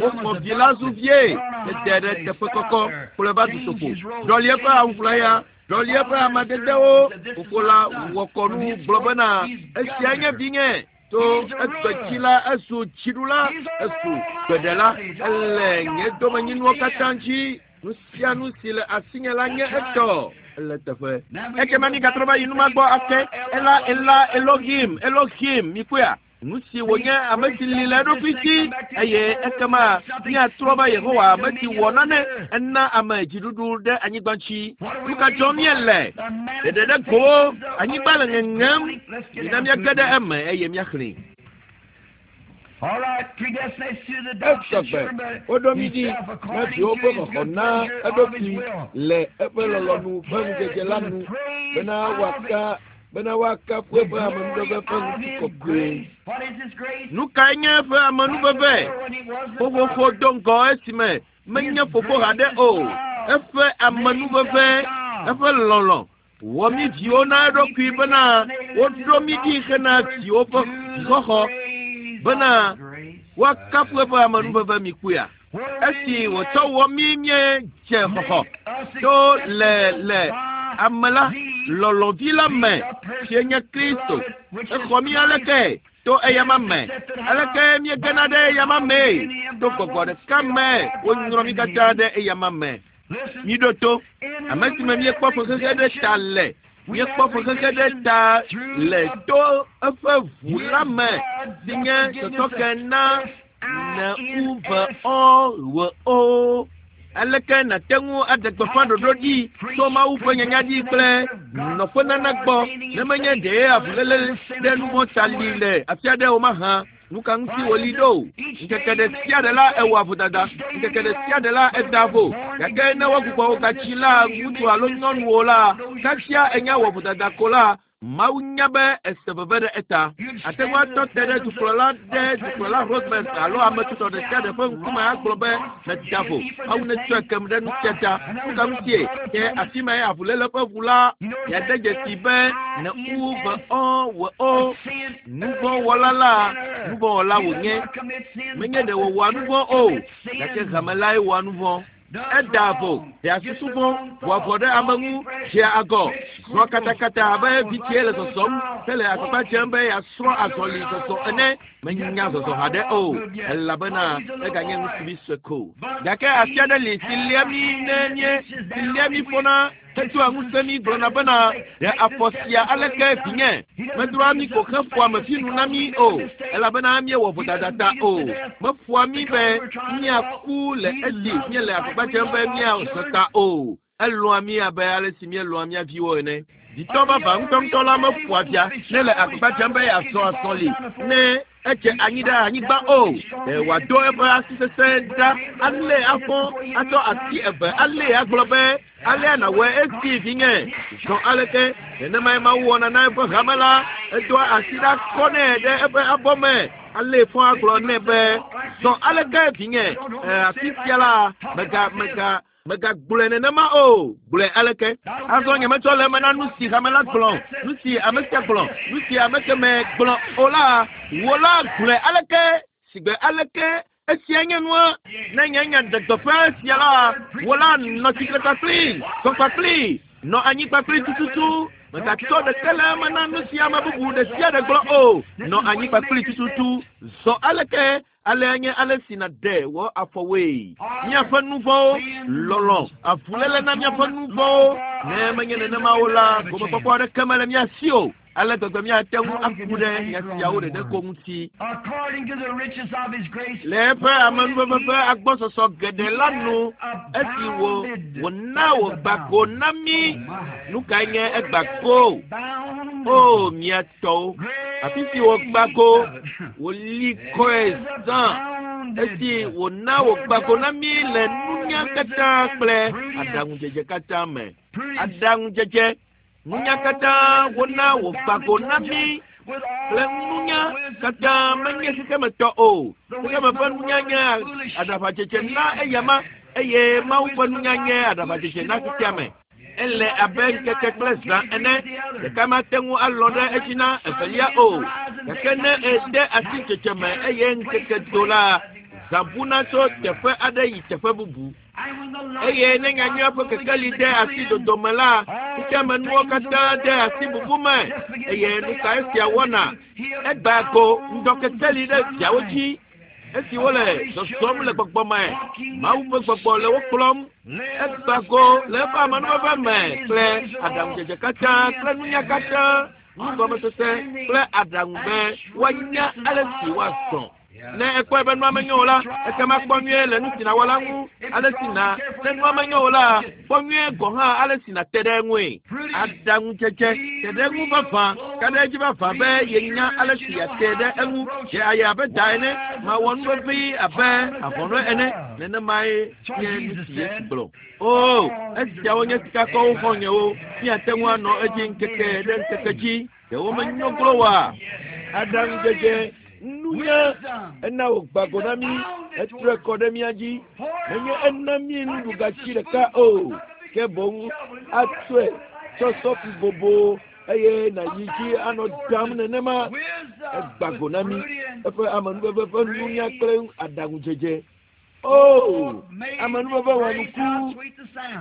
Woxɔ vi la zu vie, ede ɖe teƒe kɔkɔ, kplɔe va dutoƒo. Ɖɔli eƒe awu ʋlaya, ɖɔli eƒe amadedewo. Fofo la wɔ kɔnu gblɔ bena, esia nye vinye. To egbetsi la, ezu dziɖula, ezu gbeɖela. Ele nye domenyinuwo katã dzi. Nu sia nu si le asinye la nye etɔ. Ele teƒe. Ekema migatrɔ va yi numa gbɔ ake. Ela, Elohim, Elohim, mikpɔea? Nu si wònye ame si li le eɖokui dzi, eye ekema míatrɔ va Yehowa ame si wɔ nane ena ame dziɖuɖu ɖe anyigba dzi. Nu ka dzɔm míele? Ɖeɖe ɖe gowo, anyigba le ŋeŋem. Mina míage ɖe eme eye míaxlẽe. Esɔgbe woɖo mí ɖi na viwo ƒe xɔxɔ na eɖokui le eƒe lɔlɔ̃nu ƒe ŋudzedze la nu bena woaka bena woakafu eƒe amenuveve ƒe ŋutikɔkɔe. Nu kae nye eƒe amenuveve? Xoxoxo do ŋgɔ esime menye fofo haɖe o. Eƒe amenuveve, eƒe lɔlɔ̃ wɔ mí viwo na eɖokui bena woɖo mí ɖi hena viwo ƒe vixɔxɔ bena woakafu eƒe amenuveve mi kpuia. Esi wòtsɔ wɔ mí míedze xɔxɔ to le le ame la lɔlɔ̃vi la me si nye Kristo. Exɔ mí aleke to eyama me. Aleke míegena ɖe eyama mee? To gbɔgbɔ ɖeka me wonyrɔ mí katã ɖe eyama me. Míɖo to ame si me míekpɔ fexexe ɖe ta le. Míekpɔ fexexe ɖe ta le to eƒe ʋu la me si nye sɔsɔke na ne u ve ɔ we o. Aleke nàte ŋu aɖe gbeƒã ɖoɖo ɖi tso Mawu ƒe nyanya dzi kple nɔƒenana gbɔ ne menye ɖee avuléle ɖe nu vɔ̃ ta li le afi aɖe o mahã? Nu ka ŋuti wòli ɖo? Ŋkeke ɖe sia ɖe la ewɔa vodada, ŋkeke ɖe sia ɖe la edaa vo. Gake ne wogbugbɔ wò gatsi la ŋutsu alo nyɔnuwo la, kasia enya wɔ vodada ko la, Mawu nya be ese veve ɖe eta. Ate ŋu atɔ te ɖe dukplɔla ɖe dukplɔla Roosevelt alo ame tutɔ ɖe sia ɖe ƒe ŋkume agblɔ be meda vo. Mawu netsɔe kem ɖe nu sia ta. Nu ka ŋutie? Ke afi mae avuléle ƒe ʋu la miade dzesi be ne u ve ɔ we o. Nuvɔ̃wɔla la, nuvɔ̃wɔla wònye. Menye ɖe wòwɔa nuvɔ̃ o, gake hame lae wɔa nuvɔ̃. Edaa vo, ɖea susu vɔ̃, ʋua ʋɔ ɖe ame ŋu, dzea agɔ, zɔa katakata abe vitsie le zɔzɔm hele agbagba dzem be yeasrɔ̃ azɔli zɔzɔ ene. Menya zɔzɔ haɖe o, elabena eganye ŋutsuvi sue ko. Gake asi aɖe li si lia mí ne mí si lia mí fɔna hedoa ŋusẽ mí gblɔna bena, Ɖe afɔ sia aleke vinye? Medroa mí ko heƒoa mefinu na mí o, elabena míewɔ vodada ta o. Meƒoa mí be míaku le esi míele agbagba dzem be míazɔ ta o. Elɔ̃a mí abe ale si míelɔ̃a mía viwo ene. Vitɔ vavã ŋutɔŋutɔ la meƒoa via ne le agbagba dzem be yeazɔ azɔli ne edze anyi ɖe anyigba o. Ɖe wòado eƒe asi sesẽ ɖa alée afɔ, atsɔ asi eve alée agblɔ be, Alea nàwɔe esi vinye, zɔ aleke. Nenemae Mawu wɔna na eƒe hame la. Edoa asi ɖa kɔnɛ ɖe eƒe abɔ me, alée fɔ agblɔ nɛ be, Zɔ aleke vinye, e, afi sia la, mega, mega, Mègagblɔe nenema o. Gblɔe aleke? Azɔ nyemetsɔ le eme na nu si hame la gblɔ, nu si ame sia gblɔ, nu si ame kemɛ gblɔ o la. Wò la gblɔe aleke? Sigbe aleke esia nye nua? Ne nye nya ɖe gbeƒã esia la, wò la nɔ tsitre kpakplii, zɔ kpakplii, nɔ anyi kpakplii tututu. Mègatsɔ ɖeke le eme na nu si ame bubu ɖe sia ɖe gblɔ o. Nɔ anyi kpakplii tututu. Zɔ aleke? Alea nye ale si nàɖe wò afɔwoe. Míaƒe nu vɔ̃wo, lɔlɔ̃, avuléle na míaƒe nu vɔ̃wo. Ne menye nenema o la, gomekpɔkpɔ aɖeke mele mía si o. Ale gbegbe míate ŋu aku ɖe nya siawo ɖeɖe ko ŋuti. Le eƒe amenuveve ƒe agbɔsɔsɔ geɖe la nu, esi wò wòna wògba go na mí. Nu kae nye egba go? O, mía tɔwo. Afi si wògba go, wòli kɔe zã. Esi wòna wògba go na mí le nunya katã kple aɖaŋudzedze katã me. Aɖaŋudzedze, nunya katã wona wògba go na mí kple nunya katã menye xexemetɔ o. Xexeme ƒe nunya nye aɖaʋadzedze na eyama eye Mawu ƒe nunya nye aɖaʋadzedze na xexeame. Ele abe ŋkeke kple zã ene. Ɖeka mate ŋu alɔ̃ ɖe edzi na evelia o. Gake ne ède asi dzedzeme eye ŋkeke do la, zã buna tso teƒe aɖe yi teƒe bubu. Eye ne nyanyuia ƒe kekeli de asi dodome la, xexeamenuwo katã de asi bubu me. Eye nu ka esia wɔna? Egbea go ŋdɔkekeli ɖe viawo dzi. Esi wole zɔzɔm le gbɔgbɔ me, Mawu ƒe gbɔgbɔ le wo kplɔm. Egba go le eƒe amenuveve me kple aɖaŋudzedze katã kple nunya katã, nugɔmesese kple aɖaŋu be woanya ale si woazɔ. Ne ekpɔe be nua menyo o la, ekema kpɔ nyuie le nu si nàwɔ la ŋu, ale si na. Ne nua menyo o la, kpɔ nyuie gɔ̃ hã ale si nàte ɖe eŋue. Aɖaŋudzedze, te ɖe eŋu vavã, ka ɖe edzi vavã be yenya ale si yeate ɖe eŋu. Dze aye abe da ene, mawɔ nu vevi abe avɔnɔe ene. Nenemae nye nu si Yesu gblɔ. O, esiawo nye sikakɔwo xɔ̃nyewo, míate ŋu anɔ edzi ŋkeke ɖe ŋkeke dzi. Ɖe womenyo glo oa? Aɖaŋudzedze, nunya, ena wògba go na mí, etrɔe kɔ ɖe mía dzi. Menye ena mí nuɖugatsi ɖeka o, ke boŋ atsɔe tsɔ sɔfi bobo eye nàyi dzi anɔ dam nenema. Egba go na mí eƒe amenuveve ƒe nunya kple aɖaŋudzedze. O, amenuveve wɔnuku,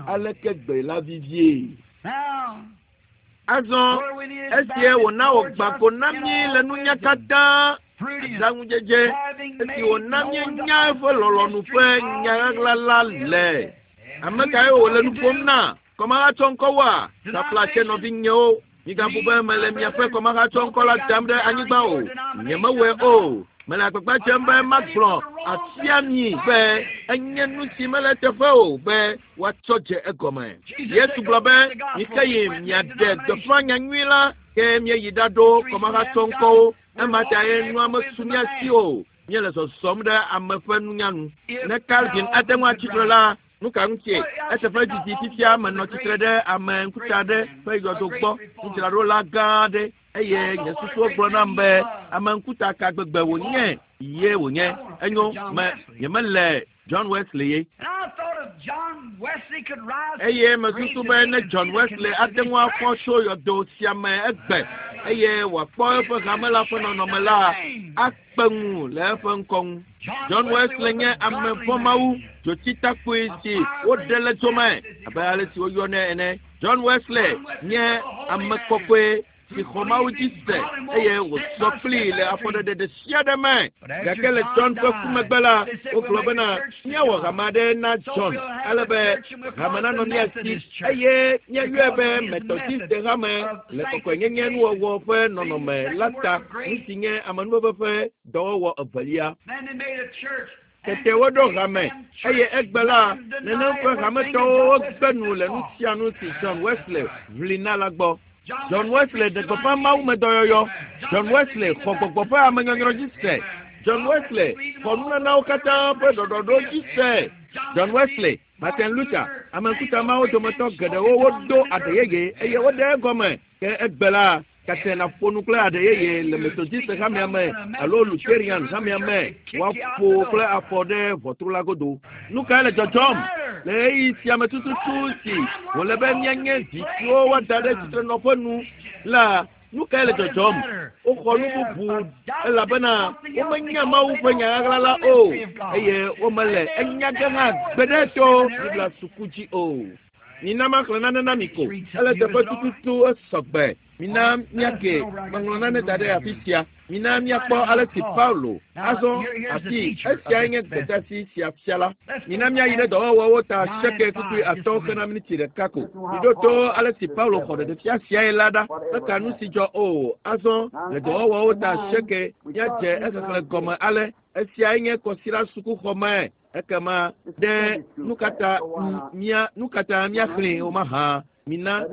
aleke gbe la vivie! Azɔ esie wòna wògba go na mí le nunya katã, aɖaŋudzedze, esi wòna míenya eƒe lɔlɔ̃nu ƒe nya ɣaɣla la le. Ame kae wòle nu ƒom na? Kɔmahatsɔŋkɔwoa? Taflatse nɔvinyewo, migabu be mele miaƒe kɔmahatsɔŋkɔ la dam ɖe anyigba o. Nyemewɔe o. Mele agbagba dzem be magblɔ afia mi be enye nu si mele eteƒe o be woatsɔ dze egɔme. Yesu gblɔ be, Mike yi miaɖe gbeƒã nyanyui la, ke míeyi ɖaɖo kɔmahatsɔŋkɔwo. Ema tae nua mesu mía si o. Míele zɔzɔm ɖe ame ƒe nunya nu. Ne Calvin ate ŋu atsi tre la, nu ka ŋutie? Eteƒe didi fifia menɔ tsitre ɖe ame ŋkuta aɖe ƒe yɔdo gbɔ, nudzraɖola gã aɖe, eye nye susuwo gblɔ nam be ame ŋkuta ka gbegbe wònye ye wònye. Enyo, me nyemele John Wesley ye. Eye mesusu be ne John Wesley ate ŋu afɔ tso yɔdo sia me egbe eye wòakpɔ eƒe hame la ƒe nɔnɔme la, akpe ŋu le eƒe ŋkɔ ŋu. John Wesley nye ame vɔ̃mawu dzotsitakpui si woɖe le dzome abe ale si woyɔnɛ ene. John Wesley nye ame kɔkɔe si xɔ Mawu dzi se eye wòzɔ kplii le afɔɖeɖe ɖe sia ɖe me. Gake le John ƒe ku megbe la, wogblɔ bena míawɔ hame aɖe na John ale be hame nanɔ mía si eye míayɔe be Methodiste hame le kɔkɔenyenye nuwɔwɔ ƒe nɔnɔme la ta, nu si nye amenuveve ƒe dɔwɔwɔ evelia. Tete woɖo hame eye egbe la, nenem ƒe hametɔwo wogbe nu le nu sia nu si John Wesley ʋli na la gbɔ. John Wesley ɖe gbeƒã mawumedɔyɔyɔ. John Wesley xɔ gbɔgbɔ ƒe amenyɔnyrɔ dzi se. John Wesley xɔ nunanawo katã ƒe ɖɔɖɔɖo dzi se. John Wesley, Martin Luther, ame ŋkuta mawo dometɔ geɖewo woɖo aɖe yeye eye woɖe egɔme. Ke egbe la, kate nàƒo nu kple aɖe yeye le Methodiste hamea me alo Lutheran hamea me, woaƒo kple afɔ ɖe ʋɔtru la godo. Nu kae le dzɔdzɔm le ɣeyiɣi sia me tututu si wòle be míanye vi siwo woada ɖe tsitrenɔƒe nu la? Nu kae le dzɔdzɔm? Woxɔ nu bubu elabena womenya Mawu ƒe nya ɣaɣla la o eye womele enya ge hã gbeɖe to Biblia suku dzi o. Mina maxlẽ nane na mi ko. Ele teƒe tututu esɔgbe. Mina míake meŋlɔ nane da ɖe afi sia. Mina míakpɔ ale si Paulo azɔ afi esiae nye gbedeasi sia fia la. Mina míayi ɖe dɔwɔwɔwo ta seke kpukpui atɔ̃ xena miniti ɖeka ko. Miɖo to ale si Paulo xɔ ɖeɖefia siae la ɖa. Meka nu si dzɔ o. Azɔ le dɔwɔwɔwo ta seke míadze exexlẽ gɔme ale. Esiae nye kɔsiɖa sukuxɔme. Ekema ɖe nu katã mía nu katã míaxlẽe o mahã. Mina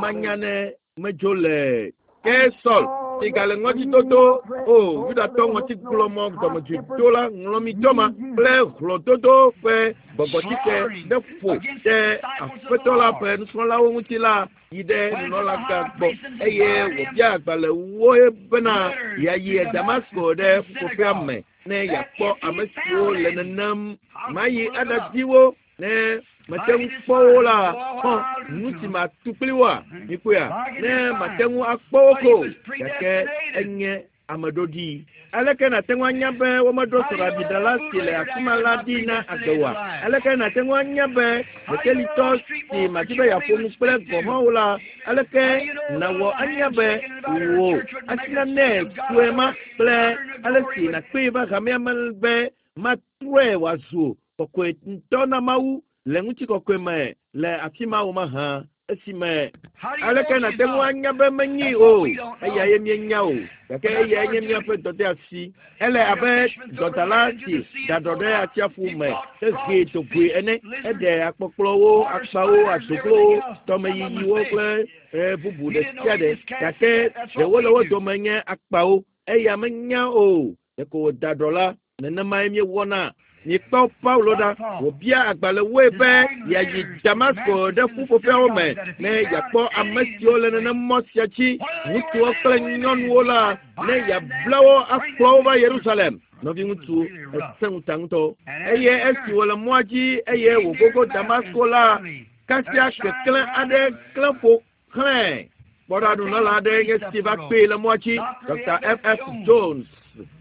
manya ne medzo le ke Saul si gale ŋɔdzidodo o Yudatɔ ŋɔtigblɔmɔ dɔmedzoedola ŋlɔmitɔ ma kple hlɔ̃dodo ƒe gbɔgbɔtsike ɖe ƒo ɖe Aƒetɔ la ƒe nusrɔ̃lawo ŋuti la yi ɖe nunɔlagã gbɔ eye wòbia agbalẽwo bena yeayi Damasko ɖe ƒuƒoƒea me ne yeakpɔ ame siwo le nenem mayi aɖadi wo ne mate ŋu kpɔ wo la xɔ nu si matu kpli woa mikpɔea ne mate ŋu akpɔ wo ko gake enye ame ɖoɖi. Aleke nàte ŋu anya be womeɖo srɔ̃ɖaɖila si le afi ma la ɖi na agbe oa? Aleke nàte ŋu anya be ɖekelitɔ si madi be yeaƒo nu kple gɔ̃ hã o la, aleke nàwɔ anya be wò asinanɛ tsoe ma kple ale si nàkpee va hamea me be matrɔe wòazu kɔkɔe ŋutɔ na Mawu le ŋutikɔkɔe me le afi ma o mahã? Esime aleke nàte ŋu anya be menyi o, eyae míenya o, gake eyae nye míaƒe dɔdeasi. Ele abe dɔdala si da ɖɔ ɖe atsiaƒu me hehee dogoe ene. Eɖe akpɔkplɔwo, akpawo, adoglowo, tɔmeyiyiwo kple bubu ɖe sia ɖe, gake ɖewo le wo dome nye akpawo. Eya menya o, ɖeko wòda ɖɔ la, nenemae míewɔna. Mikpɔ Paulo ɖa, wòbia agbalẽwoe be yeayi Damasko ɖe ƒuƒoƒeawo me ne yeakpɔ ame siwo le nenem mɔ sia dzi, ŋutsuwo kple nyɔnuwo la, ne yeabla wo akplɔ wo va Yerusalem. Nɔviŋutsu, esẽ ŋuta ŋutɔ. Eye esi wòle mɔa dzi eye wògogo Damasko la, kasia keklẽ aɖe klẽ ƒo xlẽe. Kpɔɖa nunɔla aɖe nye si va kpee le mɔa dzi, Dr. F. F. Jones,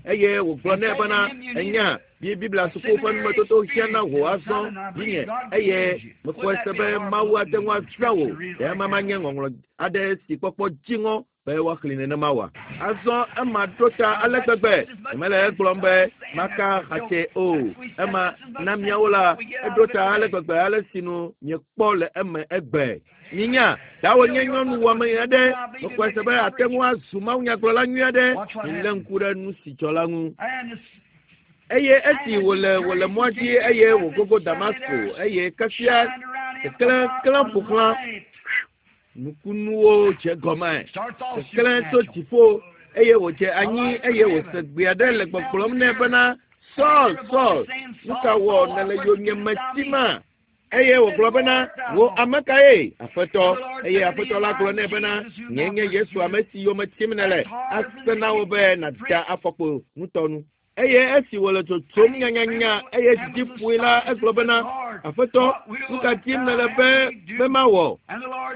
eye wògblɔ nɛ bena, enya, Biblia suku ƒe numetoto hiã na wò azɔ vinye, eye mexɔe se be Mawu ate ŋu azã wò. Ɖe ema manye ŋɔŋlɔ aɖe si kpɔkpɔ dziŋɔ be woaxlẽ nenema oa? Azɔ ema ɖo ta ale gbegbe, nyemele egblɔm be maka xatse o. Ema na míawo la, eɖo ta ale gbegbe ale si nu miekpɔ le eme egbe. Minya, dawo nye nyɔnu wɔame aɖe, mexɔe se be ate ŋu azu mawunyagblɔla nyui aɖe. Milé ŋku ɖe nu si dzɔ la ŋu. Eye esi wòle mɔa dzi eye wògogo Damasko, eye kasia keklẽ klẽ ƒo xlã, nukunuwo dze gɔme. Keklẽ tso dziƒo eye wòdze anyi eye wòse gbe aɖe le gbɔgblɔm nɛ bena, Saul, Saul, nu ka wɔ nèle yonyeme tima? Eye wògblɔ bena, wò ame kae, Aƒetɔ? Eye Aƒetɔ la gblɔ nɛ bena, nye nye Yesu ame si yome tim nèle, ase na wò be nàda afɔkpo ŋutɔ nu. Eye esi wòle tsotsom nyanyanya eye dzidzi ƒoe la, egblɔ bena, Aƒetɔ, nu ka dim nèle be mawɔ?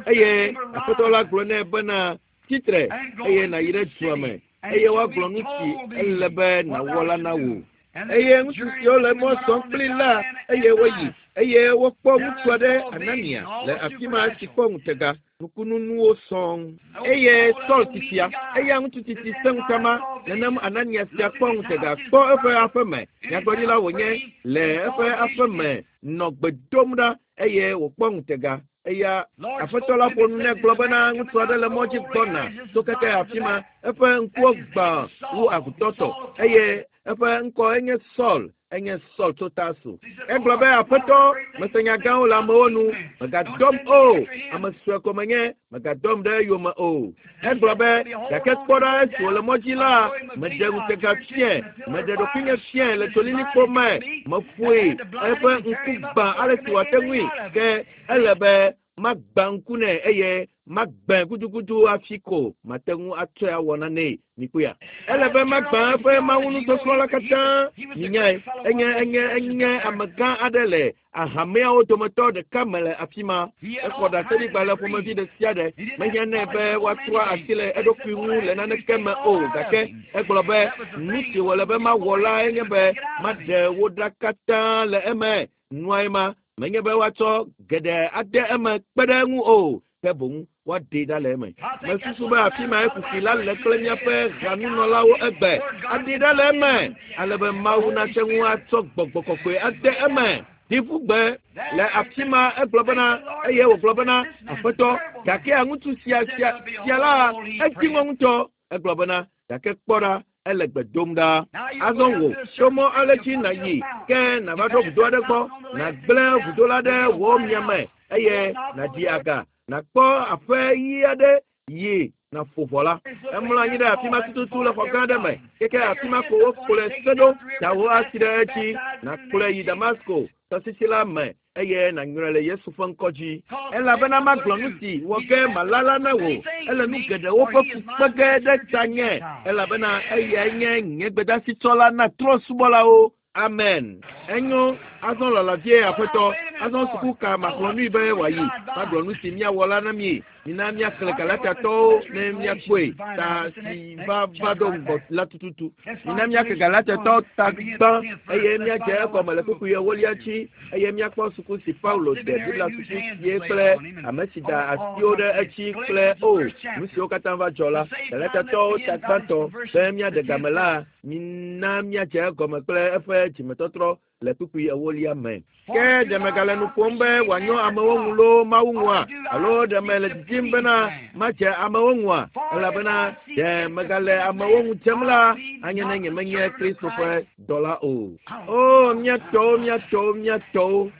Eye Aƒetɔ la gblɔ nɛ bena, tsitre eye nàyi ɖe dua me, eye woagblɔ nu si ele be nàwɔ la na wò. Eye ŋutsu siwo le mɔ zɔm kpli la, eye woyi, eye wokpɔ ŋutsu aɖe Anania le afi ma si kpɔ ŋutega, nukununuwo sɔŋ. Eye Saul titia, eya ŋutsu titi sẽ ŋuta ma, nenem Anania sia kpɔ ŋutega kpɔ eƒe aƒe me. Nyagblɔɖila wònye le eƒe aƒe me nɔ gbe dom ɖa eye wòkpɔ ŋutega. Eya Aƒetɔ la ƒo nu nɛ gblɔ bena ŋutsu aɖe le mɔ dzi gbɔna tso keke afi ma, eƒe ŋkuwo gbã wu agutɔ tɔ eye eƒe ŋkɔ enye Saul, enye Saul tso Tarso. Egblɔ be, Aƒetɔ, mese nya gãwo le amewo nu, mègadɔm o, ame sue ko menye, mègadɔm ɖe eyome o. Egblɔ be, gake kpɔ ɖa esi wòle mɔ dzi la, meɖe ŋutega fiae, meɖe ɖokuinye fiae le tsolilikpo me, meƒoe eƒe ŋku gbã ale si wòate ŋui, ke ele be magbã ŋku nɛ eye magbãe gudugudu hafi ko mate ŋu atsɔe awɔ nanee. Mikpɔea? Ele be magbã eƒe mawunusɔsrɔ̃ la katã. Minyae, enye enye enye amegã aɖe le ahameawo dometɔ ɖeka me le afi ma. Exɔ ɖaseɖigbalẽ ƒomevi ɖe sia ɖe. Mehiã nɛ be woatrɔ asi le eɖokui ŋu le naneke me o, gake egblɔ be nu si wòle be mawɔ la enye be maɖe wo ɖa katã le eme. Nuae ma, menye be woatsɔ geɖe ade eme kpe ɖe eŋu o, ke boŋ woaɖee ɖa le eme. Mesusu be afi mae kuxi la le kple míaƒe hanunɔlawo egbe. Aɖee ɖa le eme ale be Mawu nate ŋu atsɔ gbɔgbɔ kɔkɔe ade eme. Ɖi ƒu gbe le afi ma egblɔ bena, eye wògblɔ bena, Aƒetɔ, gakea ŋutsu sia sia sia la, edzi ŋɔ ŋutɔ. Egblɔ bena, gake kpɔ ɖa, ele gbe dom ɖa. Azɔ wò, tso mɔ ale dzi nàyi, ke nàva ɖo vudo aɖe gbɔ, nàgblẽ vudo la ɖe wò miame eye nàɖi aga, nàkpɔ aƒe ɣi aɖe yi nàƒo ʋɔ la. Emlɔ anyi ɖe afi ma tututu le xɔ gã aɖe me, keke afi ma ko wokplɔe se ɖo, da wò asi ɖe edzi, nàkplɔe yi Damasko tɔsisi la me eye nànyrɔe le Yesu ƒe ŋkɔ dzi. Elabena magblɔ nu si wɔ ge malala na wò, ele nu geɖewo ƒe fu kpe ge ɖe tanye, elabena eyae nye nye gbedasitsɔla na trɔ̃subɔlawo. Amen. Enyo, azɔ lala vie, Aƒetɔ. Azɔ suku ka maxlɔ̃ nui be wòayi? Magblɔ nu si míawɔ la na mi. Mina míaxlẽ Galatiatɔwo ne míakpɔe ta si va va ɖo ŋgɔ la tututu. Mina míaxlẽ Galatiatɔwo ta gbã eye míadze egɔme le kpukpui ewolia dzi eye míakpɔ suku si Paulo de Biblia suku sie kple ame si da asiwo ɖe edzi kple o nu siwo katã va dzɔ la. Galatiatɔwo ta gbãtɔ be míaɖe game la, mina míadze egɔme kple eƒe dzimetɔtrɔ le kpukpui ewolia me. Ke ɖe megale nu ƒom be wòanyo amewo ŋu loo Mawu ŋua? Alo ɖe mele didim bena madze amewo ŋua? Elabena ɖe megale amewo ŋu dzem la, anye ne nyemenye Kristo ƒe dɔla o. O, mía tɔwo, mía tɔwo, mía tɔwo.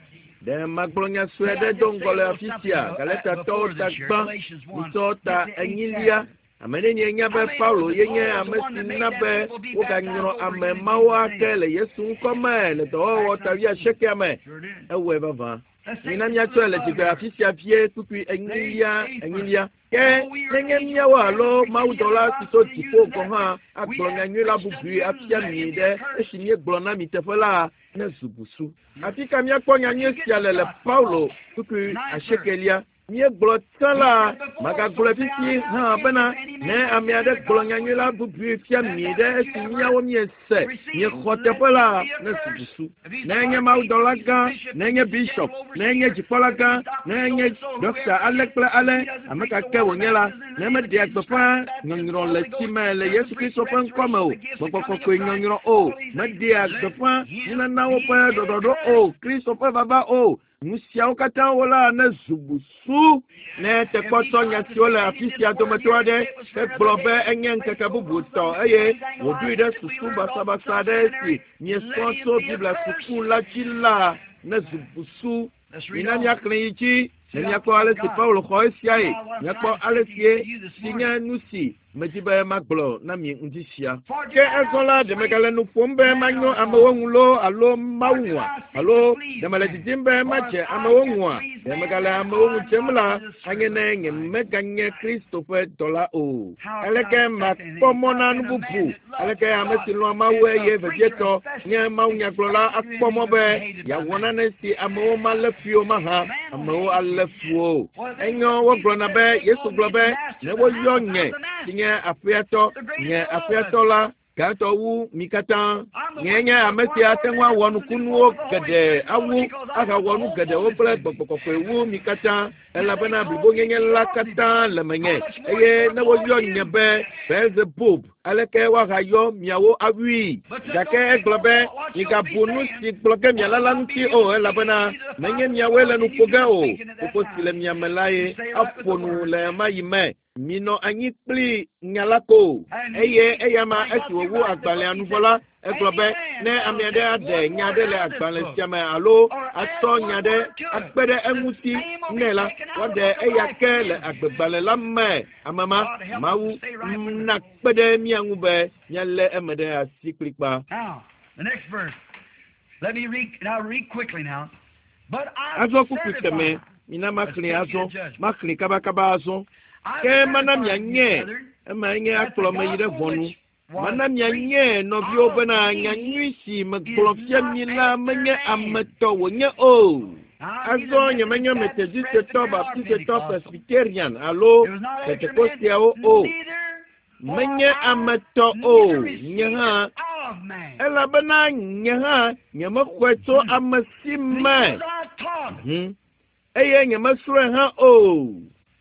Ɖe magblɔ nya sue aɖe do ŋgɔ le afi sia, Galatiatɔwo ta gbã, mitsɔ ta enyilia. Ame nenie nya be Paulo ye nye ame si na be woganyrɔ ame mawo ake le Yesu ŋkɔ me le dɔwɔwɔ ta wuiasiekɛa me? Ewɔe vavã. Mina míatsɔe le dzigbe afi sia vie kpukpui enyilia enyilia. Ke nenye míawo alo mawudɔla si tso dziƒo gɔ̃ hã agblɔ nyanyui la bubui afia mi ɖe esi míegblɔ na mi teƒe la, nezu busu. Afi ka míakpɔ nyanyui sia le le Paulo kpukpui asiekelia? Míegblɔ tsã la, magagblɔe fifi hã bena ne ame aɖe gblɔ nyanyui la bubui fia mi ɖe esi míawo míese, miexɔ teƒe la, nezu busu. Ne enye mawudɔla gã, ne enye bishop, ne enye dzikpɔla gã, ne enye ɖɔkta ale kple ale, ame ka ke wònye la, ne meɖea gbeƒã nyɔnyrɔ le tsi me le Yesu Kristo ƒe ŋkɔ me o, gbɔgbɔ kɔkɔe nyɔnyrɔ o, meɖea gbeƒã nunanawo ƒe ɖɔɖɔɖo o, Kristo ƒe vava o, nu siawo katã wo la nezu busu. Ne tekpɔ tsɔ nya siwo le afi sia dometɔ aɖe hegblɔ be enye ŋkeke bubu tɔ eye wòɖoe ɖe susu basabasa aɖe si miesrɔ̃ tso Biblia suku la dzi la, nezu busu. Mina míaxlẽ yi dzi ne míakpɔ ale si Paulo xɔ esiae, míakpɔ ale sie si nye nu si medi be magblɔ na mi ŋdi sia. Ke azɔ la, ɖe megale nu ƒom be manyo amewo ŋu loo alo Mawu ŋua? Alo ɖe mele didim be madze amewo ŋua? Ɖe megale amewo ŋu dzem la, anye ne nyemeganye Kristo ƒe dɔla o. Aleke makpɔ mɔ na nu bubu? Aleke ame si lɔ̃a Mawu eye vevietɔ nye mawunyagblɔla akpɔ mɔ be yeawɔ nane si amewo malé fui o mahã? Amewo alé fu o. Enyo, wogblɔna be Yesu gblɔ be ne woyɔ nye si nye aƒeatɔ, nye aƒeatɔ la gãtɔ wu mi katã. Nyee nye ame si ate ŋu awɔ nukunuwo geɖe awu ahawɔ nu geɖewo kple gbɔgbɔ kɔkɔe wu mi katã, elabena blibonyenye la katã le menye. Eye ne woyɔ nye be Beelzebub, aleke woahayɔ miawo awui? Gake egblɔ be, migabu nu si gblɔ ge miala la ŋuti o, elabena menye miawoe le nu ƒo ge o. Fofo si le mia me lae aƒo nu le ɣemaɣi me. Minɔ anyi kpli nya la ko. Eye eyama esi wòwu agbalẽa nu vɔ la, egblɔ be ne ame aɖe aɖe nya aɖe le agbalẽ sia me alo atsɔ nya aɖe akpe ɖe eŋuti nɛ la, woaɖe eya ke le agbegbalẽ la me. Ame ma, Mawu nakpe ɖe mía ŋu be míalé eme ɖe asi kplikpa. Now, the next verse. Let me read, now read quickly now. But I Azɔ kpukpui kemɛ, certify. mina maxlẽ azɔ, maxlẽ kabakaba azɔ. Ke mana mianye, emae nye akplɔ me yi ɖe ʋɔnu. Mana mianye nɔviwo bena nyanyui si megblɔ fia mi la menye ame tɔ wònye o. Azɔ nyemenye Methodistetɔ, Baptistetɔ, Presbyterian alo Pentekosteawo o. Menye ame tɔ o, nye hã, elabena nye hã nyemexɔe tso ame si me. Eye nyemesrɔ̃e hã o.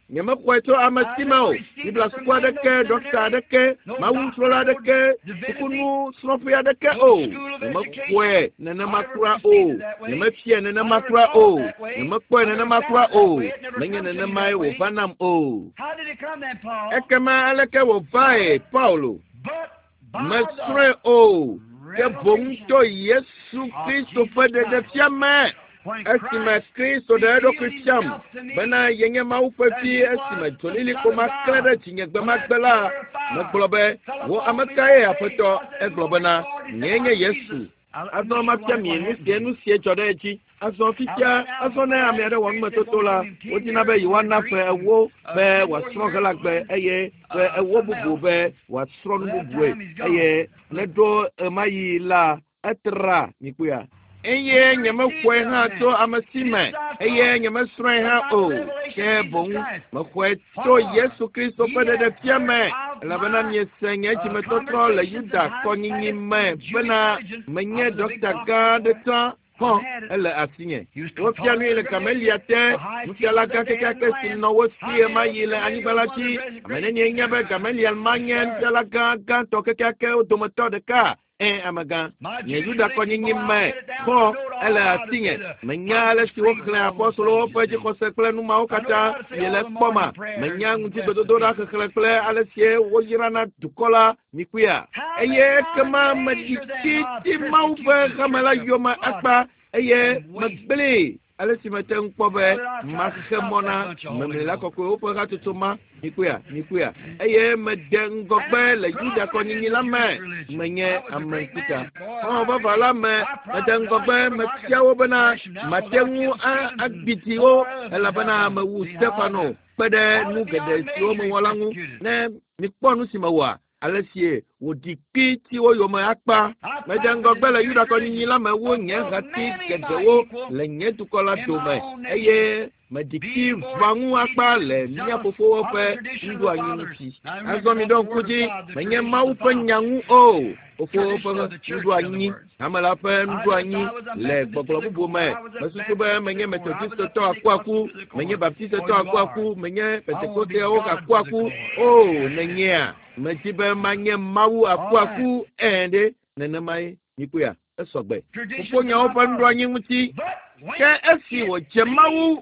Nyemexɔe tso ame si me o. Biblia suku aɖeke, ɖɔkta aɖeke, mawusrɔ̃la aɖeke, sukunusrɔ̃ƒe aɖeke o. Nyemexɔe nenema kura o. Nyemefiae nenema kura o. Nyemekpɔe nenema kura o. Menye nenemae wòva nam o. How did it come then, Paul? Ekema aleke wòvae, Paulo? But by Mesrɔ̃e o. Ke boŋ to Yesu Kristo ƒe ɖeɖefia me. when Esime Christ Kristo ɖe eɖokui revealed fiam himself to me, bena yenye Mawu ƒe vi esime dzolilikpo ma klẽ ɖe dzinye gbemagbe la, megblɔ be, wò ame kae Aƒetɔ? Egblɔ bena, nyee nye Yesu. Azɔ mafia mi nu sie nu sie dzɔ ɖe edzi. Azɔ fifia, azɔ ne ame aɖe wɔ numetoto la, wodina be yewoana ƒe ewo be wòasrɔ̃ Helagbe eye ƒe ewo bubu be wòasrɔ̃ nu bubue eye ne ɖo ɣemaɣi la, etra mikpɔea. Eye nyemexɔe hã tso ame si me, eye nyemesrɔ̃e hã o. Ke boŋ mexɔe tso Yesu Kristo ƒe ɖeɖefia me, elabena miese nye dzimetɔtrɔ le Yuda kɔnyinyi me bena menye ɖɔkita gã aɖe tsã xɔ ele asinye. Wofia nui le Gamelia te, nufiala gã kekeake si nɔ wo si ɣemaɣi le anyigba la dzi. Ame nenie nya be Gamaliel ma nye nufiala gã gãtɔ kekeakewo dometɔ ɖeka? Ẽ, amegã, nye Yuda kɔnyinyi me xɔ ele asinye. Menya ale si woxlẽ apɔstolowo ƒe dzixɔse kple nu mawo katã miele kpɔma. Menya ŋutigbedodoɖa xexlẽ kple ale si woyrana dukɔ la mikuia. Eye ekema meɖi titi Mawu ƒe hame la yome akpa eye megblẽe ale si mete ŋu kpɔ be maxe mɔ na memlila kɔkɔewo ƒe hatsotso ma mikuia mikuia eye mede ŋgɔgbe le Yuda kɔnyinyi la me menye ame ŋkuta. Xɔ̃ vava la me mede ŋgɔgbe mefia wo bena mate ŋu agbidi wo elabena mewu Stefano kpe ɖe nu geɖe siwo mewɔ la ŋu. Ne mikpɔ nu si mewɔa, ale si wòɖi kpi ti wo yome akpa. Mede ŋgɔgbe le Yuda kɔnyinyi la me wu nye hati geɖewo le nye dukɔ la dome eye meɖi kpi ʋã ŋu akpa le mía fofowo ƒe nuɖoanyi ŋuti. Azɔ miɖo ŋku dzi, menye Mawu ƒe nya ŋu o. Fofowo ƒe nuɖoanyi, hame la ƒe nuɖoanyi le gbɔgblɔ bubu me. Mesusu be menye Methodistetɔ akuaku, menye Baptistetɔ akuaku, menye Pentekosteawo akuaku o, nenyea. Medi be manye Mawu akuaku ẽ ɖe nenemae mikuya esɔgbe. Fofonyewo ƒe nuɖoanyi ŋuti. Ke esi wòdze Mawu,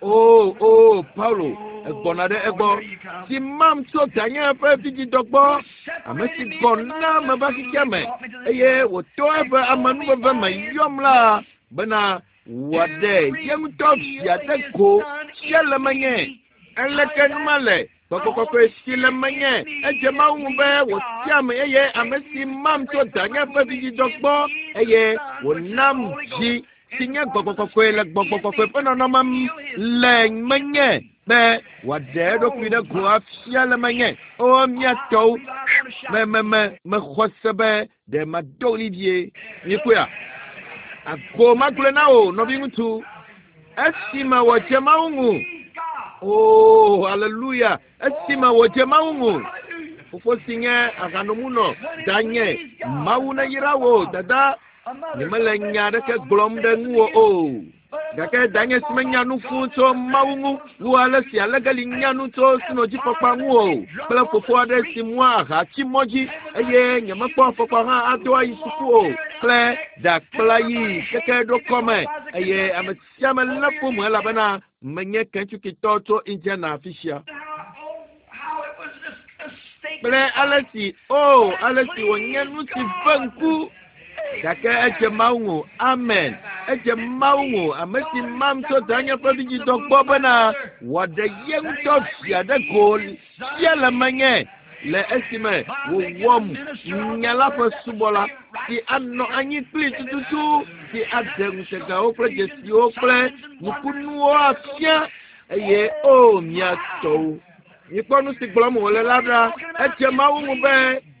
o o Paulo, egbɔna ɖe egbɔ, si mam tso danye ƒe vidzidɔ gbɔ, ame si gɔ na meva xexea me, eye wòto eƒe amenuveve me yɔm la bena wòaɖe ye ŋutɔ via ɖe go sia le menye. Aleke nu ma le? Gbɔgbɔ kɔkɔe si le menye edze Mawu ŋu be wòtiam eye ame si mam tso danye ƒe vidzidɔ gbɔ eye wònam dzi si nye gbɔgbɔ kɔkɔe le gbɔgbɔ kɔkɔe ƒe nɔnɔme le menye be wòaɖe eɖokui ɖe go afia le menye. O mía tɔwo, me me me mexɔ se be ɖe mado ɣli vie. Mikpɔea? Ago magblɔe na wò nɔviŋutsu esime wòdze Mawu ŋu. O, aleluya! Esime wòdze Mawu ŋu. Fofo si nye ahanomunɔ, danye, Mawu neyra wò, dada. Nyemele nya aɖeke gblɔm ɖe ŋuwò o. Gake danye si menya nu fũu tso Mawu ŋu wu ale si alegeli nya nu tso sinodzifɔkpa ŋu o kple fofo aɖe si mua aha tsi mɔ dzi eye nyemekpɔ afɔkpa hã ado ayi suku o kple ɖakpla yi keke ɖo kɔme eye ame sia ame lé ƒome elabena menye Kentuckitɔ tso Indiana afi sia. Kple ale si o ale si wònye nu si ve ŋku gake edze Mawu ŋu. Amen. Edze Mawu ŋu. Ame si mam tso danye ƒe vidzidɔ gbɔ bena wòaɖe ye ŋutɔ via ɖe go sia le menye le esime wòwɔm nya la ƒe subɔla si anɔ anyi kpli tututu si aɖe ŋutegawo kple dzesiwo kple nukunuwo afia eye o mía tɔwo. Mikpɔ nu si gblɔm wòle la ɖa. Edze Mawu ŋu be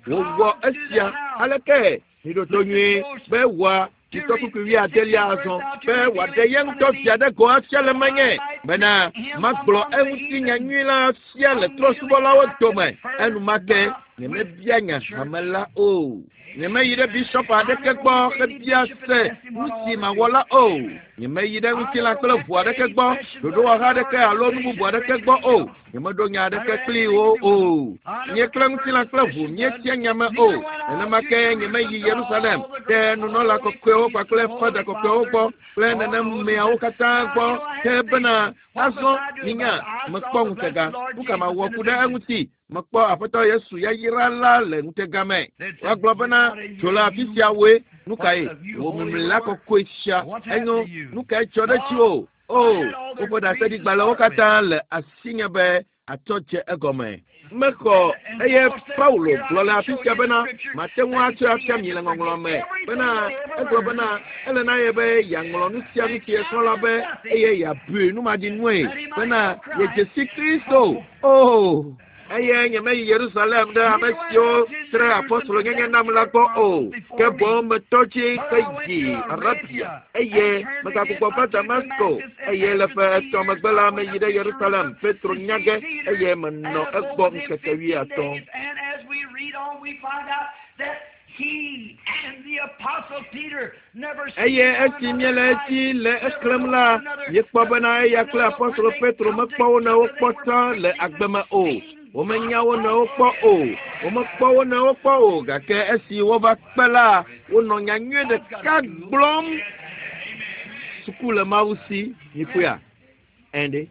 wòwɔ esia. Aleke miɖo to nyuie be wòa titɔ kpukpui wuiadelia azɔ be wòaɖe ye ŋutɔ via ɖe go afia le menye bena magblɔ eŋuti nya nyui la fia le trɔ̃subɔlawo dome. Enumake nyemebia nya hame la o. Nyemeyi ɖe bishɔp aɖeke gbɔ hebia se nu si mawɔ la o. Nyemeyi ɖe ŋutilã kple ʋu aɖeke gbɔ, ɖoɖowɔha aɖeke alo nu bubu aɖeke gbɔ o. Nyemeɖo nya aɖeke kpli wo o. Nye kple ŋutilã kple ʋu míetia nya me o. Nenema ke nyemeyi Yerusalem ɖe nunɔla kɔkɔewo kpakple fada kɔkɔewo gbɔ kple nenemeawo katã gbɔ ke bena azɔ minya mekpɔ ŋutega. Nu ka mawɔ ku ɖe eŋuti? Mekpɔ Aƒetɔ Yesu yayra la le ŋutega me. Woagblɔ bena tso le afi sia woe. Nu kae? Wò mimlila kɔkɔe sia enyo. Nu kae dzɔ ɖe dziwò? O, woƒe ɖaseɖigbalẽwo katã le asinye be atsɔ dze egɔme. Mexɔ eye Paulo gblɔ le afi sia bena mate ŋu atsɔe afia mi le ŋɔŋlɔ me bena egblɔ bena ele na ye be yeaŋlɔ nu sia nu si yesrɔ̃ la be eye yeabui numaɖinue bena yedze si Kristo. O! Eye nyemeyi Yerusalem ɖe ame siwo tre apɔstolonyenye nam la gbɔ o, ke boŋ metɔ dzi heyi Arabia, eye megagbugbɔ va Damasko. Eye le ƒe 3 megbe la, meyi ɖe Yerusalem, Petro nya ge, eye menɔ egbɔ ŋkeke 50. Eye esi míele edzi le exlẽm la, míekpɔ bena eya kple apɔstolo Petro mekpɔ wo nɔewo kpɔ tsã le agbe me o. Womenya wo nɔewo kpɔ o. Womekpɔ wo nɔewo kpɔ o, gake esi wova kpe la, wonɔ nyanyui ɖeka gblɔm. Suku le Mawu si, mikpɔea? Ɛnde.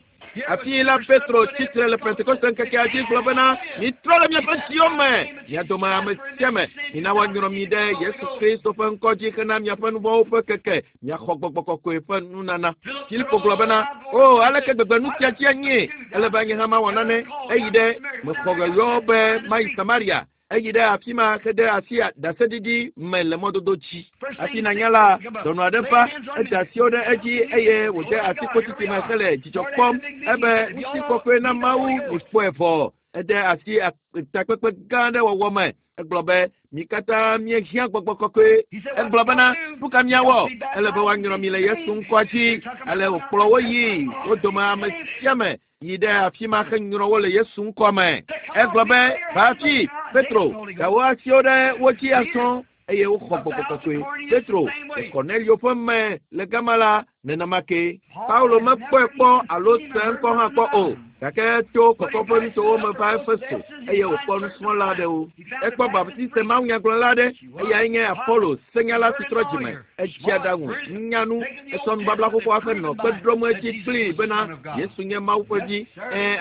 Afi la Petro tsitre le Pentekoste ŋkekea dzi gblɔ bena, mitrɔ le miaƒe dziwo me, mia dome ame sia ame, mina woanyrɔ mi ɖe Yesu Kristo ƒe ŋkɔ dzi hena miaƒe nuvɔ̃wo ƒe keke, miaxɔ gbɔgbɔ kɔkɔe ƒe nunana. Filipo gblɔ bena, o, aleke gbegbe nu sia dzi anyee? Ele be nye hã mawɔ nane. Eyi ɖe mexɔ yɔyɔ be mayi Samaria. Eyi ɖe afi ma hede asi ɖaseɖiɖi me le mɔdodo dzi. Hafi nanya la, dɔnɔ aɖe va, ede asiwo ɖe edzi eye wòde asi kotiti me hele dzidzɔ kpɔm. Ebe ŋutikɔkɔe na Mawu mikpɔe vɔ. Ede asi takpekpe gã aɖe wɔwɔ me. Egblɔ be, mi katã míehiã gbɔgbɔ kɔkɔe. Egblɔ bena, nu ka míawɔ? Ele be woanyrɔ mi le Yesu ŋkɔa dzi. Ale wòkplɔ wo yi wo dome ame sia ame yi ɖe afi ma henyrɔ wo le Yesu ŋkɔ me. Egblɔ be, va afi, Petro, da wò asiwo ɖe wo dzi azɔ, eye woxɔ gbɔgbɔ kɔkɔe. Petro, le Kornelio ƒe me le gama la, nenema ke. Paulo mekpɔe kpɔ alo se ŋkɔ hã kpɔ o, gake to kɔkɔ ƒe nutowo me va Efeso, eye wòkpɔ nusrɔ̃la aɖewo. Ekpɔ Baptiste mawunyagblɔla aɖe, eyae nye Apollo, senyala si trɔ dzime, edzi aɖaŋu, nyanu, esɔ nubabla xoxoa ƒe nɔ kpe ɖom edzi kplii bena Yesu nye Mawu ƒe vi.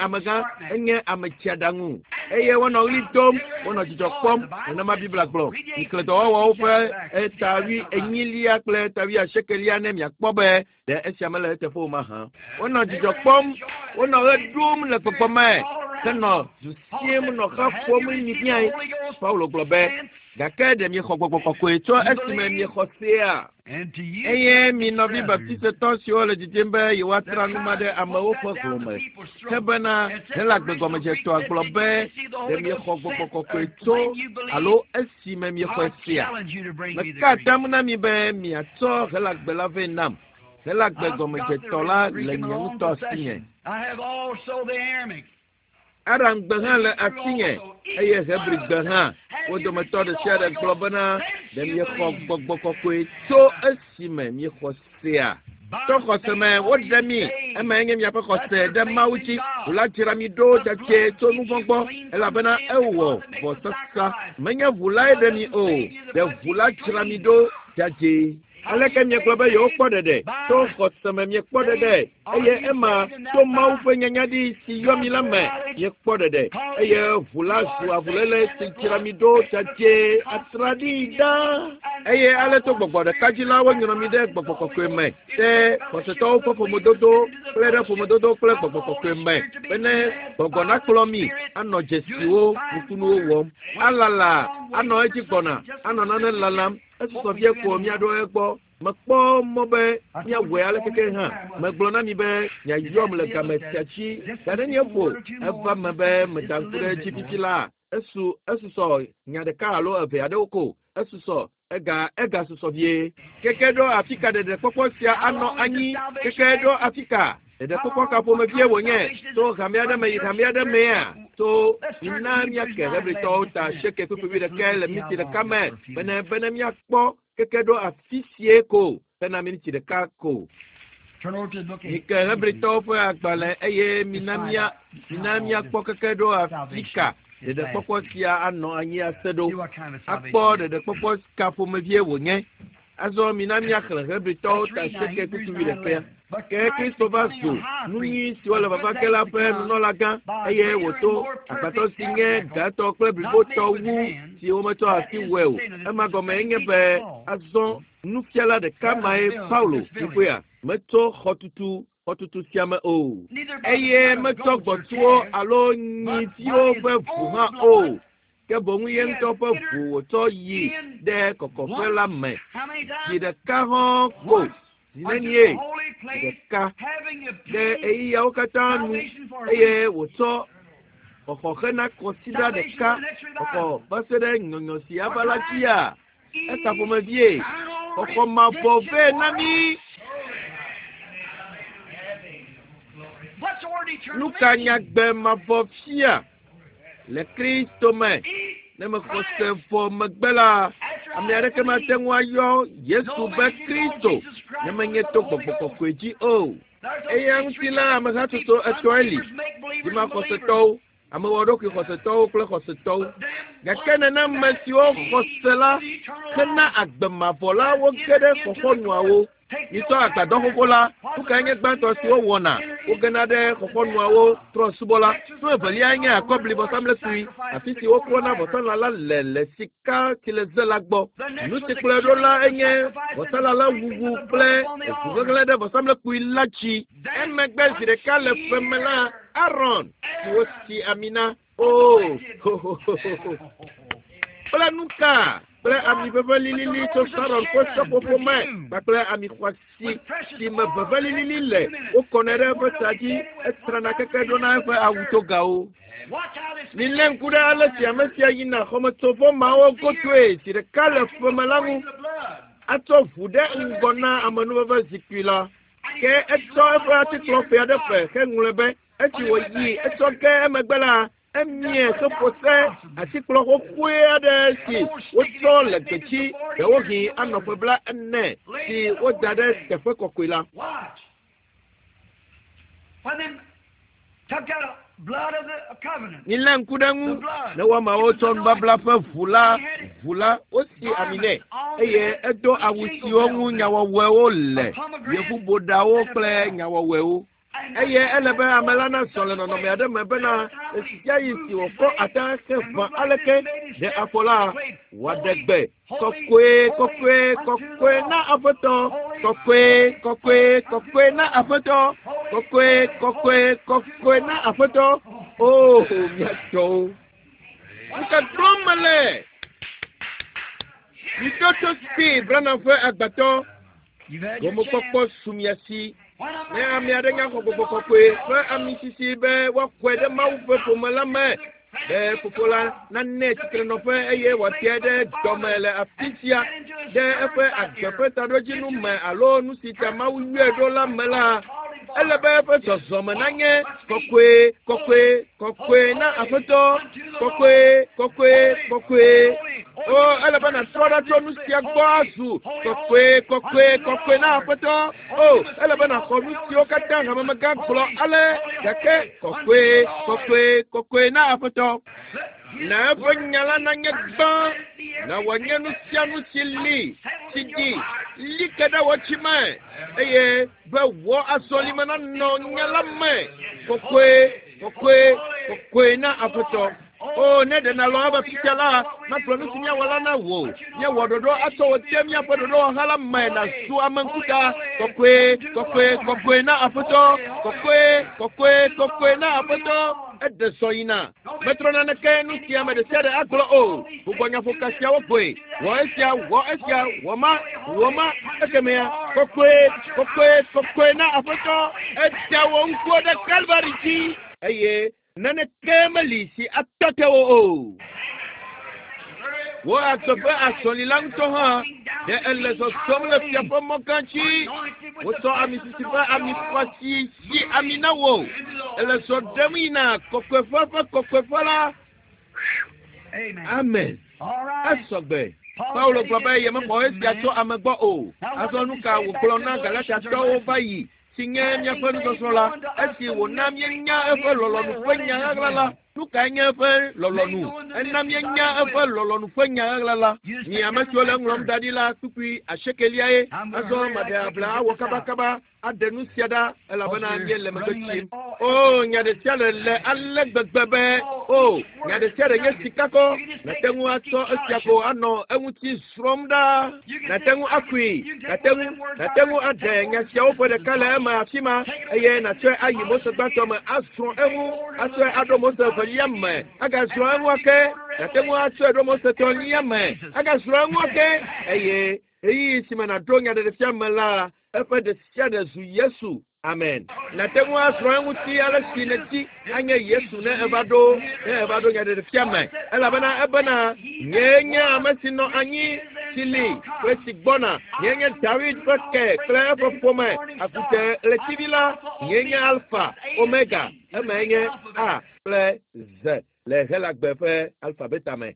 Amegã, enye ame tsiaɖaŋu. Eye wonɔ ɣli dom, wonɔ dzidzɔ kpɔm, nenema Biblia gblɔ. Miklẽ dɔwɔwɔwo ƒe eta 40 kple eta 80 ne miakpɔ be ɖe esia mele eteƒe o mahã. Wonɔ dzidzɔ kpɔm, wonɔ ɣe ɖum le gbɔgbɔ me, henɔ du siem nɔ xa ƒom mibiae. Paulo gblɔ be, gake ɖe miexɔ gbɔgbɔ kɔkɔe tso esime miexɔ sea? Eye mi nɔvi baptistetɔ siwo le didim be yewoatra nu ma ɖe amewo ƒe hlome, ke bena Helagbe gɔmedzetɔa gblɔ be ɖe miexɔ gbɔgbɔ kɔkɔe tso alo esime miexɔe sea? Meka atam na mi be miatsɔ Helagbe la vɛ nam. Helagbe gɔmedzetɔ la le nye ŋutɔ asinye. Aramgbe hã le asinye, eye Hebrigbe hã. Wo dometɔ ɖe sia ɖe gblɔ bena, ɖe miexɔ gbɔgbɔ kɔkɔe tso esime miexɔ sea? To xɔse me woɖe mi, emae nye miaƒe xɔse ɖe Mawu dzi. Ʋu la dzra mi ɖo dzadzɛ tso nu vɔ̃ gbɔ, elabena ewɔ vɔsasa. Menye ʋu lae ɖe mi o, ɖe ʋu la dzra mi ɖo dzadzɛ. Aleke miegblɔ be yewokpɔ ɖeɖe? To xɔse me miekpɔ ɖeɖe, eye ema to Mawu ƒe nyanyaɖi si yɔ mi la me miekpɔ ɖeɖe, eye ʋu la zu avuléle si dzra mi ɖo dzadzɛ atraɖii ɖaa. Eye ale to gbɔgbɔ ɖeka dzi la wonyrɔ mi ɖe gbɔgbɔ kɔkɔe me, ɖe xɔsetɔwo ƒe ƒomedodo kple ɖe ƒomedodo kple gbɔgbɔ kɔkɔe me, bene gbɔgbɔ nakplɔ mi anɔ dzesiwo nukunuwo wɔm, alala anɔ edzi gbɔna, anɔ nane lalam. Esusɔ vie ko míaɖo egbɔ. Mekpɔ mɔ be míawɔe ale keke hã. Megblɔ na mi be miayɔm le game sia dzi. Gake ne ƒo eva me be meda ŋku ɖe edzi fifi la, esu esusɔ nya ɖeka alo eve aɖewo ko. Esusɔ ega egasusɔ vie. Keke ɖo afi ka ɖeɖekpɔkpɔ sia anɔ anyi? Keke ɖo afi ka? Ɖeɖekpɔkpɔ ka ƒomevie wònye? To hame aɖe me yi hame aɖe mea? To mina míake Hebritɔwo ta 8 kpukpui 1 le miniti ɖeka me bene bene míakpɔ keke ɖo afi sie ko hena miniti ɖeka ko. Mike Hebritɔwo ƒe agbalẽ eye mina míakpɔ keke ɖo afi ka ɖeɖekpɔkpɔ sia anɔ anyi ase ɖo. Akpɔ ɖeɖekpɔkpɔ ka ƒomevie wònye. Azɔ mina míaxlẽ Hebritɔwo ta 8 kpukpui 1. Ke Kristo va zu nu nyui siwo le vava ge la ƒe nunɔlagã, eye wòto agbadɔ si nye gãtɔ kple blibotɔ wu si wometsɔ asi wɔe o. Ema gɔme nye be azɔ nufiala ɖeka mae Paulo mikpɔea metsɔ xɔtutu sia me o, eye metsɔ gbɔ̃tsuwo alo nyiviwo ƒe ʋu hã o, ke boŋ ye ŋutɔ ƒe ʋu wòtsɔ yi ɖe kɔkɔƒe la me zi ɖeka hã ko. Zinenie ɖeka ɖe ɣeyiɣiawo katã nu, eye wòtsɔ Xɔxɔ hena kɔsiɖa ɖeka xɔxɔ va se ɖe nyɔnyɔ si ava la dzia? Eka ƒomevie xɔxɔ mavɔ vɛ na mí. Nu ka nyagbe mavɔ fia le Kristo me? Ne mexɔ se vɔ megbe la, ame aɖeke mate ŋu ayɔ Yesu be Kristo ne menye to Gbɔgbɔ Kɔkɔe dzi o. Eya ŋuti la, amehatsotso etɔ̃e li, dzimaxɔsetɔwo, amewɔɖokui xɔsetɔwo kple xɔsetɔwo. Gake nenem ame siwo xɔ se la hena agbe mavɔ la woge ɖe xɔxɔnuawo. Mitsɔ agbadɔ xoxo la, nu kae nye gbãtɔ si wowɔna? Wogena ɖe xɔxɔnuawo trɔ̃subɔla. Nu eveliae nye akɔbli vɔsamlekpui, afi si woklɔna vɔsalã la le le sika tsileze la gbɔ. Nu si kplɔe ɖo la enye vɔsalã la wuwu kple ʋuhehlẽ ɖe vɔsamlekpui la dzi. Emegbe zi ɖeka le ƒe me la, Aron, si wosi ami na, oo, hohohoho, kple nuka? Kple ami ʋeʋẽ lilili tso Saron ƒe seƒoƒo me kpakple ami xɔasi si me ʋeʋẽ lilili le, wokɔnɛ ɖe eƒe ta dzi, etrana keke ɖona eƒe awu togawo. Milé ŋku ɖe ale si ame sia yina xɔmetsovɔ mawo godoe zi ɖeka le ƒe me la ŋu. Atsɔ ʋu ɖe ŋgɔ na amenuveve zikpui la. Ke etsɔ eƒe atikplɔƒe aɖe ƒe heŋlɔe be esi wòyi etsɔ ge emegbe la, emie heƒo se atikplɔ xoxoe aɖe si wotsɔ le gbedzi, ɖewohĩ anɔ ƒe 40, si woda ɖe teƒe kɔkɔe la. Milé ŋku ɖe eŋu ne woamawo tsɔ nubabla ƒe ʋu la ʋu la, wosi ami nɛ, eye edo awu siwo ŋu nyawɔwɔewo le, yevuboɖawo kple nyawɔwɔewo. Eye ele be ame la nazɔ le nɔnɔme aɖe me bena ɣesiaɣi si wòkɔ ata heʋã aleke ɖe afɔ la, wòaɖe gbe kɔkɔe, kɔkɔe, kɔkɔe na Aƒetɔ, kɔkɔe, kɔkɔe, kɔkɔe na Aƒetɔ, kɔkɔe, kɔkɔe, kɔkɔe na Aƒetɔ. Oo, mía tɔwo! Nu ka gblɔm mele? Miɖo to see, Branham ƒe agbatɔ. Gomekpɔkpɔ su mia si. Ne ame aɖe nya xɔ Gbɔgbɔ Kɔkɔe ƒe amisisi be woaxɔe ɖe Mawu ƒe ƒome la me, be Fofo la nanɛ tsitrenɔƒe eye wòateae ɖe dɔme le afi sia ɖe eƒe agbe ƒe taɖodzinu me alo nu si ta Mawu yɔe ɖo la me la, ele be eƒe zɔzɔme nanye kɔkɔe, kɔkɔe, kɔkɔe na Aƒetɔ, kɔkɔe, kɔkɔe, kɔkɔe. O, ele be nàtrɔ ɖa tso nu sia gbɔ azu kɔkɔe, kɔkɔe, kɔkɔe na Aƒetɔ. O, ele be nàxɔ nu siwo katã hamemegã gblɔ ale, gake kɔkɔe, kɔkɔe, kɔkɔe na Aƒetɔ. Na eƒe nya la nanye gbã, na wòanye nu sia nu si li, si ɖi, li ke ɖe wò tsi me, eye be wò azɔlime nanɔ nya la me kɔkɔe, kɔkɔe, kɔkɔe na Aƒetɔ. O, ne ɖe nàlɔ̃ ava fifia la, magblɔ nu si míawɔ la na wò. Míawɔ ɖoɖo atsɔ wò de míaƒe ɖoɖowɔha la me nàzu ame ŋkuta. Kɔkɔe, kɔkɔe, kɔkɔe na Aƒetɔ. Kɔkɔe, kɔkɔe, kɔkɔe na Aƒetɔ. Eɖe zɔ yina. Metrɔ naneke nu si ame ɖesiaɖe agblɔ o. Gbugbɔ nyaƒoka siawo goe. Wɔ esia, wɔ esia, wɔ ma, wɔ ma. Ekemea, kɔkɔe, kɔkɔe, kɔkɔe na Aƒetɔ. Eda wò ŋkuwo ɖe Kalvari dzi eye naneke meli si atɔ te wò o. Wò agbe ƒe azɔli la ŋutɔ hã, ɖe èle zɔzɔm le fia ƒe mɔ gã dzi. Wotsɔ ami sisi ƒe ami xɔasi si ami na wò. Èle zɔ ɖem yina kɔkɔeƒe ƒe kɔkɔeƒe la. Amen. Esɔgbe. Paulo gblɔ be yemexɔ esia tso ame gbɔ o. Azɔ nu ka wògblɔ na Galatiatɔwo va yi, si nye míaƒe nusɔsrɔ̃ la, esi wòna míenya eƒe lɔlɔ̃nu ƒe nya ɣaɣla la? Nu kae nye eƒe lɔlɔ̃nu? Ena míenya eƒe lɔlɔ̃nu ƒe nya ɣaɣla la. Mi ame siwo le eŋlɔm da ɖi la, kpukpui asiekeliae. Azɔ maɖe abla awɔ kabakaba aɖe nu sia ɖa elabena míele megbe tsim. O, nya ɖe sia ɖe le ale gbegbe be, o, nya ɖe sia ɖe nye sikakɔ. Nàte ŋu atsɔ esia ko anɔ eŋuti srɔ̃m ɖaa. Nàte ŋu akui. Nàte ŋu, nàte ŋu aɖe nya siawo ƒe ɖeka le eme afi ma eye nàtsɔe ayi Mose gbãtɔ me asrɔ̃ eŋu, atsɔe aɖo Mose evelia me, agasrɔ̃ eŋu ake. Nàte ŋu atsɔe ɖo Mose etɔ̃lia me, agasrɔ̃ eŋu ake eye ɣeyiɣi si me nàɖo nyaɖeɖefia me la, eƒe ɖe sia ɖe zu Yesu. Amen. Nàte ŋu asrɔ̃ eŋuti ale si nèdi anye Yesu ne eva ɖo ne eva ɖo nyaɖeɖefia me. Elabena ebena nyee nye ame si nɔ anyi, si li kple si gbɔna. Nyee nye Dawid ƒe ke kple eƒe ƒome, akute ɣletivi la. Nyee nye Alfa, Omega, emae nye A kple Z le Helagbe ƒe alfabeta me.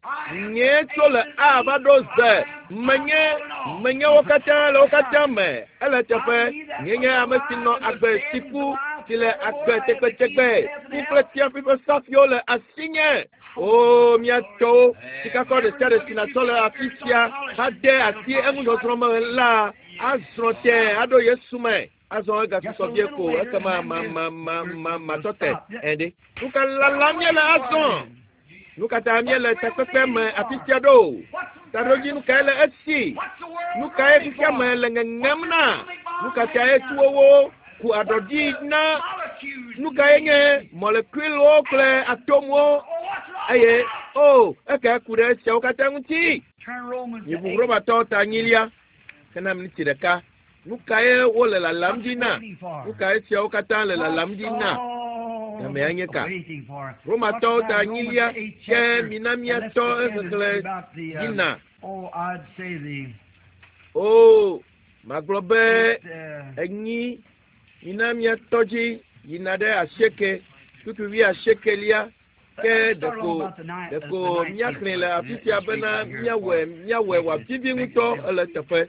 Nyee tso le A va ɖo Z. Menye, menye wo katã le wo katã me. Ele eteƒe. Nyee nye ame si nɔ agbe si ku, si le agbe tegbetegbe. Ku kple tsiaƒui ƒe safiwo le asinye. O, mía tɔwo, sikakɔ ɖe sia ɖe si nàtsɔ le afi sia hade asi eŋuzɔzrɔ̃ me la, azrɔ̃ tẽe aɖo Yesu me. Azɔ egasusɔ vie ko ekema ma ma ma ma matɔ te. Ɛ̃ ɖe. Nu ka lalam míele azɔ? Nu ka ta míele takpekpe me afi sia ɖo? Taɖodzinu kae le esi? Nu kae xexea me le ŋeŋem na? Nu ka tae tuwowo ku aɖɔɖi na? Nu kae nye mɔlekuilwo kple atomwo? Eye o, ekae ku ɖe esiawo katã ŋuti? Miʋu Romatɔwo ta enyilia hena miniti ɖeka. Nu kae wole lalam ɖi na? Nu kae esiawo katã le lalam ɖi na? Gamea nye ka? Romatɔwo ta enyilia ke mina míatɔ exexlẽ yina. O, magblɔ be enyi mina míatɔ dzi yina ɖe asieke, kpukpui wuiasiekelia. Ke ɖeko ɖeko míaxlẽe le afi sia bena míawɔe míawɔe wòavivi ŋutɔ ele eteƒe.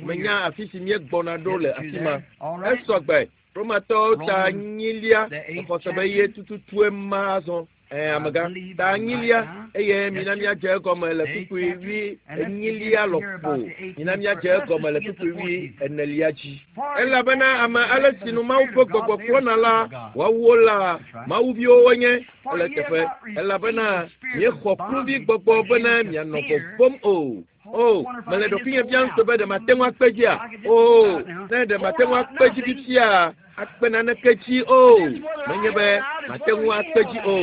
Menya afi si míegbɔna ɖo le afi ma. Esɔ gbe. Romatɔwo ta enyilia exɔ se be ye tututue ma azɔ. Ẽ, amegã. Ta enyilia eye mina míadze egɔme le kpukpui wui enyilia lɔƒo. Mina míadze egɔme le kpukpui wui enelia dzi. Elabena ame ale si nu Mawu ƒe gbɔgbɔ kplɔna la, woawo la, Mawuviwo wonye. Ele eteƒe, elabena miexɔ kluvi gbɔgbɔ bene mianɔ vɔvɔ̃m o. O, mele ɖokuinye biam se be ɖe mate ŋu akpe dzia? O, ne ɖe mate ŋu akpe dzi fifia, akpe naneke dzi o. Menye be mate ŋu akpe dzi o.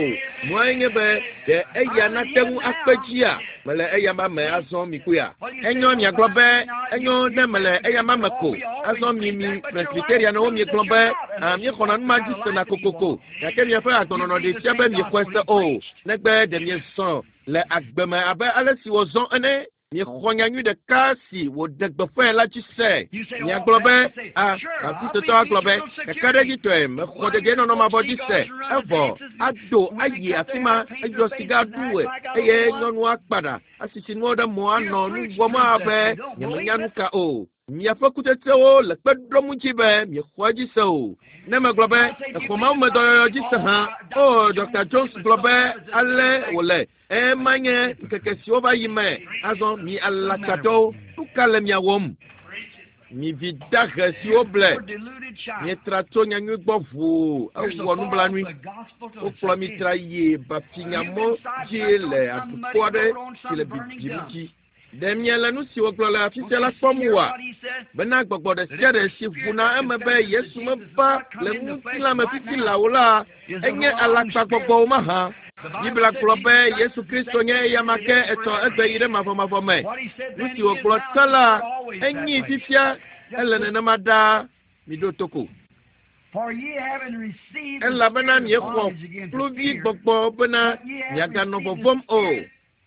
Nuae nye be ɖe eya nate ŋu akpe dzia? Mele eyama me azɔ mikpɔea? Enyo miagblɔ be enyo ne mele eyama me ko. Azɔ mi mi Presbyterianwo miegblɔ be ah, míexɔna nu ma dzi sena kokoko. Gake miaƒe agbenɔnɔ ɖee fia be miexɔe se o, negbe ɖe miezɔ le agbe me abe ale si wòzɔ ene. Miexɔ nyanyui ɖeka si wòɖe gbeƒãe la dzi se. Miagblɔ be, A, Baptistetɔ agblɔ be, kakaɖedzitɔe, mexɔ dedienɔnɔ mavɔ dzi se. Evɔ, ado ayi afi ma, edzɔ siga ɖu eye nyɔnua kpa ɖa, asisi nuwo ɖe mo anɔ nu wɔm abe nyemenya nu ka o. Miaƒe kutsetsewo le kpe ɖom ŋuti be miexɔ edzi se o. Ne megblɔ be, Exɔ mawumedɔyɔyɔ dzi se hã. O, Ɖɔkta Jones gblɔ be ale wòle. Ema nye ŋkeke siwo va yi me. Azɔ mi alakpatɔwo, nu ka le mia wɔm? Mi vi dahe siwo ble, mietra tso nyanyui gbɔ ʋuu, ewɔ nublanui. Wokplɔ mi tra yi bafinyamɔ dzi le aɖukpo aɖe si le bibim dzi. Ɖe miele nu si wògblɔ le afi sia la kpɔm oa? Bena gbɔgbɔ ɖe sia ɖe si ʋuna eme be Yesu meva le ŋutilã me fifi laa o la, enye alakpagbɔgbɔ mahã. Biblia gblɔ be Yesu Kristo nye eyama ke etsɔ egbe yi ɖe mavɔmavɔ me. Nu si wògblɔ tsã la, enyii fifia, ele nenema ɖaa. Miɖo to ko. Elabena miexɔ kluvi gbɔgbɔ bena miaganɔ vɔvɔ̃m o.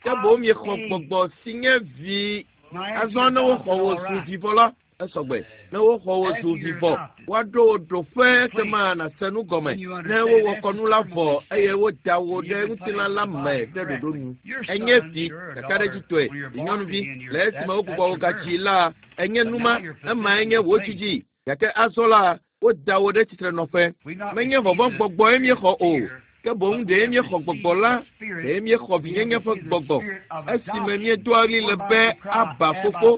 Ke boŋ miexɔ gbɔgbɔ si nye vi. Azɔ ne woxɔ wò zu vi vɔ la, esɔgbe. Ne woxɔ wò zu vi vɔ, woaɖo wò ɖoƒe ekema nàse nu gɔme. Ne wowɔ kɔnu la vɔ eye woda wò ɖe ŋutilã la me ɖe ɖoɖo nu. Ènye vi, kakaɖedzitɔe, vinyɔnuvi, le esime wogbugbɔ wò gadzi la, ènye nu ma, emae nye wò dzidzi. Gake azɔ la, woda wò ɖe tsitrenɔƒe. Menye vɔvɔ̃gbɔgbɔe míexɔ o, ke boŋ ɖee míexɔ gbɔgbɔ la, ɖee míexɔ vinyenye ƒe gbɔgbɔ, esime míedoa ɣli le be, Abba, Fofo,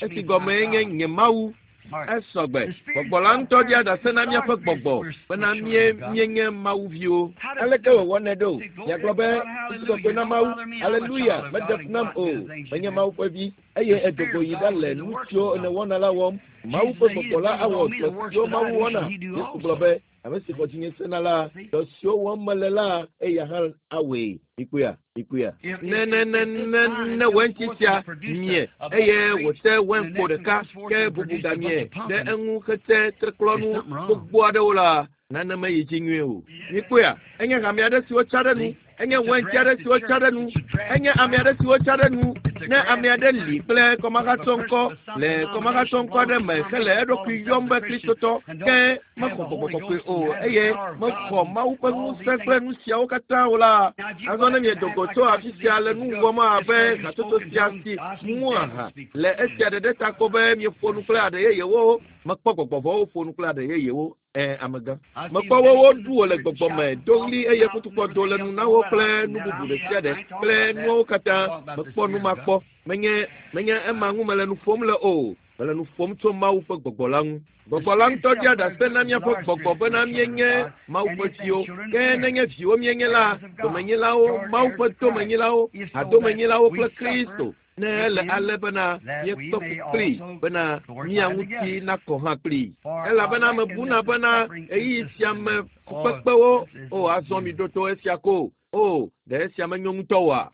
esi gɔmee nye Nye Mawu. Esɔ gbe. Gbɔgbɔ la ŋutɔ ɖia ɖase na míaƒe gbɔgbɔ bena mí míenye Mawu viwo. Aleke wòwɔnɛ ɖo? Miagblɔ be, Ŋutikɔkɔe na Mawu! Aleluya! Meɖe fu nam o. Menye Mawu ƒe vi. eye edogo yi ɖa le nu siwo nèwɔna la wɔm. Mawu ƒe gbɔgbɔ la awɔ dɔ siwo Mawu wɔna. Yesu gblɔ be, ame si xɔ dzinye sena la, dɔ siwo wɔm mele la, eya hã awɔe. Mikpɔea? Mikpɔea? Ne ne ne ne ne wɛntsi sia mie eye wòte wɛnkpo ɖeka ke bubu gamie ɖe eŋu hete treklɔnu gbogbo aɖewo la, nane meyi dzi nyuie o. Mikpɔea? Enye hame aɖe si wotsa ɖe nu. Enye wɛntsi aɖe si wotsa ɖe nu. Enye ame aɖe si wotsa ɖe nu. Ne ame aɖe li kple kɔmahatsɔŋkɔ le kɔmahatsɔŋkɔ aɖe me hele eɖokui yɔm be Kristotɔ, ke mexɔ gbɔgbɔ kɔkɔe o eye mexɔ Mawu ƒe ŋusẽ kple nu siawo katã o la, azɔ ne miedo go tso afi sia le nu wɔm abe hatsotso sia si mu aha le esia ɖeɖe ta ko be mieƒo nu kple aɖe yeyewo, mekpɔ gbɔgbɔ vɔ̃wo ƒo nu kple aɖe yeyewo. Amegã. Mekpɔ wo woɖu wo le gbɔgbɔ me, do ɣli eye futukpɔ do le nu na wo kple nu bubu ɖe sia ɖe kple nuawo katã. Mekpɔ nu ma kpɔ. Menye menye ema ŋu mele nu ƒom le o. Mele nu ƒom tso Mawu ƒe gbɔgbɔ la ŋu. Gbɔgbɔ la ŋutɔ ɖia ɖase na míaƒe gbɔgbɔ bena míenye Mawu ƒe viwo. Ke nenye viwo míenye la, domenyilawo, Mawu ƒe domenyilawo, hadomenyilawo kple Kristo. Ne ele ale bena míekpe fu kplii bena mía ŋuti nakɔ hã kplii. Elabena mebuna bena ɣeyiɣi sia me fukpekpewo, o azɔ mi ɖo to esia ko, o ɖe esia menyo ŋutɔ oa?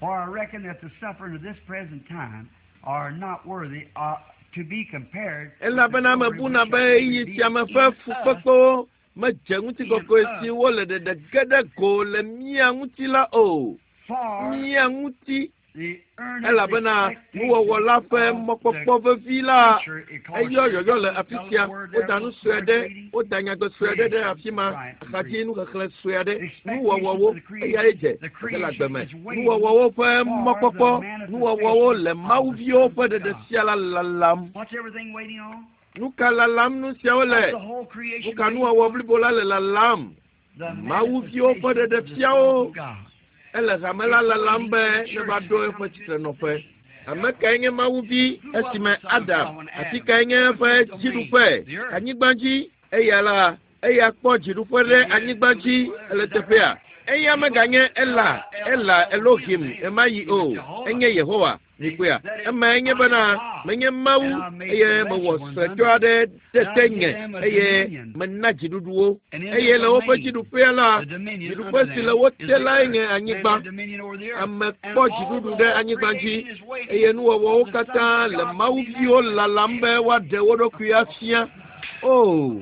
For I reckon that the suffering of this present time are not worthy to be compared with the Elabena glory mebuna which be shall be ɣeyiɣi revealed sia me in ƒe us. fukpekpewo medze ŋutikɔkɔe si wole ɖeɖe ge ɖe go le mía ŋuti la o. For Mía ŋuti the earnest elabena nuwɔwɔ la ƒe expectation of the mɔkpɔkpɔ vevi la future, it calls eyɔ yɔyɔ le the afi sia. word there, Woda nu sue word aɖe, reading, woda nyagbe sue aɖe ɖe afi ma, axadzi nuxexlẽ sue aɖe, nuwɔwɔwo eyae dze le agbe me. Nuwɔwɔwo ƒe mɔkpɔkpɔ, nuwɔwɔwo le Mawuviwo ƒe ɖeɖefia la lalam. What's everything waiting on? Nu ka lalam nu siawo What's le? the whole creation Nu ka waiting nuwɔwɔ for? blibo la le lalam? The Mawuviwo ƒe manifestation of the ɖeɖefiawo sons of God. ele hame la lalam be ne va ɖo eƒe tsitrenɔƒe. Ame kae nye Mawuvi esime Adam, afi kae nye eƒe dziɖuƒe? Anyigba dzi. Eya la, eya kpɔ dziɖuƒe ɖe anyigba dzi le teƒea. Eya meganye Ela, Ela Elohim ɣemaɣi o. Enye Yehowa. Mikpɔea? Emae nye bena menye Mawu eye mewɔ suetɔ aɖe ɖe tenye eye mena dziɖuɖuwo. Eye le woƒe dziɖuƒea la, dziɖuƒe si le wo te lae nye anyigba. Ame kpɔ dziɖuɖu ɖe anyigba dzi eye nuwɔwɔwo katã le Mawuviwo lalam be woaɖe wo ɖokui afia. O,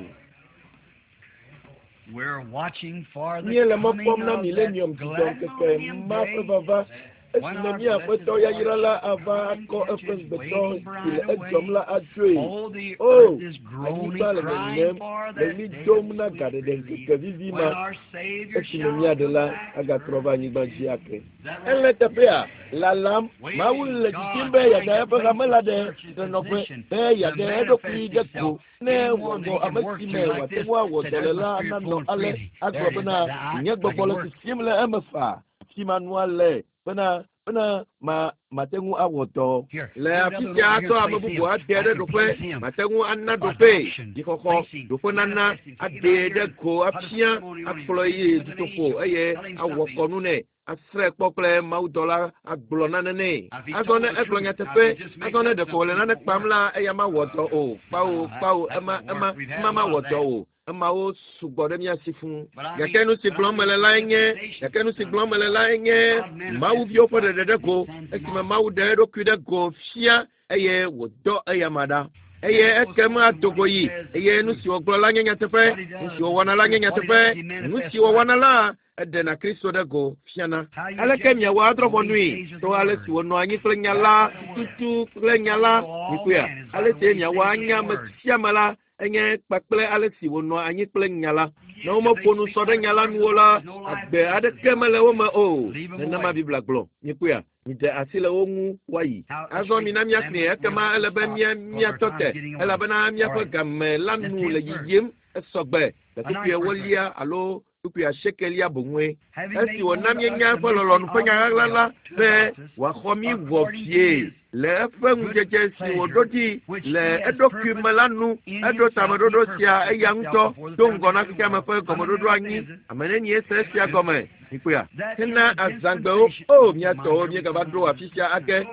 We're watching for the míele mɔ coming kpɔm na of that millennium glad dzidzɔŋkeke millennium ma ƒe day vava when esime our mía blessed Aƒetɔ Lord yayra la shall ava come and akɔ catch eƒe his ŋugbetɔ waiting si bride le edzɔm away. la adzoe. Oh, the O, earth is groaning, anyigba le crying ŋeŋem for le that ɣli day dom of na sweet gaɖeɖe relief ŋkeke vivi when ma our Savior esime shall mía come Ɖela back to agatrɔ va earth anyigba dzi again. ake. Is that Ele right? teƒea lalam. Mawu Waiting, le didim God be yeaɖe trying to eƒe place hame the la ɖe church's trenɔƒe, position be to yeaɖe manifest eɖokui ɖe go itself ne in one wòawɔ that he can ame work si through me like wòate this. ŋu awɔ Said, dɔ le there's my la spirit nanɔ flowing ale freely. There agblɔ it is. bena That I, nye I gbɔgbɔ can le work. sisim le eme faa. Afi ma nua le bena bena ma mate ŋu awɔ dɔ. Here, Le put afi another sia one over here atsɔ and ame place bubu him. ade I ɖe can ɖoƒe, place him. mate ŋu ana ɖoƒe, Adoption, dzixɔxɔ, placing, ɖoƒe nana, manifesting. Take him out aɖee here ɖe and go put a afia, ceremony on him. akplɔe Take yi him with an dutoƒo angel. eye Tell him awɔ something. kɔnu nɛ. Asrãe kpɔ kple mawudɔla agblɔ nane nɛ. Now, if he Azɔ told ne the egblɔ truth, now if nyateƒe, he just makes azɔ ne up ɖeko wòle something, it nane won't kpam work. la, eya mawɔ dɔ o. Kpawo, That, kpawo, that ema, won't ema, work. We've had ema a lot mawɔ of dɔ that. o. Emawo sugbɔ ɖe mía si fũu. But I Gake mean, nu si but I gblɔm mean mele the lae nye, dispensation gake nu si of gblɔm mele lae nye God manifests Mawuviwo ƒe himself ɖeɖe ɖe and go sends him esime out. Mawu ɖe eɖokui ɖe go fia eye wòdɔ eyama ɖa. Eye And ekema also adogo what he yi says is eye nu true. si wògblɔ la nye nyateƒe, What he nu does si is wòwɔna la nye true. What he nyateƒe, does, he nu manifests si wòwɔna Christ. la eɖena Kristo ɖe go fiana. How you Aleke judge miawɔ adrɔ̃ the way ʋɔnui he stays with to the ale word. si wònɔ anyi kple nya That's la the word. tutu kple nya How you la know all mikpɔea? men is by Ale the si way he miawɔ stays with anya the ame word. sia ame la enye kpakple ale si wònɔ anyi kple nya la. Ne If womeƒo they nu speak sɔ ɖe not nya the la words nu o of la, God, there's no life agbe in them. aɖeke mele wo me o. Leave them Nenema away. Biblia gblɔ. Mikpɔea? Miɖe asi le wo ŋu woayi. Now, let's Azɔ read mina it. Then míaxlẽe we'll ekema have to ele be stop mía because our míatɔ time's te getting away. elabena All míaƒe right. game la The nu le 10th verse. yiyim esɔgbe le A kpukpui ninth verse. ewolia alo Kpukpui asiekelia boŋue. Esi wòna míenya eƒe lɔlɔ̃nu ƒe nya ɣaɣla la be wòaxɔ mí wɔ vie le eƒe ŋudzedze si wòɖo ɖi le eɖokui me la nu. Eɖo tameɖoɖo sia eya ŋutɔ do ŋgɔ na xexeame ƒe gɔmeɖoɖo anyi. Ame nenie se esia gɔme? Mikpɔea? Hena azãgbewo, o mía tɔwo, míegava ɖo afi sia ake.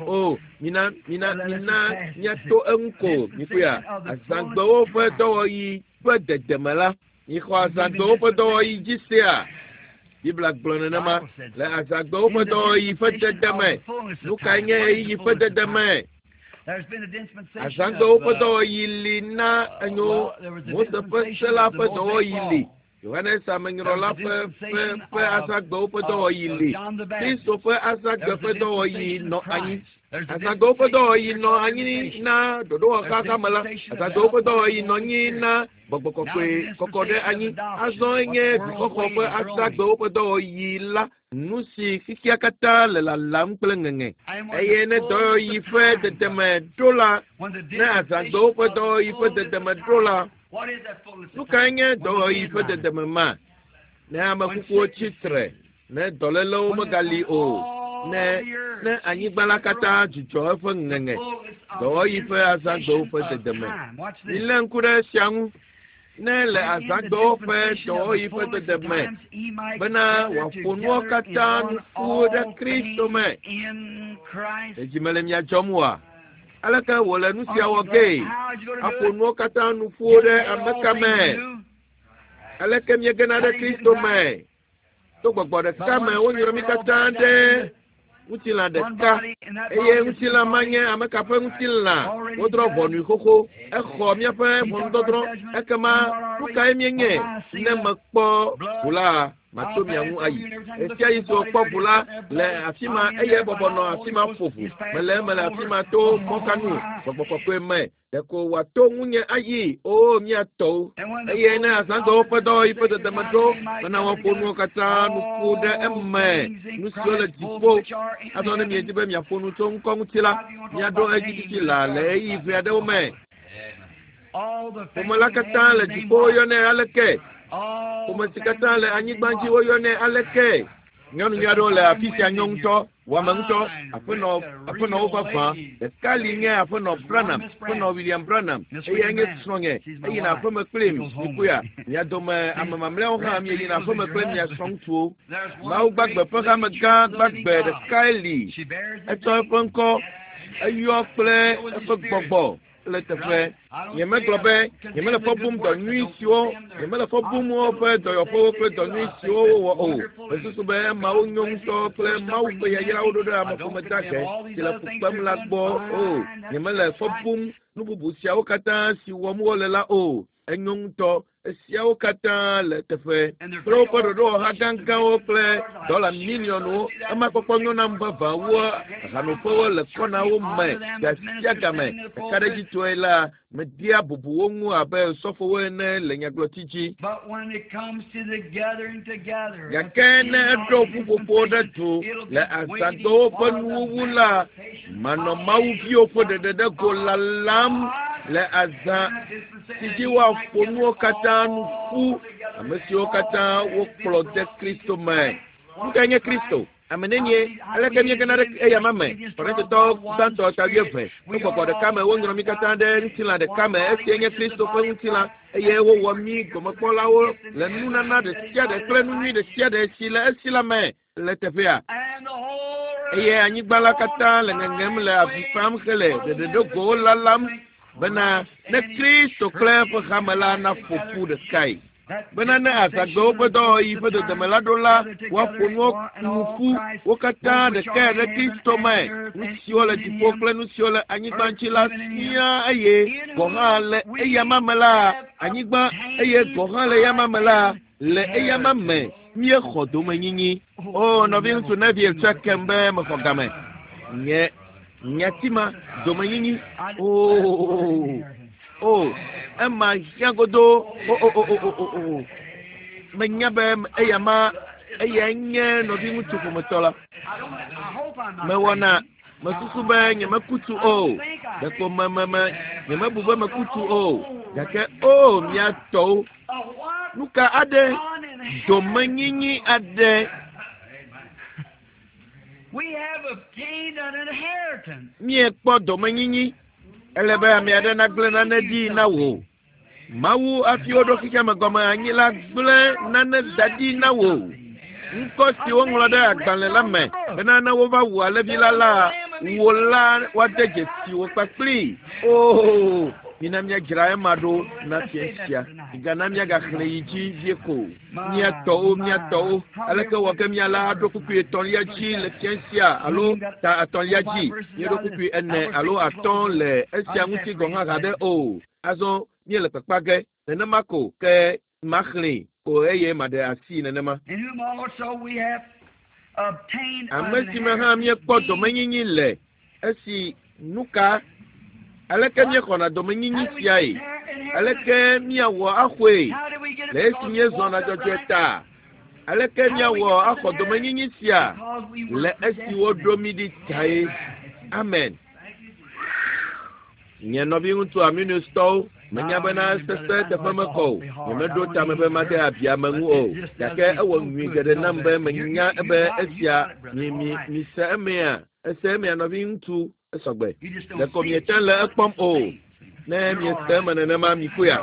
O, mina, mina, mina míato eŋu ko. Mikpɔea? Azãgbewo ƒe dɔwɔɣi ƒe dedeme la, mixɔ azãgbewo ƒe dɔwɔɣi dzi sea? Biblia gblɔ nenema le azãgbewo ƒe dɔwɔɣi ƒe dedeme. Nu kae nye ɣeyiɣi ƒe dedeme? Azãgbewo ƒe dɔwɔɣi li na enyo Mose ƒe se la ƒe dɔwɔɣi li. Yohanes Amenyrɔla ƒe ƒe ƒe azãgbewo ƒe dɔwɔɣi li. Kristo ƒe azãgbe ƒe dɔwɔɣi nɔ anyi. Azãgbewo ƒe dɔwɔɣi nɔ anyi na ɖoɖowɔxaxa me la. Azãgbewo ƒe dɔwɔɣi nɔ anyi na gbɔgbɔ kɔkɔe kɔkɔ ɖe anyi. Azɔ enye vixɔxɔ ƒe azãgbewo ƒe dɔwɔɣi la, nu si xexea katã le lalam kple ŋeŋe. Eye ne dɔwɔɣi ƒe dedeme ɖo la, ne azãgbewo ƒe dɔwɔɣi ƒe dedeme ɖo la, nu kae nye dɔwɔɣi ƒe dedeme ma? Ne ame kukuwo tsi tre, ne dɔlélewo megali o, ne ne anyigba la katã dzudzɔ eƒe ŋeŋe, dɔwɔɣi ƒe azãgbewo ƒe dedeme. Milé ŋku ɖe esia ŋu. Ne le azãgbewo ƒe dɔwɔɣi ƒe dedeme bena wòaƒo nuwo katã nu ƒu ɖe Kristo me. Ɖe dzi mele mia dzɔm oa? Aleke wòle nu sia wɔ gee? Aƒo nuwo katã nu ƒu ɖe ame ka me? Aleke miegena ɖe Kristo me? To gbɔgbɔ ɖeka me wonyrɔ mí katã ɖe ŋutilã ɖeka eye ŋutilã ma nye ame ka ƒe ŋutilã wodrɔ̃ ʋɔnui xoxo exɔ míaƒe ʋɔnudɔdrɔ̃ ekema nu kae míenye ne mekpɔ ʋu la mato mia ŋu ayi ɣesia ɣi si wòkpɔ ʋu la le afi ma eye bɔbɔ nɔ afi ma ƒo ʋu mele eme le afi ma to mɔkanu gbɔgbɔ kɔkɔe me Ɖeko wòato ŋunye ayi, oo mía tɔwo. Eye ne azãgbewo ƒe dɔwɔɣi ƒe dedeme ɖo bena woaƒo nuwo katã nu ƒu ɖe eme, nu siwo le dziƒo. Azɔ ne miedi be miaƒo nu tso ŋkɔ ŋuti la, miaɖo edzi fifi laa le ɣeyiɣi ʋɛ aɖewo me. Ƒome la katã le dziƒo woyɔnɛ aleke? Ƒome si katã le anyigba dzi woyɔnɛ aleke? Nyɔnu nyui aɖewo le afi sia nyɔ ŋutɔ, wɔame ŋutɔ, aƒenɔ, aƒenɔwo vavã. Ɖeka li nye aƒenɔ Branham, aƒenɔ William Branham. Eyae nye srɔ̃nye. Eyina aƒeme kplim. Mikpɔea? Mia dome ame mamlɛawo hã mieyina aƒeme kple mia srɔ̃ŋutsuwo. Mawu gbagbe ƒe hame gã gbagbe ɖekae li. Etsɔ eƒe ŋkɔ, eyɔ kple eƒe gbɔgbɔ. le teƒe. Nyemegblɔ be nyemele fɔ bum dɔ nyui siwo nyemele fɔ bum woƒe dɔyɔƒewo kple dɔ nyui siwo wowɔ o. Mesusu be emawo nyo ŋutɔ kple Mawu ƒe yayrawo ɖo ɖe ameƒome dahe si le fu kpem la gbɔ o. Nyemele fɔ bum nu bubu siawo katã si wɔm wole la o. Enyo ŋutɔ. Esiawo katã le teƒe kple woƒe ɖoɖowɔha gãgãwo kple dɔla miliɔnwo. Ema kpɔkpɔ nyo nam vavã wu hanoƒewo le kɔnawo me gasiagame. Kakaɖedzitɔe la, medea bubu wo ŋu abe sɔfowo ene le nyagblɔti dzi. Gake ne eɖo ƒuƒoƒo ɖe du le azãgbewo ƒe nuwuwu la, manɔ Mawuviwo ƒe ɖeɖeɖego lalam le azã si dzi woaƒo nuwo katã nu ƒu, ame siwo katã wokplɔ de Kristo me. Nu kae nye Kristo? Ame nenie? Aleke míegena ɖe eyama me? Korintotɔwo gbãtɔ ta wuieve. To gbɔgbɔ ɖeka me wonyrɔ mí katã ɖe ŋutilã ɖeka me. Esia nye Kristo ƒe ŋutilã, eye wowɔ mí gomekpɔlawo le nunana ɖe sia ɖe kple nu nyui ɖe sia ɖe si le esi la me le teƒea. Eye anyigba la katã le ŋeŋem le avi fam hele ɖeɖeɖogowo lalam bena ne Kristo kple eƒe hame la naƒo ƒu ɖekae. Bena ne azãgbewo ƒe dɔwɔɣi ƒe dodome la ɖo la, woaƒo nuwo nu ƒu, wo katã ɖekae ɖe Kristo me, nu siwo le dziƒo kple nu siwo le anyigba dzi la siaa, eye gɔ̃ hã le eyama me la, anyigba, eye gɔ̃ hã le eyama me la, le eyama me míexɔ domenyinyi. O, nɔviŋutsu Neville tsɔe kem be mexɔ game. Nye nyati ma, domenyinyi. O, o, ema hiã godoo. O, o, o, o, o, o, o. Menya be eyama, eyae nye nɔviŋutsu ƒometɔ la. Mewɔna Mesusu be nyemeku tu o. Ɖeko me me me nyemebu be meku tu o. Gake o mía tɔwo, nu ka aɖe? Domenyinyi aɖe. Míekpɔ domenyinyi. Ele be ame aɖe nagblẽ nane ɖi na wò. Mawu hafi woɖo xexeame gɔme anyi la gblẽ nane da ɖi na wò. Ŋkɔ si woŋlɔ ɖe agbalẽ la me bena ne wova wu alẽvi la la, wò la woade dzesi wò kpakplii. Oo, mina míadzra ema ɖo na fia sia. Migana míagaxlẽ yi dzi vie ko. Mía tɔwo, mía tɔwo, aleke wɔ ke míala aɖo kpukpui etɔ̃lia dzi le fia sia alo ta etɔ̃lia dzi? Míeɖo kpukpui ene alo atɔ̃ le esia ŋuti gɔ̃ hã haɖe o. Azɔ míele kpakpa ge nenema ko ke maxlẽe ko eye maɖe asi nenema. Ame si me hã míekpɔ domenyinyi le esi nuka aleke míexɔna domenyinyi siae? Aleke míawɔ axɔe le esi míezɔna dzɔdzɔe ta? Aleke míawɔ axɔ domenyinyi sia le esi woɖo mí ɖi tae? Amen. Nye nɔviŋutsu Arminiustɔwo, menya bena sese teƒe mekɔ o. Nyemeɖo tame be made abi ame ŋu o. Gake ewɔ nyui geɖe nam be menya be esia mi mi mise emea. Ese emea nɔviŋutsu esɔgbe. Ɖeko miete le ekpɔm o. Ne miese eme nenema mikpɔea,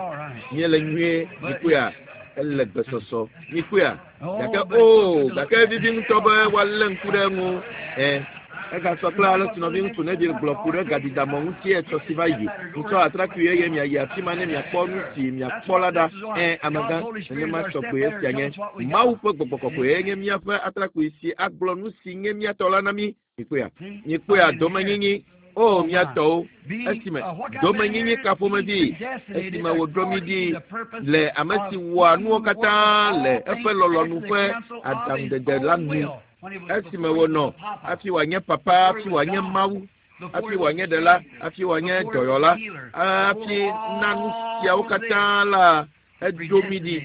miele nyuie mikpɔea, ele gbesɔsɔ mikpɔea. Gake o, gake vivi ŋutɔ be woalé ŋku ɖe eŋu. Ɛ. Egasɔ kple ale si nɔviŋutsu Neville gblɔ ku ɖe gadidamɔ ŋuti etsɔ si va yi. Mitsɔ atrakpui eye miayi afi ma ne miakpɔ nu si miakpɔ la ɖa. Ẽ, amegã, nenema tɔgbe esia nye. Mawu ƒe gbɔgbɔ kɔkɔe nye míaƒe atrakpui si agblɔ nu si nye mía tɔ la na mí. Mikpɔea? Mikpɔea domenyinyi? O, mía tɔwo, esime domenyinyi ka ƒomevi esime wòɖo mí ɖi le ame si wɔa nuwo katã le eƒe lɔlɔ̃nu ƒe aɖaŋudede la nu. Esime wònɔ hafi wòanye papa, hafi wòanye Mawu, hafi wòanye ɖela, hafi wòanye dɔyɔla, hafi na nu siawo katã la, eɖo mí ɖi.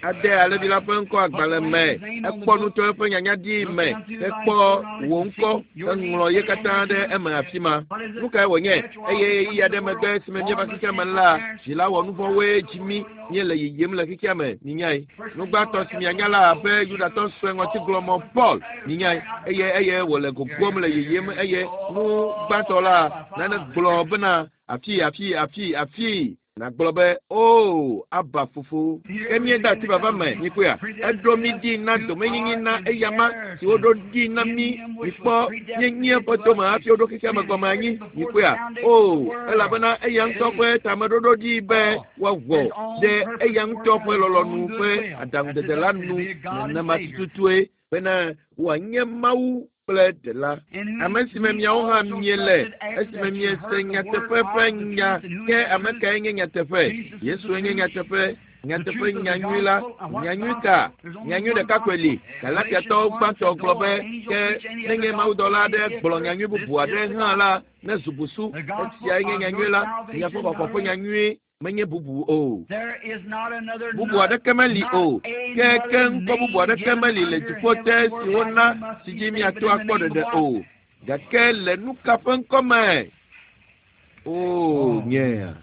Ade alẽvi la ƒe ŋkɔ agbalẽ me, ekpɔ nu tso eƒe nyanya ɖi me, ekpɔ wò ŋkɔ, eŋlɔ ye katã ɖe eme afi ma. Nu kae wònye? Eye ɣeyiɣi aɖe megbe esime míeva xexea me la, dzila wɔnuvɔ̃woe dzi mí. Míele yiyim le xexea me, minyae. Nu gbãtɔ si mianya la abe Yudatɔ sue ŋɔtiglɔmɔ Paul, minyae. Eye eye wòle gogom le yiyim eye nu gbãtɔ la nane gblɔ bena afi, afi, afi, afi. Nàgblɔ be, Oo, Abba fofo. Ke míede asi vava me, mikpɔea? Eɖo mí ɖi na domenyinyi na eyama si woɖo ɖi na mí. Mikpɔ, míenyi eƒe dome hafi woɖo xexea me gɔme anyi. Mikpɔea? Oo, elabena eya ŋutɔ ƒe tameɖoɖo ɖi be woawɔ ɖe eya ŋutɔ ƒe lɔlɔ̃nu ƒe aɖaŋudede la nu nenema tututue bena wòanye Mawu kple Ɖela. Ame si me miawo hã miele esime miese nyateƒe ƒe nya. Ke ame kae nye nyateƒe? Yesue nye nyateƒe. Nyateƒe nyanyui la, nyanyui ka? Nyanyui ɖeka koe li. Galatiatɔwo gbãtɔ gblɔ be ke nenye mawudɔla aɖe gblɔ nyanyui bubu aɖe hã la, ne zu busu. Esiae nye nyanyui la, miaƒe xɔxɔ ƒe nyanyui menye bubu o. Bubu aɖeke meli o. Ke ke ŋkɔ bubu aɖeke meli le dziƒo te si wona si dzi míato akpɔ ɖeɖe o. Gake le nu ka ƒe ŋkɔ me? O, nyea.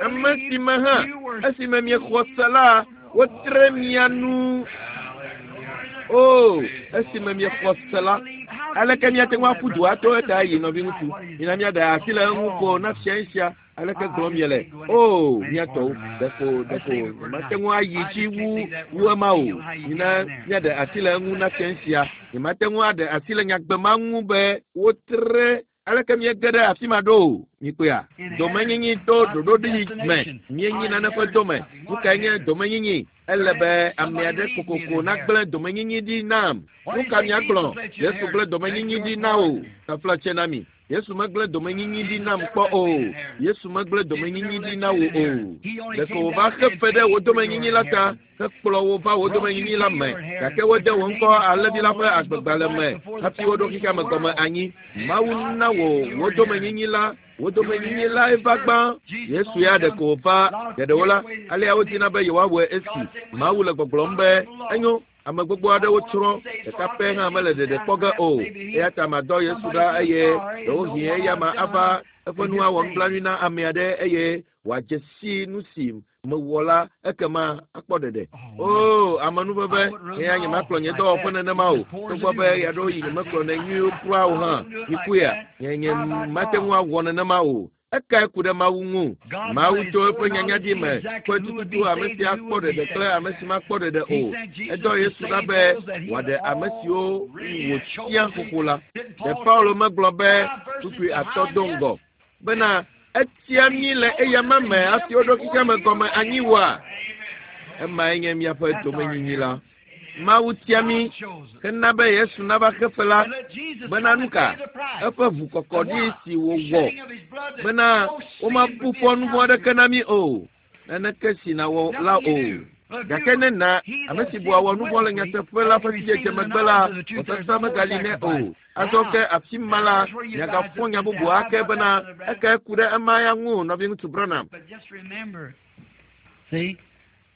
Ame si me hã, esime miexɔ se la, wotre mia nu. O, esime miexɔ se la, aleke míate ŋu aƒu du ato eta yi nɔviŋutsu? Mina míaɖe asi le eŋu ko na fia esia. Aleke gblɔm miele? O, mía tɔwo, ɖeko ɖeko nyemate ŋu ayi dzi wu wu ema o. Mina míaɖe asi le eŋu na fia esia. Nyemate ŋu aɖe asi le nyagbe ma ŋu be wotre Aleke míege ɖe afi ma ɖo o? Mikpɔea? Domenyinyi to ɖoɖoɖi me. Míenyi nane ƒe dome. Nu kae nye domenyinyi? Ele be ame aɖe kokoko nagblẽ domenyinyi ɖi nam. Nu ka miagblɔ? Yesu gblẽ domenyinyi ɖi na wò. Taflatse na mi. Yesu megblẽ domenyinyi ɖi nam kpɔ o. Yesu megblẽ domenyinyi ɖi na wò o. Ɖeko wòva xe fe ɖe wò domenyinyi la ta hekplɔ wo va wò domenyinyi la me. Gake wode wò ŋkɔ alẽvi la ƒe agbegbalẽ me hafi woɖo xexea me gɔme anyi. Mawu na wò wò domenyinyi la. Wò domenyinyi lae va gbã. Yesu ya ɖeko wòva geɖewo la, alea wodina be yewoawɔe esi Mawu le gbɔgblɔm be, Enyo, ame gbogbo aɖewo tsrɔ̃, ɖeka pɛ hã mele ɖeɖe kpɔ ge o. Eya ta madɔ Yesu ɖa eye ɖewohĩ eyama ava eƒe nu awɔ nublanui na ame aɖe eye wòadze si nu si mewɔ la, ekema akpɔ ɖeɖe. Oo, amenuveve, eya nyemakplɔ nye dɔwɔƒe nenema o. Togbɔ be ɣeaɖewoɣi nyemekplɔnɛ nyuie kura o hã. Mikpɔea? Nye nye mate ŋu awɔ nenema o. Ekae ku ɖe Mawu ŋu. Mawu to eƒe nyanyadi me kpɔe tututu ame si akpɔ ɖeɖe kple ame si makpɔ ɖeɖe o. Edɔ Yesu ɖa be wòaɖe ame siwo wòtia xoxo la. Ɖe Paulo megblɔ be kpukpui atɔ do ŋgɔ bena etia mí le eyama me hafi woɖo xexeame gɔme anyi oa? Emae nye míaƒe domenyinyi la. Mawu tia mí hena be Yesu nava xe fe la bena nu ka? Eƒe ʋukɔkɔɖi si wòwɔ bena womabu fɔ nu vɔ̃ aɖeke na mí o. Naneke si nàwɔ la o. Gake ne na ame si bua wɔ nu vɔ̃ le nyateƒe la ƒe sidzedze megbe la, vɔsasa megali nɛ o. Azɔ ke afi ma la, miagafɔ nya bubu ake bena ekae ku ɖe ema ya ŋu, nɔviŋutsu Branham.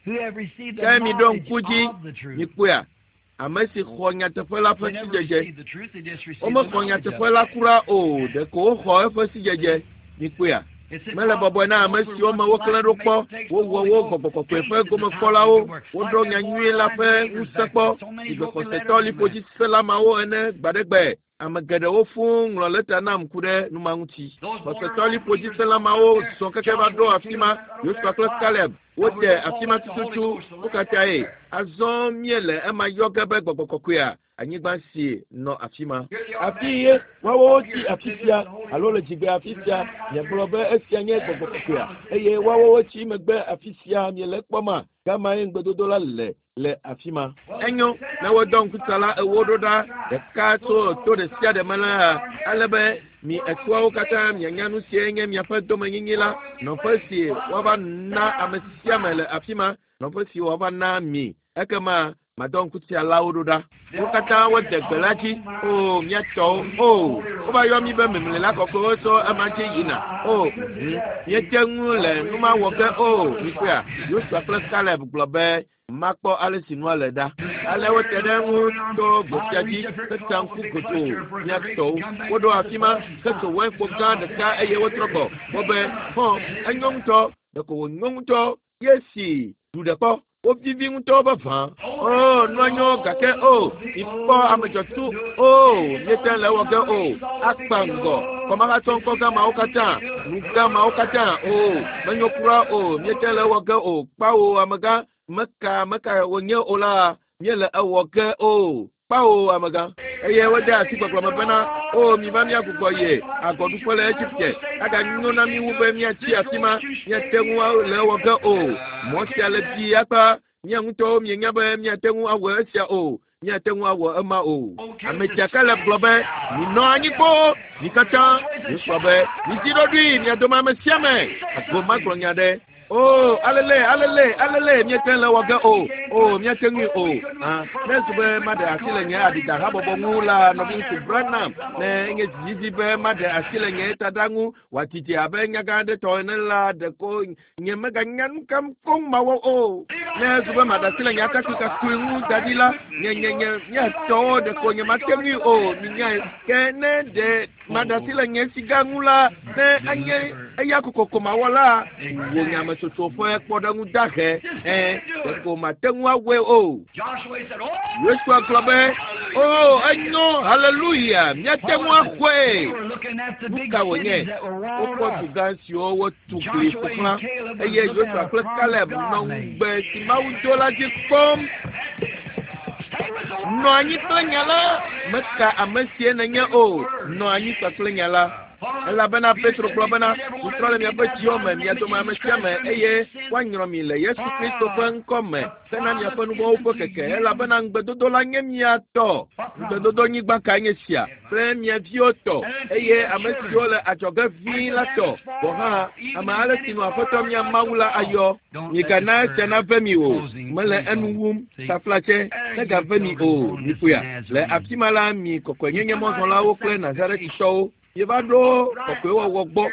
Ke miɖo ŋku dzi, mikpɔea, ame si xɔ nyateƒe la ƒe sidzedze. Womexɔ nyateƒe la kura o, ɖeko woxɔ eƒe sidzedze. Mikpɔea? Mele bɔbɔe na ame siwo me woklẽ ɖo kpɔ, wowɔ wo gbɔgbɔ kɔkɔe ƒe gomekpɔlawo, woɖo nyanyui la ƒe ŋusẽ kpɔ, sigbe xɔsetɔ liƒodzisela mawo ene gbaɖegbe. Ame geɖewo fũu ŋlɔ lɛta nam ku ɖe nu ma ŋuti. Xɔsetɔ liƒodzisẽla mawo zɔ keke va ɖo afi ma. Yosua kple Kaleb wode afi ma tututu. Nu ka tae? Azɔ míele ema yɔ ge be gbɔgbɔ kɔkɔea, anyigba si nɔ afi ma. Afi ye woawo wotsi afi sia alo le dzigbe afi sia. Miagblɔ be esia nye gbɔgbɔ kɔkɔea eye woawo wotsi megbe afi sia. Miele ekpɔma? Gamae ŋugbedodo la le. le afi ma. Enyo, ne wodɔ ŋkutsala ewo ɖo ɖa ɖeka tso to ɖe sia ɖe me la, ale be mi etɔawo katã mianya nu sie nye miaƒe domenyinyi la, nɔƒe si woava na ame sia ame le afi ma, nɔƒe si woava na mi. Ekema madɔ ŋkutsalawo ɖo ɖa. Wo katã wode gbe la dzi. O, mía tɔwo. O, wova yɔ mí be memlila kɔkɔewo tso ema dzi yina. O, hm, míete ŋu le nu ma wɔ ge o. Mikpɔea? Yosua kple Kaleb gblɔ be, Makpɔ ale si nua le ɖa. Ale wote ɖe eŋu to go sia dzi hetsa ŋku godoo, mía tɔwo. Woɖo afi ma hetso wainkpo gã ɖeka eye wotrɔ gbɔ. Wobe, Hɔ̃, enyo ŋutɔ. Ɖeko wònyo ŋutɔ. Ye si ɖu ɖe kpɔ. Wovivi ŋutɔ vavã. O, nua nyo gake o, mikpɔ ame dzɔtsu. O, míete le ewɔ ge o. Akpa ŋgɔ. Kɔmahatsɔ ŋkɔ gã mawo katã, nu gã mawo katã. O, menyo kura o, míete le ewɔ ge o. Kpao, amegã, meka, meka wònye o la, míele ewɔ ge o. Kpao, amegã. Eye wode asi gbɔgblɔ me bena, O, miva míagbugbɔ yi agɔɖuƒe le Egipte. Aganyo na mí wu be míatsi afi ma. Míate ŋu le ewɔ ge o. Mɔ sia le bii akpa. Mía ŋutɔwo mienya be míate ŋu awɔ esia o. Míate ŋu awɔ ema o. Ame sia Kaleb gblɔ be, Minɔ anyi kpoo, mi katã. Yosua be, Mizi ɖoɖoe, mia dome ame sia ame. Ago magblɔ nya ɖe. O, alele, alele, alele, míete le wɔ ge o. O, míate ŋui o. Hã, ne ezu be maɖe asi le nye aɖidahabɔbɔ ŋu la, nɔviŋutsu Branham, ne enye dzididi be maɖe asi le nye taɖa ŋu wòadidi abe nyagã aɖe tɔ ene la, ɖeko nye meganya nu ka koŋ mawɔ o. Ne ezu be maɖe asi le nye atakpui kakui ŋu da ɖi la, nye, nye, nye, nye tɔwo ɖeko nyemate ŋui o, minyae. Ke ne ɖe maɖe asi le nye siga ŋu la, ne anye eya kokoko mawɔ la, wò nyametsotso ƒe kpɔɖeŋu dahe, ẽ, ɖeko mate ŋu awɔe o. Yosua gblɔ be, O, enyo, haleluya, míate ŋu axɔe. Nu ka wònye? Wokpɔ du gã siwo wotu gli ƒo xlã, eye Yosua kple Kaleb nɔ ŋugbe si Mawu do la dzi kpɔm. Nɔ anyi kple nya la, meka ame sie nènye o, nɔ anyi kpakple nya la. Elabena Petro gblɔ bena, Mitrɔ le miaƒe dziwo me, mia dome ame sia ame, eye woanyrɔ mi le Yesu Kristo ƒe ŋkɔ me hena miaƒe nuvɔ̃wo ƒe keke, elabena ŋugbedodo la nye mia tɔ. Ŋugbedodonyigba kae nye sia? Kple mia viwo tɔ, eye ame siwo le adzɔge ʋĩi la tɔ gɔ̃ hã, ame ale si nu Aƒetɔ mía Mawu la ayɔ. Migana esia nave mi o, mele enu wum, taflatse, negave mi o, mikpɔea? Le afi ma la, mi kɔkɔenyenye mɔzɔlawo kple Nazaretitɔwo, mieva ɖo kɔkɔewɔwɔ gbɔ,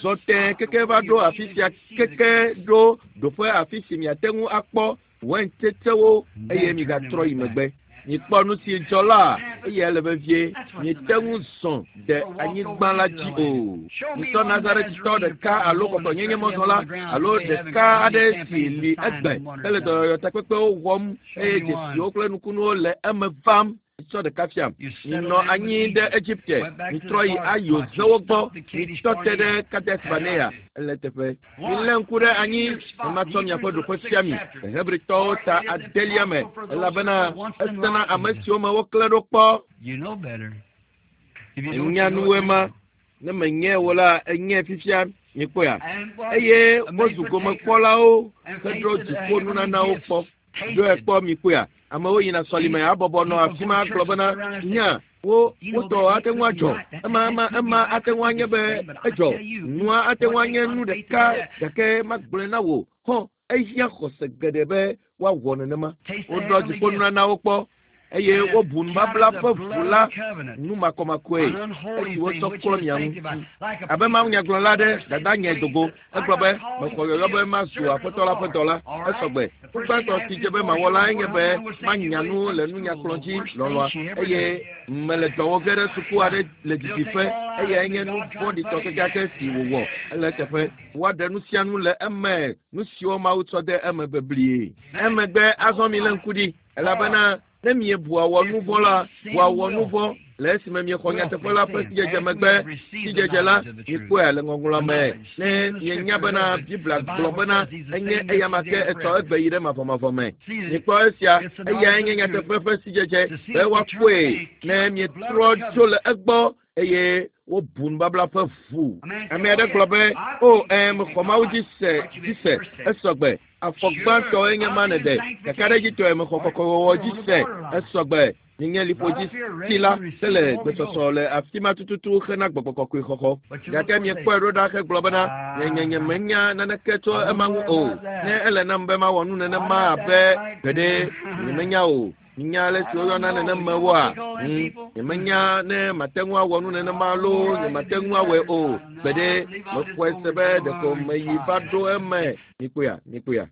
zɔ tẽe keke va ɖo afi sia keke ɖo ɖoƒe afi si miate ŋu akpɔ waintsetsewo eye migatrɔ yi megbe. Mikpɔ nu si dzɔ la, eya le vevie. Miete ŋu zɔ de anyigba la dzi o. Mitsɔ Nazaretitɔ ɖeka alo kɔkɔenyenye mɔzɔla alo ɖeka aɖe si li egbe hele dɔyɔyɔtakpekpewo wɔm eye dzesiwo kple nukunuwo le eme vam. Mitsɔ ɖeka fiam. Minɔ anyi ɖe Egipte. Mitrɔ yi ayo zewo gbɔ. Mitɔ te ɖe Kades Barnea. Ele teƒe. Milé ŋku ɖe anyi ne matsɔ miaƒe ɖoƒe fia mi le Hebritɔwo ta adelia me elabena esena ame siwo me woklẽ ɖo kpɔ. Enya nuwoe ma. Ne menye wo la, enye fifia mikpɔea. Eye wozu gomekpɔlawo heɖo dziƒo nunanawo kpɔ. Ɖoe kpɔ mikpɔea. Amewo yina sɔlime abɔbɔ nɔ afi ma gblɔ bena nya wo wotɔ ate ŋu adzɔ ema ema ema ate ŋu anye be edzɔ nua ate ŋu anye nu ɖeka gake magblɔe na wò hɔ ehiã xɔse geɖe be woawɔ nenema. Woɖɔ dziƒonunanawo kpɔ eye wobu nubabla ƒe ʋu la nu makɔmakɔe esi wotsɔ klɔ mia ŋu. Abe mawunyagblɔla aɖe dada nye dogo egblɔ be mexɔ yɔyɔ be mazu aƒetɔ la ƒe dɔla esɔgbe. Nu gbãtɔ si dze be mawɔ lae nye be manya nu le nunyakplɔ dzi lɔlɔa eye mele dɔ wɔ ge ɖe suku aɖe le didiƒe eyae nye nu vɔ̃ɖitɔ kekeake si wòwɔ. Ele eteƒe. Woaɖe nu sia nu le eme nu siwo Mawu tsɔ de eme beblie. Emegbe azɔ milé ŋku ɖi elabena ne miebua wɔ nu vɔ̃ la, bua wɔ nu vɔ̃ le esime miexɔ nyateƒe la ƒe sidzedze megbe. Sidzedze la, mikpɔe le ŋɔŋlɔ me. Ne mienya bena Biblia gblɔ bena enye eyama ke etsɔ egbe yi ɖe mavɔmavɔ me. Mikpɔ esia, eyae nye nyateƒe ƒe sidzedze be woakpɔe ne mietrɔ tso le egbɔ eye wobu nubabla ƒe ʋu. Ame aɖe gblɔ be, o ɛ mexɔ Mawu dzi se dzi se esɔgbe. Afɔ gbãtɔe nye ma nèɖe. Kakaɖedzitɔe mexɔ kɔkɔewɔwɔ dzi se esɔgbe. Nye liƒo dzi si la hele gbesɔsɔ le afi ma tututu hena gbɔgbɔ kɔkɔe xɔxɔ. Gake miekpɔe ɖo ɖa hegblɔ bena nye nye nye menya naneke tso ema ŋu o. Ne ele nam be mawɔ nu nenema abe gbeɖe nyemenya o. Nya ale si woyɔna nenemewoa? Nyemenya ne mate ŋu awɔ nu nenema loo nyemate ŋu awɔe o. Gbeɖe mexɔe se be ɖeko meyi va ɖo eme. Mikpɔea, mikpɔea.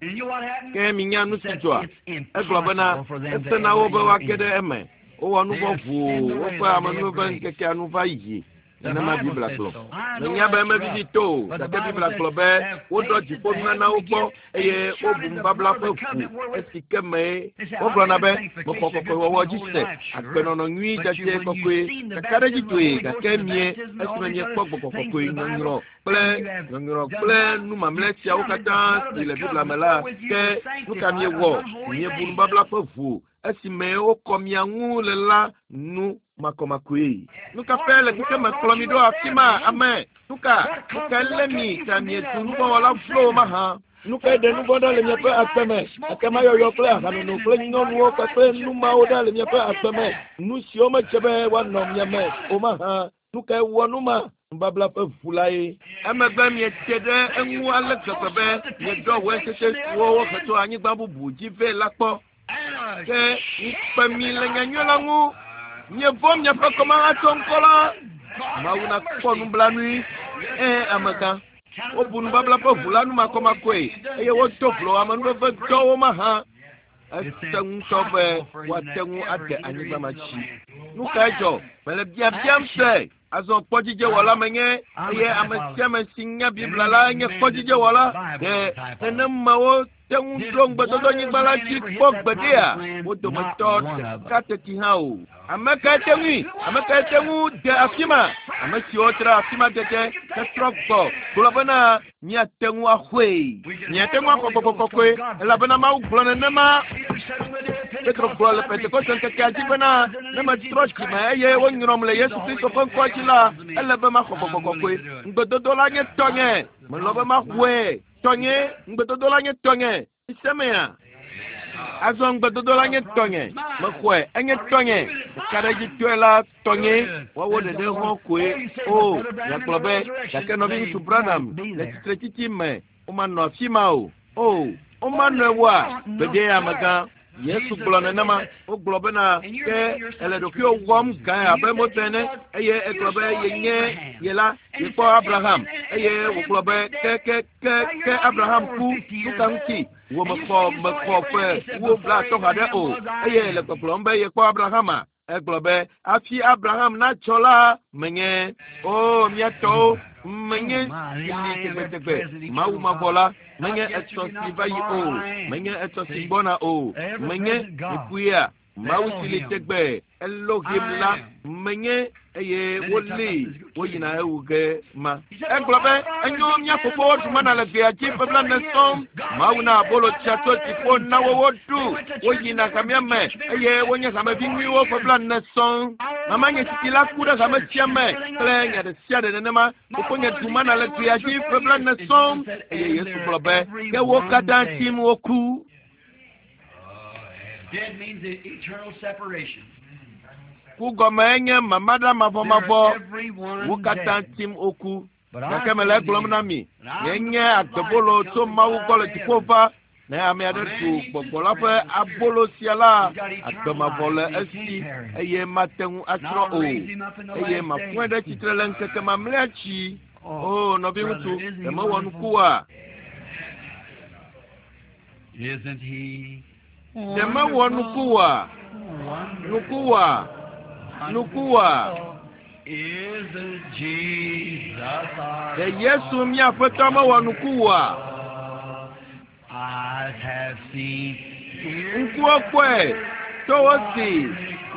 Ke minya nu si dzɔa? Egblɔ bena ese na wo be woage ɖe eme. Wowɔ nu vɔ̃ ʋuu woƒe amenuveve ŋkekea nu va yi. Nenema Biblia gblɔ. Menya be mevivi to o, gake Biblia gblɔ be woɖɔ dziƒonunanawo kpɔ eye wobu nubabla ƒe ʋu esi ke mee. Wogblɔna be mexɔ kɔkɔewɔwɔ dzi se, agbenɔnɔ nyui dzadzɛ kɔkɔe, kakaɖedzitɔe gake mie esime miekpɔ gbɔgbɔ kɔkɔe nyɔnyrɔ kple nyɔnyrɔ kple nu mamlɛ siawo katã si le Biblia me la, ke nu ka miewɔ? Miebu nubabla ƒe ʋu esime wokɔ mia ŋu le la nu makɔmakɔe. Nu ka ƒe le xexeme kplɔ mi ɖo afi ma ame? Nu ka nu ka lé mi ta miezu nuvɔ̃wɔla vlowo mahã? Nu kae ɖe nu vɔ̃ ɖa le miaƒe agbe me? Ekema yɔyɔ kple ahanono kple nyɔnuwo kpakple nu mawo ɖa le miaƒe agbe me. Nu siwo medze be woanɔ mia me o mahã. Nu kae wɔ nu ma? Nubabla ƒe ʋu lae. Emegbe miete ɖe eŋu ale gbegbe be mieɖɔ weintsetse siwo wohe tso anyigba bubu dzi vɛ la kpɔ. Ke ŋukpe mi le nyanyui la ŋu. Mievɔ̃ miaƒe kɔmahatsɔ ŋkɔ la. Mawu nakpɔ nublanui. Ẽ, amegã. Wobu nubabla ƒe ʋu la nu makɔmakɔe eye wodo vlo amenuveve dɔwo mahã. Ese ŋutɔ be woate ŋu ade anyigba ma dzi. Nu kae dzɔ? Mele biabiam se. Azɔ kpɔdzidzewɔla menye eye ame sia ame si nya Biblia la nye kpɔdzidzewɔla. Ɖe nenemawo te ŋu ɖo ŋugbedodonyigba la dzi kpɔ gbeɖea? Wo dometɔ ɖeka teti hã o. Ame kae te ŋui? Ame kae te ŋu de afi ma? Ame siwo tra afi ma dede hetrɔ gbɔ gblɔ bena míate ŋu axɔe. Míate ŋu axɔ gbɔgbɔ kɔkɔe elabena Mawu gblɔ nenema. Petro gblɔ le Pentekoste ŋkekea dzi bena ne metrɔ dzime eye wonyrɔm le Yesu Kristo ƒe ŋkɔ dzi la, ele be maxɔ gbɔgbɔ kɔkɔe. Ŋugbedodo la nye tɔnye. Melɔ̃ be maxɔe. Tɔnye, ŋugbedodo la nye tɔnye. Isemea? Azɔ ŋugbedodo la nye tɔnye. Mexɔe, enye tɔnye. Ɖekaɖedzitɔe la tɔnye. Woawo ɖeɖe hɔ̃ koe. O, miagblɔ be, gake nɔviŋutsu Branham le tsitretsitsi me, womanɔ afi ma o. O, womanɔe woa? Gbeɖe amegã. Yesu gblɔ nenema. Wogblɔ bena ke ele ɖokuiwò wɔm gãe abe Mose ene eye egblɔ be yenye ye la yekpɔ Abraham eye wògblɔ be ke ke ke ke Abraham ku nu ka ŋuti wò mexɔ mexɔ ƒe wu 30 haɖe o eye le gbɔgblɔm be yekpɔ Abrahama. Egblɔ be hafi Abraham natsɔ la menye o mía tɔwo menye si li tegbetegbe Mawu mavɔ la menye etsɔ si va yi o menye etsɔ si gbɔna o menye ŋkuya Mawu si li tegbe Elohim la menye eye woli woyina ewu ge ma. Egblɔ be enyo mía fofowo ɖu mana le gbea dzi ƒe 40 sɔŋ. Mawu na abolo tsia tso dziƒo na wo woɖu. Woyina hamea me eye wonye hamevi nyuiwo ƒe 40 sɔŋ. Mama nye tsitsi la ku ɖe hame sia me kple nya ɖe sia ɖe nenema. Fofonye ɖu mana le gbea dzi ƒe 40 sɔŋ eye Yesu gblɔ be ke wo katã tsim woku. Dead means eternal separation. Ku gɔme nye mamaɖa mavɔmavɔ. Wo katã tsim woku. Gake mele egblɔm na mi, nye nye agbebolo tso Mawu gbɔ le dziƒo va. Ne ame aɖe ɖu gbɔgbɔ la ƒe abolo sia la, agbe mavɔ le esi eye mate ŋu atsrɔ̃ o. Eye mafɔe ɖe tsitre le ŋkeke mamlɛa dzi. O nɔviŋutsu, ɖe mewɔ nuku oa? Isn't he Ɖe mewɔ nuku oa? Nuku oa? Nuku oa? Isn't Jesus our Ɖe Yesu mía Aƒetɔ mewɔ nuku oa? Eyes have seen, ears Ŋkuwo kpɔe, towo si,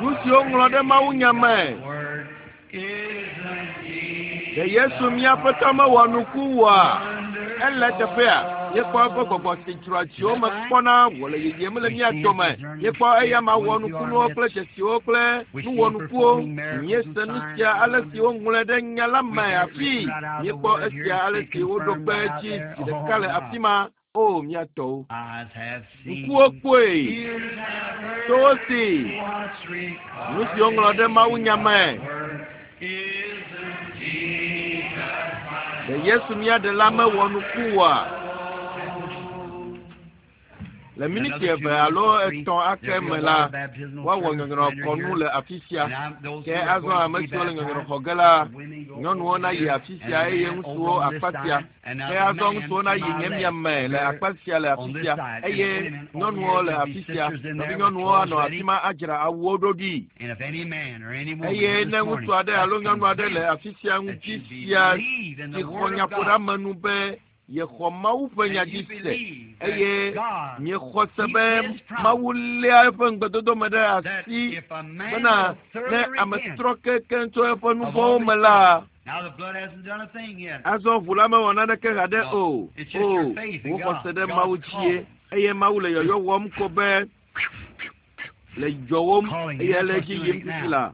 nu siwo ŋlɔ ɖe mawunya me. word. Isn't Jesus Ɖe Yesu mía Aƒetɔ mewɔ nuku oa? Ele teƒea, míekpɔ eƒe gbɔgbɔ si dzroa dziwo me kpɔna wòle yiyim le mía dome. Míekpɔ eya ma wɔ nukunuwo kple dzesiwo kple nuwɔnukuwo. Míese nu sia ale si woŋlɔe ɖe nya la me hafi. Míekpɔ esia ale si woɖo kpe edzi zi ɖeka le afi ma. O mía tɔwo. Eyes have seen, Ŋkuwo kpɔe, ears have heard, towo si, what's recorded nu siwo ŋlɔ ɖe mawunya me. word. Isn't Jesus Ɖe Yesu mía ɖela mewɔ nuku oa? Le miniti 2 alo 3 ake me la, woawɔ nyɔnyrɔxɔnu le afi sia. Ke azɔ ame siwo le nyɔnyrɔxɔ ge la, nyɔnuwo nayi afi sia eye ŋutsuwo akpa sia. Ke azɔ ŋutsuwo nayi nye mia me le akpa sia le afi sia eye nyɔnuwo le afi sia. Nɔvinyɔnuwo anɔ afi ma adzra awuwo ɖo ɖi. And if any man or any woman Eye this ne morning ŋutsu aɖe alo nyɔnu aɖe le afi sia that ŋuti you sia believe in si the xɔ word of God nyaƒoɖeamenu be yexɔ Mawu ƒe nya and dzi you se believe that eye God miexɔ se keeps be his promise Mawu léa eƒe ŋugbedodo me ɖe that asi if a man bena will ne thoroughly ame repent trɔ kekeŋ tso eƒe nu of all vɔ̃wo his me la, sins, now the blood hasn't done a thing yet. azɔ ʋu la mewɔ naneke haɖe No, o. it's just O, your faith in wò God. xɔse ɖe God's Mawu dzie calling. eye Mawu le yɔyɔ wɔm ko be le dzɔwom Calling you. eye That's le what's edzi doing yim it fifi now. la.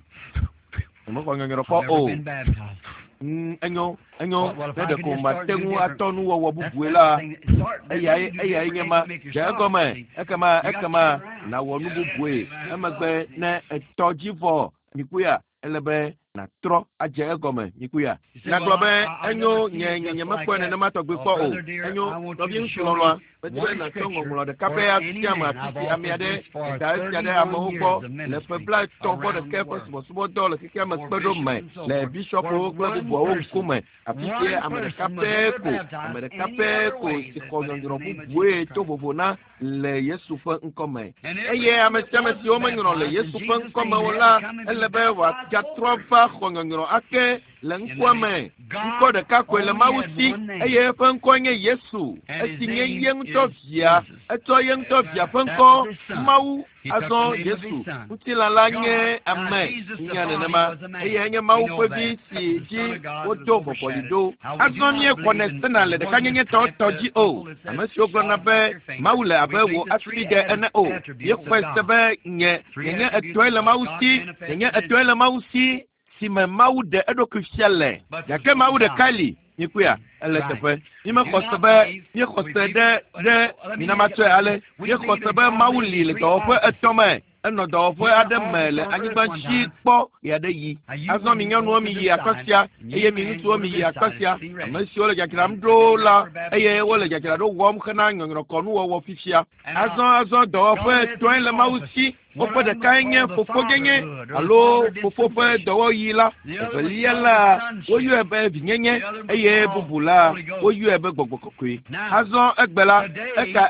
Mexɔ nyɔnyrɔ I've kpɔ never o. been baptized. Enyo, enyo, Well, if ne I could ɖeko just start mate do ŋu different. atɔ nuwɔwɔ That's bubue that's la, the thing. Start. eyae You do eyae different nye and ma. you make Dze yourself. egɔme, See, ekema you got to ekema turn around. nàwɔ nu bubue. Emegbe ne etɔ dzi vɔ mikuya, ele be nàtrɔ adze egɔme mikuya. You say, Nagblɔ well, be I, I've enyo never seen nye it nye just nye like mekpɔe that. nenema tɔgbi Oh, kpɔ o. brother dear, Enyo I want you nɔvi to ŋutsu show lɔlɔ̃a, me medi be one nàtsɔ scripture ŋɔŋlɔ ɖeka or pɛ any afia me man. afi I've si ame offered aɖe this for da esia ɖe 31 amewo years gbɔ of le ƒe ministry 30 vɔ around ɖeke the ƒe world subɔsubɔdɔ le xexea me for kpe ɖo bishops me and so le forth. Where bishɔpwo kple one bubuawo person, ŋkume. Afi sie one ame ɖeka person was pɛ ever ko, ame baptized ɖeka any pɛ other ko way si than xɔ but in the nyɔnyrɔ name of bubue Jesus to Christ. vovo na le Yesu ƒe ŋkɔme. And Eye everyone ame that sia ame wasn't siwo menyrɔ le baptized in Yesu ƒe Jesus' ŋkɔme name o had la, to come and ele be be baptized wòagatrɔ over va xɔ nyɔnyrɔ ake le in the ŋkɔa name. me. Ŋkɔ God ɖeka koe le only Mawu had si one name, eye eƒe ŋkɔe nye Yesu. and his Esi nye name ye ŋutɔ is via, Jesus. etsɔ ye ŋutɔ via ƒe That ŋkɔ was his son. Mawu He took the azɔ name of his Yesu. son. Ŋutilã la nye God, now ame Jesus the nya body nenema was a man. eye enye We Mawu know ƒe that. vi si The Son dzi of God that was wodo vɔvɔli overshadowed. ɖo. Now we do Azɔ not míexɔnɛ believe in sena le the ɖekanyenye oneness type, tɔ the dzi o. people that Ame says siwo gblɔna God be like your finger. Mawu le We abe believe wò the three asibidɛ ene o. attributes of Míexɔe se God. be nye Three nyenye attributes etɔe of le God. Mawu God si, nenye manifested in etɔe le Mawu si si me Mawu ɖe eɖokui fia le. But there's Gake one Mawu God. ɖeka li. Mikuya, ele Right. teƒe. We do Mímexɔ se not be believe, míexɔ we se believe, ɖe ɖe let me mina make it matsɔe like ale. this. We Míexɔ believe se in be God Mawu being li le three dɔwɔƒe offices. etɔ̃ me. Enɔ dɔwɔƒe aɖe me le anyigba dzi kpɔ ɣeaɖeɣi. Azɔ mi nyɔnuwo miyi akpa sia eye mi ŋutsuwo miyi akpa sia. Ame siwo le dzadzram ɖo la eye wole dzadzraɖo wɔm hena nyɔnyrɔkɔnuwɔwɔ fifia. Azɔ dɔwɔƒe etɔ̃e le Mawu si. Woƒe ɖekae nye fofonyenye alo fofo ƒe dɔwɔɣi la. Evelia la, woyɔe be vinyenye eye bubu la, woyɔe be gbɔgbɔ kɔkɔe. Azɔ egbe la,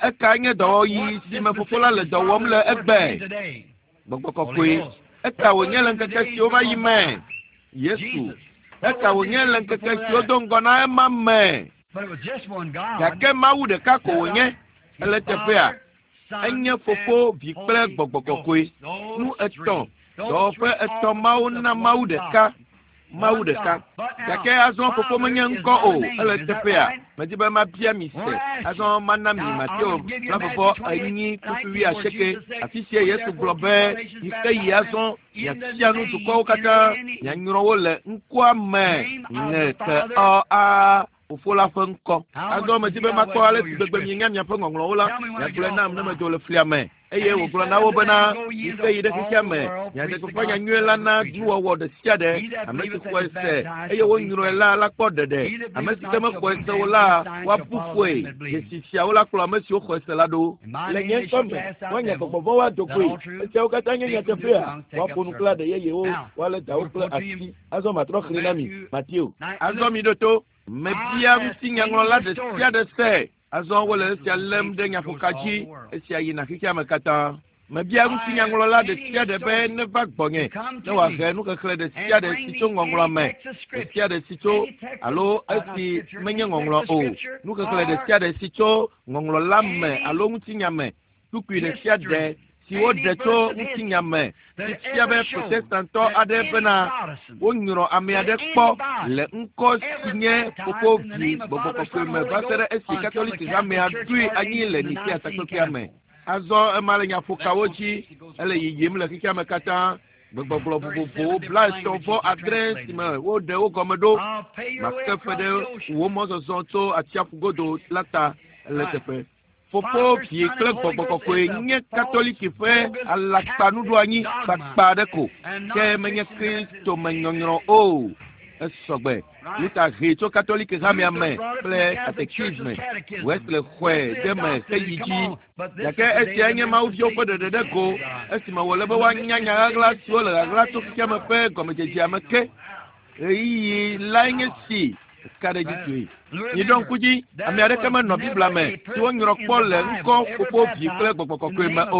eka nye dɔwɔɣi si me fofo la le dɔ wɔm le egbe. Gbɔgbɔ kɔkɔe. Eka wònye le ŋkeke siwo va yi me. Yesu. Eka wònye le ŋkeke siwo do ŋgɔ na ema me. Gake Mawu ɖeka ko wònye. Ele teƒea. Enye fofo, vi kple gbɔgbɔ kɔkɔe. Nu etɔ̃, dɔwɔƒe etɔ̃ mawo na Mawu ɖeka. Mawu ɖeka. Gake azɔ fofo menye ŋkɔ o. Ele teƒea. Medi be mabia mi se. Azɔ mana mi Mateo 24:28. Afi sia Yesu gblɔ be yi ke yi azɔ miafia nu dukɔwo katã, mianyrɔ wo le ŋkɔa me ŋe ke ɔ a fofo la ƒe ŋkɔ. Azɔ medi be makpɔ ale si gbegbe mienya miaƒe ŋɔŋlɔwo la, miagblɔe nam ne medzo le flia me. Eye wògblɔ na wo bena, yi ke yi ɖe xexea me, miaɖe gbeƒã nyanyui la na nuwɔwɔ ɖe sia ɖe. Ame si xɔe se eye wonyrɔe la kpɔ ɖeɖe. Ame si ke mexɔe se o la, woabu fɔe. Dzesi siawo la kplɔ ame siwo xɔe se la ɖo. Le nye ŋkɔ me, woanya gbɔgbɔ vɔ̃wo ado goe. Esiawo katã nye nyateƒea. Woaƒo nu kple aɖe yeyewo, woalé dawo kple asi. Azɔ matrɔ xlẽ na mi, Mateo. Azɔ mi ɖo to. Mebia ŋutinyaŋlɔla ɖe sia ɖe se. Azɔ wole esia lém ɖe nyaƒoka dzi. Esia yina xexea me katã. Mebia ŋutinyaŋlɔla ɖe sia ɖe be neva gbɔnye ne wòahe nuxexlẽ ɖe sia ɖe si tso ŋɔŋlɔa me, ɖe sia ɖe si tso alo esi menye ŋɔŋlɔ o, nuxexlẽ ɖe sia ɖe si tso ŋɔŋlɔ la me alo ŋutinya me, kpukpui ɖe sia ɖe si woɖe tso ŋutinya me si fia be protestantɔ aɖe bena wonyrɔ ame aɖe kpɔ le ŋkɔ si nye fofo vi gbɔgbɔ kɔkɔe me va se ɖe esi Katoliki hamea ɖoe anyi le Nikea takpekpea me. Azɔ ema le nyaƒokawo dzi, ele yiyim le xexea me katã. Gbegbɔgblɔ vovovowo 39 si me woɖe wo gɔme ɖo. Make fe ɖe wò mɔzɔzɔ tso atsiaƒu godo la ta le teƒe. Fofo, vi kple gbɔgbɔ kɔkɔe nye Katoliki ƒe alakpanuɖoanyi kpakpa aɖe ko, ke menye Kristo me nyɔnyrɔ o. Esɔgbe. Luther hee tso Katoliki hamea me kple katekisme. Wesley xɔe ɖe me heyi dzi. Gake esia nye Mawu viwo ƒe ɖeɖe ɖe go esime wòle be woanya nya ɣaɣla siwo le ɣaɣla tso xexea me ƒe gɔmedzedzea me ke. Ɣeyiɣi lae nye si ka ɖe dzi tsoe. Miɖo ŋku dzi, ame aɖeke menɔ Biblia me si wonyrɔ kpɔ le ŋkɔ fofo, vi kple gbɔgbɔ kɔkɔe me o.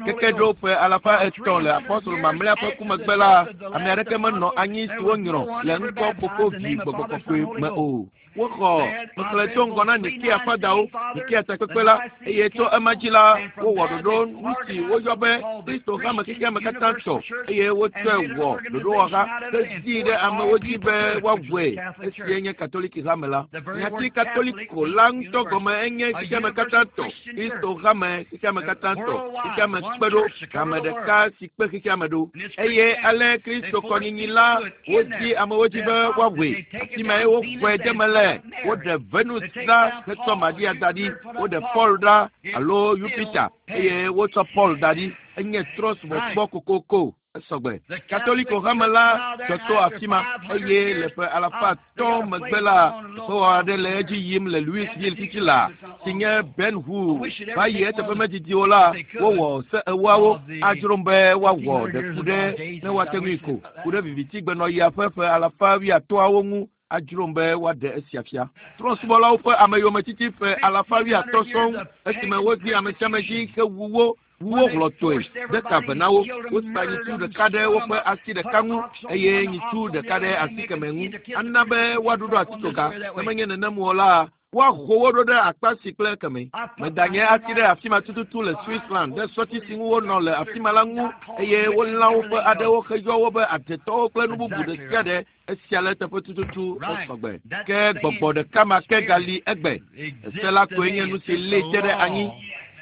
Keke ɖo ƒe 500 le apɔstolo mamlɛa ƒe ku megbe la, ame aɖeke menɔ anyi si wonyrɔ le ŋkɔ fofo, vi, gbɔgbɔ kɔkɔe me o. Woxɔ xexlẽ tso ŋgɔ na Nikea fadawo, Nikea takpekpe la, eye tso ema dzi la, wowɔ ɖoɖo nu si woyɔ be Kristo hame xexea me katã tɔ, eye wotsɔe wɔ ɖoɖowɔha hezii ɖe amewo dzi be woawɔe. Esie nye Katoliki hame la. Nyati Katoliko la ŋutɔ gɔme enye xexea me katã tɔ, Kristo hame xexea me katã tɔ, xexea me kpe ɖo, hame ɖeka si kpe xexea me ɖo. Eye ale Kristo kɔnyinyi la wodi amewo dzi be woawɔe. Afi mae woxɔe de me le. Woɖe Venus ɖa hetsɔ Maria da ɖi. Woɖe Paul ɖa alo Jupiter eye wotsɔ Paul da ɖi. Enye trɔ̃subɔsubɔ kokoko. Esɔgbe. Katoliko hame la dzɔ tso afi ma eye le ƒe 500 megbe la, teƒewɔwɔ aɖe le edzi yim le Louisville titi la si nye Ben Hur. Va yi eteƒe medidi o la, wowɔ se ewoawo adzrom be woawɔ ɖe ku ɖe ne woate ŋui ko ku ɖe vivitigbenɔɣia ƒe ƒe 50 ŋu adzrom be woaɖe esia fia. Trɔ̃subɔlawo ƒe ameyometiti ƒe 50 sɔŋ esime wodi ame sia ame dzi hewu wo wuwo hlɔ̃tɔe de ka ve na wo. Wosa nyitsu ɖeka ɖe woƒe asi ɖeka ŋu eye nyitsu ɖeka ɖe asi kemɛ ŋu. Ana be woaɖuɖɔ atitsoga. Ne menye nenem o la, woaho wo ɖo ɖe akpa si kple kemɛ. Meda nye asi ɖe afi ma tututu le Switzerland ɖe sɔti si ŋu wonɔ le afi ma la ŋu eye wolã woƒe aɖewo heyɔ wo be adetɔwo kple nu bubu ɖe sia ɖe. Esia le teƒe tututu esɔgbe. Ke gbɔgbɔ ɖeka ma ke gali egbe. Ese la koe nye nu si lée te ɖe anyi.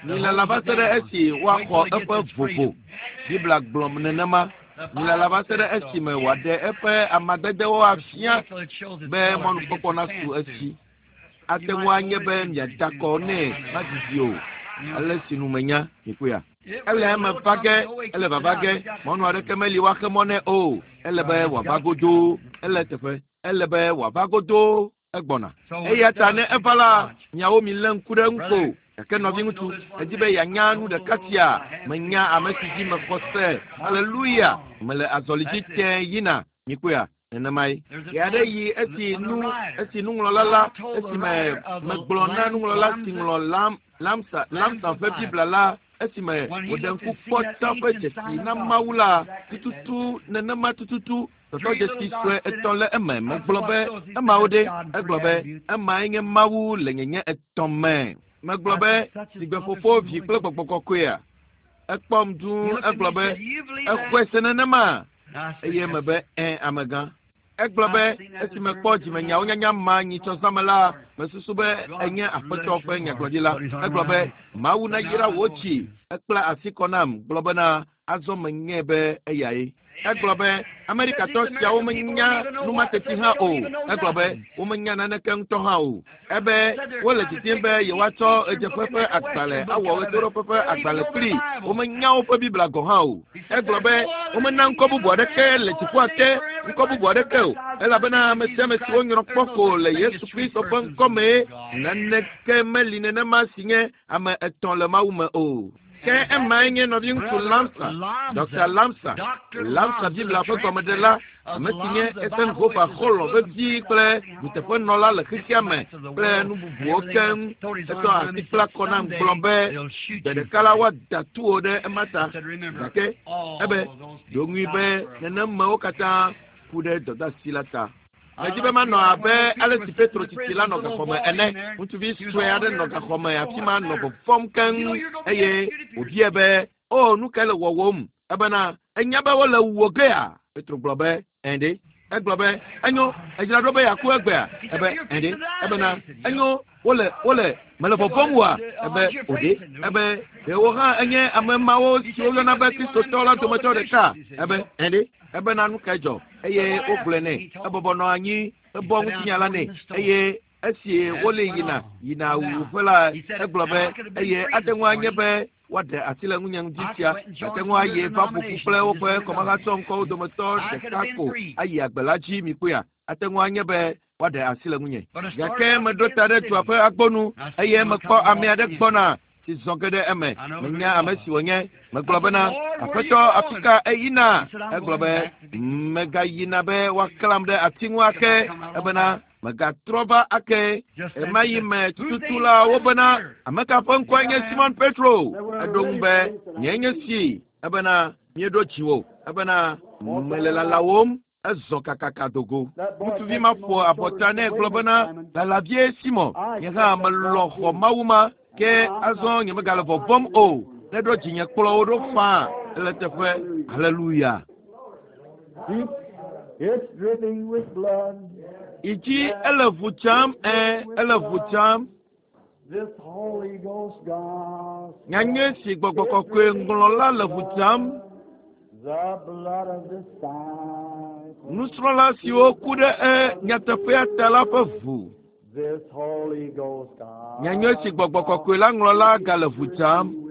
Milala va se ɖe esi woaxɔ eƒe vovo. Biblia gblɔ nenema. Milala va se ɖe esime wòaɖe eƒe amadedewo afia be mɔnukpɔkpɔ nasu esi. Ate ŋu anye be miada kɔ nɛ madidi o. Ale si nu menya, mikpɔea. Ele eme va ge, ele vava ge, mɔnu aɖeke meli woaxe mɔ nɛ o. Ele be wòava godoo, ele teƒe. Ele be wòava godoo, egbɔna. Eya ta ne eva la, miawo milé ŋku ɖe eŋu ko. Gake nɔviŋutsu, edi be yeanya nu ɖeka sia. Menya ame si dzi mexɔ se. Aleluya! Mele azɔli dzi tẽ yina. Mikpɔea? Nenemae. Ɣe aɖe yi esi nu, esi nuŋlɔla la, esime megblɔ na nuŋlɔla si ŋlɔ Lam, Lamsa, Lamsa ƒe Biblia la, esime wòɖe ŋku kpɔ ta ƒe dzesi na Mawu la, tututu, nenema tututu, tɔtɔ dzesi sue etɔ̃ le eme. Megblɔ be, emawo ɖe? Egblɔ be, emae nye Mawu le nyenye etɔ̃ me. Megblɔ be, sigbe Fofo, Vi kple Gbɔgbɔ Kɔkɔea. Ekpɔm dũu, egblɔ be, exɔe se nenema? Eye mebe, ẽ, amegã. Egblɔ be, esi mekpɔ dzimenyawo nyanya ma nyitsɔ zãme la, mesusu be enye Aƒetɔ ƒe nyagblɔɖila. Egblɔ be, Mawu nayra wò tsi. Ekpla asi kɔ nam, gblɔ bena, azɔ menyae be eyae. Egblɔ be, Amerikatɔ siawo menya nu ma teti hã o. Egblɔ be, womenya naneke ŋutɔ hã o. Ebe wole didim be yewoatsɔ ɣedzeƒe ƒe agbalẽ awɔ ɣetoɖoƒe ƒe agbalẽ kpli. Womenya woƒe Biblia gɔ̃ hã o. Egblɔ be, womena ŋkɔ bubu aɖeke le dziƒoa te, ŋkɔ bubu aɖeke o, elabena ame sia ame si wonyrɔ kpɔ ko le Yesu Kristo ƒe ŋkɔ mee. Naneke meli nenema si nye ame etɔ̃ le Mawu me o. Ke emae nye nɔviŋutsu Lamsa, Dr. Lamsa, Lamsa Biblia ƒe gɔmeɖela, ame si nye Eisenhower xɔlɔ̃ vevi kple nuteƒenɔla le xexea me kple nu bubuwo keŋ. Etsɔ asi kpla kɔ nam gblɔ be, gbe ɖeka la woada tu wò ɖe ema ta. Gake ebe, ɖo ŋui be nenemewo katã ku ɖe dɔdeasi la ta. Medi be manɔ abe ale si Petro tsitsi la nɔ gaxɔme ene. Ŋutsuvi sue aɖe nɔ gaxɔme afi ma nɔ vɔvɔ̃m keŋ eye wòbiae be, o, nu kae le wɔwɔm? Ebena, enya be wole wuwò gea? Petro gblɔ be, ẽ ɖe. Egblɔ be, enyo, edzra ɖo be yeaku egbea? Ebe, ẽ ɖe. Ebena, enyo, wole, wole, mele vɔvɔ̃m wòa? Ebe, o ɖe. Ebe, ɖe wò hã enye ame mawo siwo woyɔna be Kristotɔ la dometɔ ɖeka? Ebe, ẽ ɖe. Ebena, nu kae dzɔ? Eye wogblɔe nɛ. Ebɔbɔ nɔ anyi, ebɔ ŋutinya la nɛ. Eye esi wole yina, yina wuwuƒe la, egblɔ be, eye ate ŋu anye be woaɖe asi le ŋunye ŋdi sia. Ate ŋu ayi va ƒo ƒu kple woƒe kɔmahatsɔ ŋkɔwo dometɔ ɖeka ko ayi agbe la dzi, mikpɔea. Ate ŋu anye be woaɖe asi le ŋunye. Gake meɖo ta ɖe dua ƒe agbonu eye mekpɔ ame aɖe gbɔna si zɔ ge ɖe eme. Menya ame si wònye. Megblɔ bena, Aƒetɔ, afi ka eyina? Egblɔ be, megayina be woaklam ɖe ati ŋu ake. Ebena, megatrɔ va ake. Ema yi me tututu la wobena, ame ka ƒe ŋkɔe nye Simon Petro? Eɖo ŋu be, nye nye si. Ebena, míeɖo dziwò. Ebena, mele lalawòm. Ezɔ kakaka dogo. Ŋutsuvi ma ƒo abɔta nɛ gblɔ bena, lalavie Simon, nye hã melɔ̃ xɔ Mawu ma, ke azɔ nye megale vɔvɔ̃m o. Ne ɖo dzinye kplɔ wo ɖo faa ele teƒe. Haleluya. It's dripping with blood. Idzi ele ʋu tsam, ẽ, ele ʋu tsam. This Holy Ghost gospel. Nyanyui si Gbɔgbɔ Kɔkɔe ŋlɔ la le ʋu tsam. The blood of disciples. Nusrɔ̃la siwo ku ɖe e nyateƒea ta la ƒe ʋu. This Holy Ghost gospel. Nyanyui si Gbɔgbɔ Kɔkɔe la ŋlɔ la gale ʋu tsam.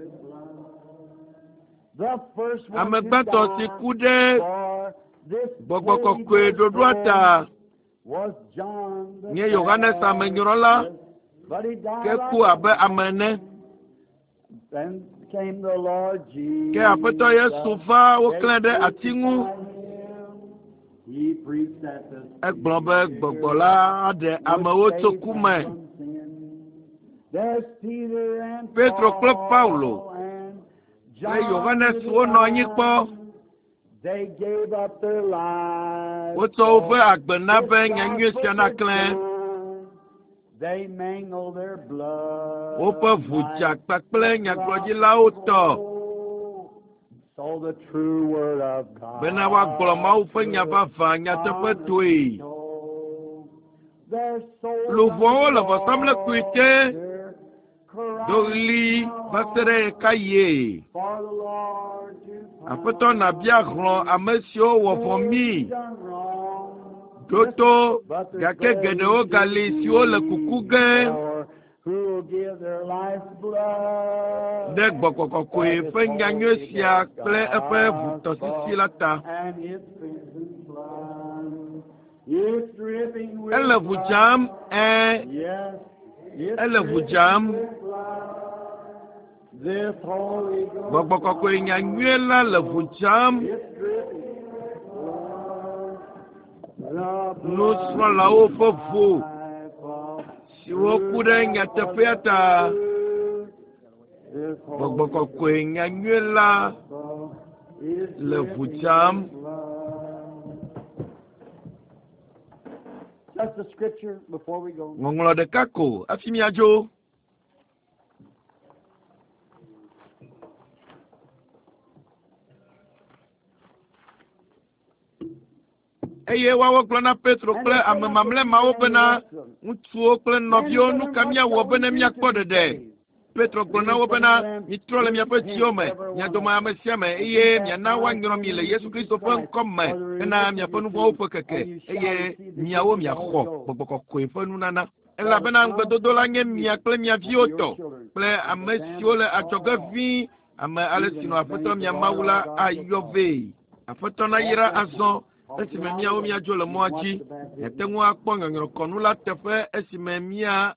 The first one Ame to gbãtɔ si die ku ɖe for this Gbɔgbɔ Holy Kɔkɔe Ghost ɖoɖoa ta was John the nye Yohanes Amenyrɔla, Baptist. But he died ke like ku abe a ame ene. man. Then came the Lord Jesus. Ke Aƒetɔ Yesu va woklãe ɖe ati ŋu. He preached that the Egblɔ be Gbɔgbɔ la aɖe amewo tso ku me. There's Peter and Petro kple Paulo Paul and kple John Yohanes the wonɔ anyi kpɔ. They gave up their lives Wotsɔ woƒe for agbe na be this nyanyui sia gospel naklẽ. to shine. They mingle their blood Woƒe ʋu dza like kpakple nyagblɔɖilawo tɔ So the true word of God bena woagblɔ Mawu ƒe nya vavã nyateƒetoe. Their souls Luʋɔwo le vɔsamlekpui te their do ɣli va se ɖe ɣekaɣie. for the Lord to Aƒetɔ nabia hlɔ̃ ame siwo wɔ vɔ̃ mí. done wrong. Ɖo to, gake geɖewo gali siwo le kuku ge. Who Ɖe Gbɔgbɔ Kɔkɔe ƒe nyanyui sia kple eƒe ʋutɔsisi la ta. Ele ʋu dzam, ɛ̃, ele ʋu dzam. Gbɔgbɔ Kɔkɔe nyanyui la le ʋu dzam. Nusrɔ̃lawo ƒe ʋu siwo ku ɖe nyateƒea ta. Gbɔgbɔ Kɔkɔe nyanyui la le ʋu dzam. Ŋɔŋlɔ ɖeka ko hafi míadzo. Eye woawo gblɔ na Petro kple ame mamlɛ mawo bena, Ŋutsuwo kple nɔviwo, nu ka míawɔ bene míakpɔ ɖeɖe? Petro gblɔ na wo bena, Mitrɔ le miaƒe dziwo me, mia dome ame sia ame, eye miana woanyrɔ mi le Yesu Kristo ƒe ŋkɔ me hena miaƒe nu vɔ̃wo ƒe keke, eye miawo miaxɔ Gbɔgbɔ Kɔkɔe ƒe nunana. Elabena ŋugbedodo la nye mia kple mia viwo tɔ, kple ame siwo le adzɔge ʋĩi, ame ale si nɔ Aƒetɔ mia Mawu la ayɔ vɛ. Aƒetɔ nayra azɔ esime míawo míadzo le mɔa dzi. Miate ŋu akpɔ nyɔnyrɔkɔnu la teƒe esime mía.